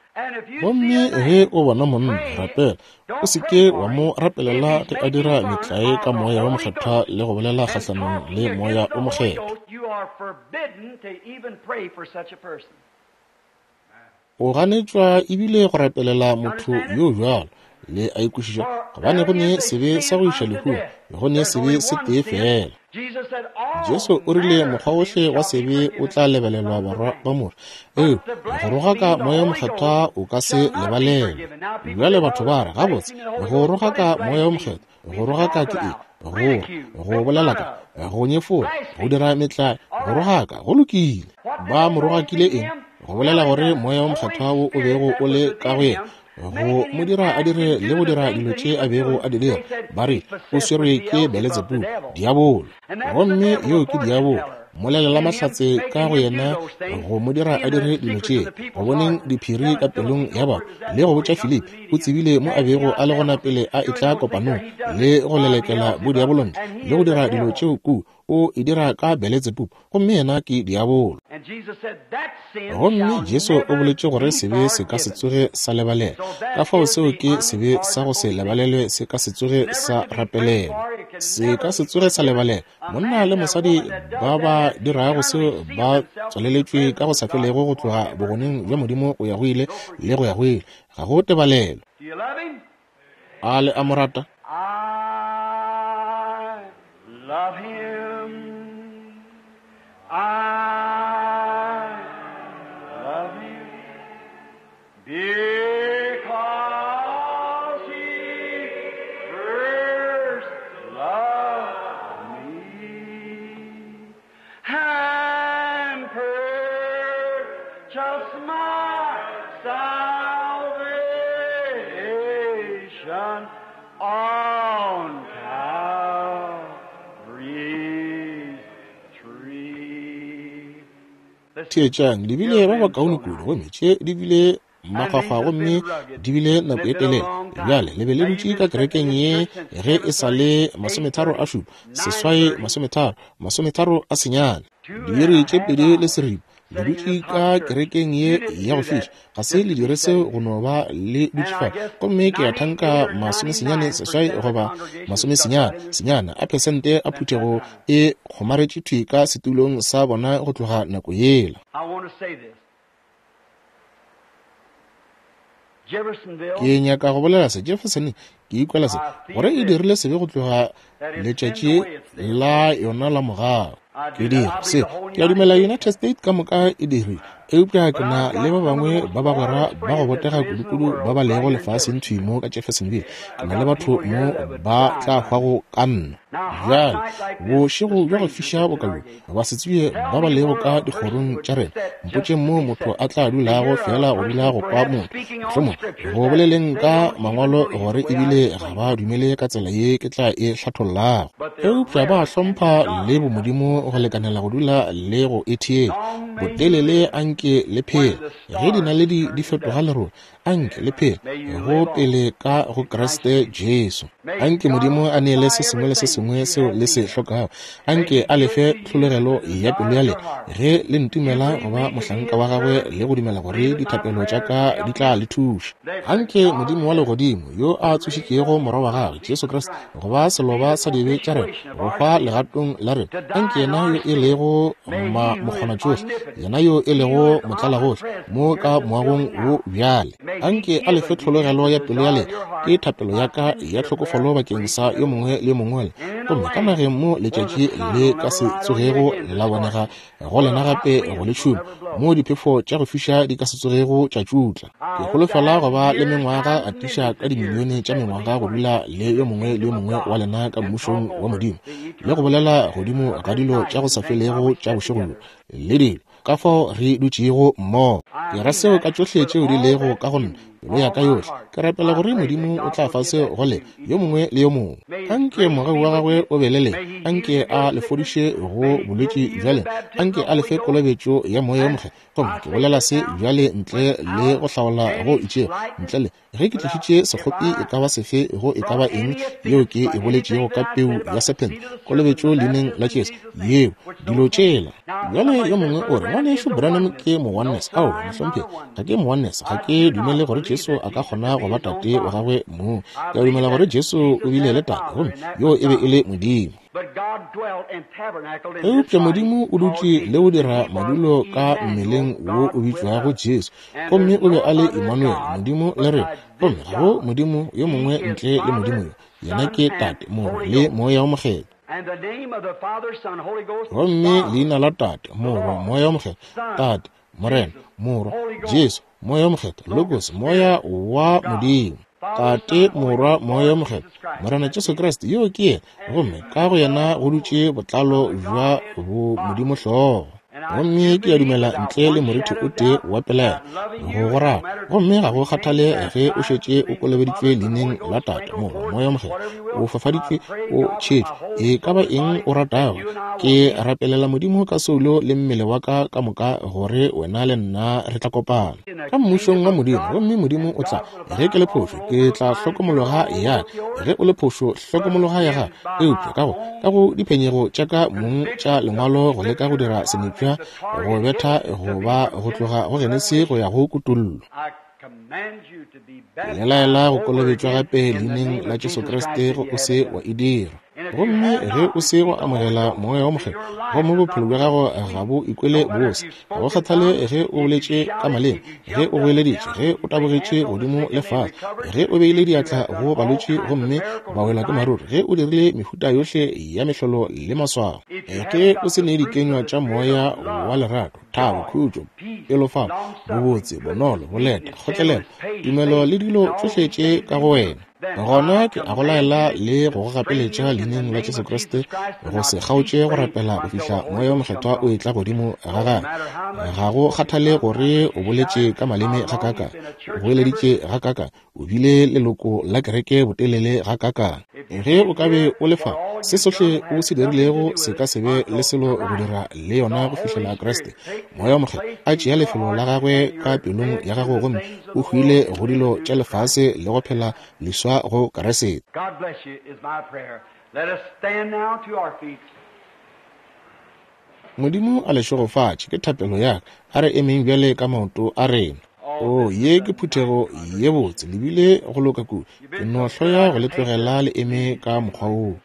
Gomme ge o bona monna, rapela, o se ke wa mo rapelela ge a dira metlae ka Moya wo Mokgethwa le go bolela kgahlanong le Moya wo Mokgethwa. O ganetšwa ebile go rapelela motho yo bjalo. Le a ikwešiša, gobane go ne sebe sa go iša lehung, go ne sebe se tee fela. Jesu o rile mokgwa wohle wa sebe o tla lebelelwa barwa ba motho, eupša go rogaka Moya wo Mokgethwa o ka se lebalelwe. Bjale batho ba re, gabotse, go rogaka Moya wo Mokgethwa, go rogaka ke eng? Go, go bolela ka, go nyefola, go dira metlae, go rogaka, go lokile. Ba mo rogakile eng? Go bolela gore Moya wo Mokgethwa wo o bego o le ka go yena, go mo dira a dire le go dira dilo tše a bego a di dira, ba re o swerwe ke Beletsebubu, diabolo. Gomme yeo ke diabolo, mmolelela mahlatse ka go yena go mo dira a dire dilo tše, go boneng diphiri ka pelong ya batho, le go botša Filipi o tsebile mo a bego a le gona pele a etla kopanong, le go lelekela bodiabolo ntle, le go dira dilo tšeo kua, o e dira ka Beletsebubu, gomme yena ke diabolo. Gomme Jesu o boletše gore sebe se ka se tsoge sa lebalelwa. Ka fao seo ke sebe sa go se lebalelwe, se ka se tsoge sa rapelelwa, se ka se tsoge sa lebalelwa. Monna le mosadi ba ba dirago seo ba tswaleletšwe ka go sa felego go tloga bogoneng bja Modimo go ya go ile le go ya go ile. Ga go tebalelo. A le a mo rata? I love him. I love him. Because he first loved me and purchased my salvation on Calvary's tree. Theetšang, le bile ba bakaone kudu, gomme tše di bile makgwakgwa gomme di bile nako e telele. Bjale le be le dutše ka kerekeng ye ge e sa le 37, 8, 30, 39, diiri tše 2 1/4. Le dutše ka kerekeng ye ya go fiša. Ga se le dire seo go no ba le dutše fa. Gomme ke a thanka 98 goba 99 a phesente a phuthego e kgomaretše thwi ka setulong sa bona go tloga nako yela. I want to say this. Jeffersonville, Ke nyaka go bolela se, Jefferson, ke ikwela se, gore e dirile sebe go tloga letšatši la yona la morago. Ke dira se, ke a dumela United States ka moka e dirile. Eupša ke na le ba bangwe ba bagwera ba go botega kudukudu ba ba lego lefaseng thwi mo ka Jeffersonville. Ke na le batho mo ba tla hwago ka nna. Bjale, bošego bja go fiša boka bjo, basetsebje ba ba lego ka dikgorong tša rena, mpotšeng moo motho a tla dulago feela go dula go kwa motho, mohlomongwe, go boleleng ka Mangwalo gore ebile ga ba dumele ka tsela ye ke tla e hlathollago. Eupša ba hlompha le bomodimo go lekanela go dula le go e theetša. Botelele a nke le phele. Ge dinaledi di fetoga lerole, a nke le phele go pele ka go Kriste Jesu. A nke Modimo a neele se sengwe le se sengwe seo le se hlokago. A nke a le fe tlhologelo ya pelo ya lena ge le ntumela go ba mohlanka wa gagwe le go dumela gore dithapelo tša ka di tla le thuša. A nke Modimo wa legodimo, yo a tsošitšego Morwa wa gagwe, Jesu Kriste, go ba seloba sa dibe tša rena, go hwa legatong la rena, anke yena yo e lego mokgonatšohle, yena yo e lego motlalagohle mo ka moagong wo bjale, anke a lefe tlhologelo ya pelo ya lena. Ke thapelo ya ka ya tlhokofalo bakeng sa yo mongwe le yo mongwe. Gomme ka nageng mo letšatši le ka se tsogego la bonega go lena gape go le tšhuma, moo diphefo tša go fiša di ka se tsogego tša tšutla. Ke holofela go ba le mengwaga atiša ka dimilione tša mengwaga go dula le yo mongwe le yo mongwe wa lena ka Mmušong wa Modimo, le go bolela godimo ga dilo tša go sa felego tša bošego bjo le dilo, ka fao re dutšego mmogo. Ke ra seo ka tšohle tšeo di lego ka go nna, pelo ya ka yohle. Ke rapela gore Modimo o tla fa seo go lena, yo mongwe le yo mongwe. Anke mogau wa gagwe o be le lena. Anke a le fodiše go bolwetši bja lena. Anke a le fe kolobetšo ya Moya wo Mokgethwa. Gomme ke bolela se bjale ntle le go hlaola go itšego, ntle le ge ke tlišitše sekgopi e ka ba sefe go e ka ba eng yeo ke e boletšego ka peu ya sephente, kolobetšo leineng la Jesu, yeo, dilo tšela. Bjale yo mongwe o re, Ngwanešu Branham ke mo-Oneness. Aowa, mohlomphegi, ga ke mo-Oneness. Ga ke dumele gore Jesu a ka kgona go ba Tate wa gagwe mong. Ke a dumela gore Jesu o bile le Tate, gomme yoo e be e le Modimo. Eupša Modimo o dutše le go dira madulo ka mmeleng wo o bitšwago Jesu, gomme o be a le Emmanuel, Modimo le rena. Gomme ga go Modimo yo mongwe ntle le Modimo yo. Yena ke Tate, Morwa, le Moya wo Mokgethwa. Gomme leina la Tate, Morwa, Moya wo Mokgethwa, Tate, Morena, Morwa, Jesu, Moya wo Mokgethwa, Logos, Moya wa Modimo. Tate, Morwa, Moya wo Mokgethwa, Morena Jesu Kriste, yoo ke Yena, gomme ka go Yena go dutše botlalo bja bomodimo hlogo. Gomme ke a dumela ntle le morithi o tee wa pelaelo go go rata, gomme ga go kgathale ge o šetše o kolobeditšwe leineng la Tate, Morwa, Moya wo Mokgethwa, o fafaditšwe, o tšhetšwe, e ka ba eng o ratago. Ke rapelela Modimo ka soulo le mmele wa ka ka moka gore wena le nna re tla kopana ka Mmušong wa Modimo, gomme Modimo o tla. Ge ke le phošo, ke tla hlokomologa ya ka. Ge o le phošo, hlokomologa ya gago. Eupša ka go, ka go diphenyego tša ka mong tša Lengwalo go leka go dira senepša go betha go ba go tloga go Genesi go ya go Kutollo. Ke le laela go kolobetšwa gape Leineng la Jesu Kriste ge o se wa e dira. Gomme ge o se wa amogela Moya wo Mokgethwa, gomme bophelo bja gago ga bo ikwele bose, ga go kgathale ge o boletše ka maleme, ge o goeleditše, ge o tabogetše godimo le fase, ge o beile diatla go balwetši gomme ba welwa ke maruru, ge o dirile mehuta yohle ya mehlolo le maswao, ge o se ne dikenywa tša Moya wa lerato, thabo, khutšo, pelofalo, bobotse, bonolo, boleta, kgotlelelo, tumelo le dilo tšohle tše ka go wena, gona ke a go laela le go go gapeletša leineng la Jesu Kriste go se kgaotše go rapela go fihla Moya wo Mokgethwa o etla godimo ga gagwe. Ga go kgathale gore o boletše ka maleme gakaakang, o goeleditše gakaakang, o bile leloko la kereke botelele gakaakang, ge o ka be o le fa, se sohle o se dirilego se ka se be le selo go dira le yona go fihlela Kriste, Moya wo Mokgethwa, a tšea lefelo la gagwe ka pelong ya gago gomme o hwile go dilo tša lefase le go phela leswa go Kriste. Modimo a le šegofatše, ke thapelo ya ka. A re emeng bjale ka maoto a rena. Oo, ye ke phuthego ye botse, le bile go loka kudu. Ke no hloya go le tlogela le eme ka mokgwa woo.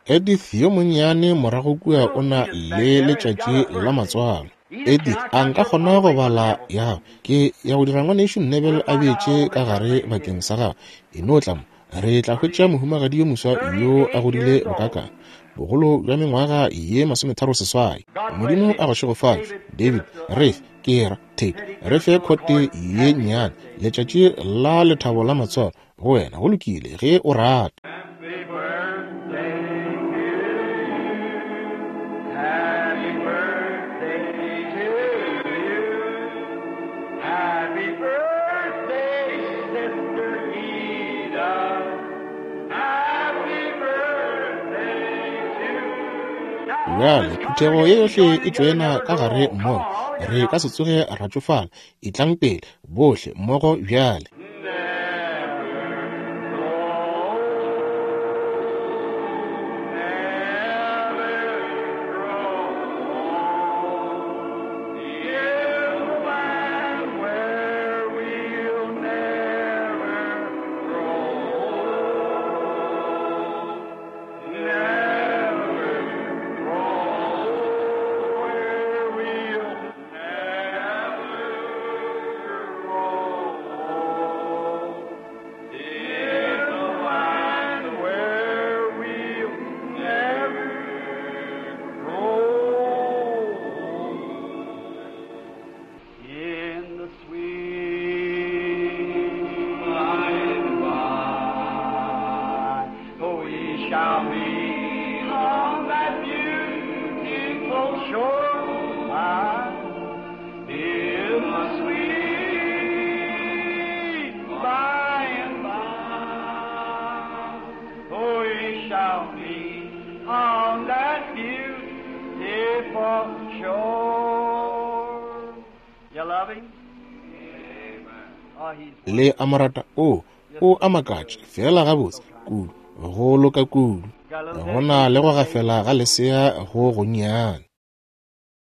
Edith yo monnyane morago kua o na le letšatši la matswalo. Edith, a nka kgona go bala ya gago? Ke ya go dira Ngwanešu Neville a beetše ka gare bakeng sa gago. E no tla mo. Re tla hwetša mohumagadi yo moswa yo a godile bokakang. Bogolo bja mengwaga ye 36. Modimo a go šegofatše, David. Re fe, ke ra, Tate, re fe khote ye nnyane, letšatši la lethabo la matswalo, go wena. Go lokile, ge o rata. Happy birthday to you. Happy birthday to you. Happy birthday, Sister Ida. Happy birthday to you. Bjale, phuthego ye yohle e tšoena ka gare mmogo. Re ka se tsoge ra tšofala. Etlang pele, bohle mmogo bjale. In the sweet by and by, we shall meet on that beautiful shore. In the sweet by and by, we shall meet on that beautiful shore. You love him? Oh, he's Le a mo rata? O, o a makatša, feela gabotse kudu, go loka kudu. Go na le go gafela ga lesea go gonnyane.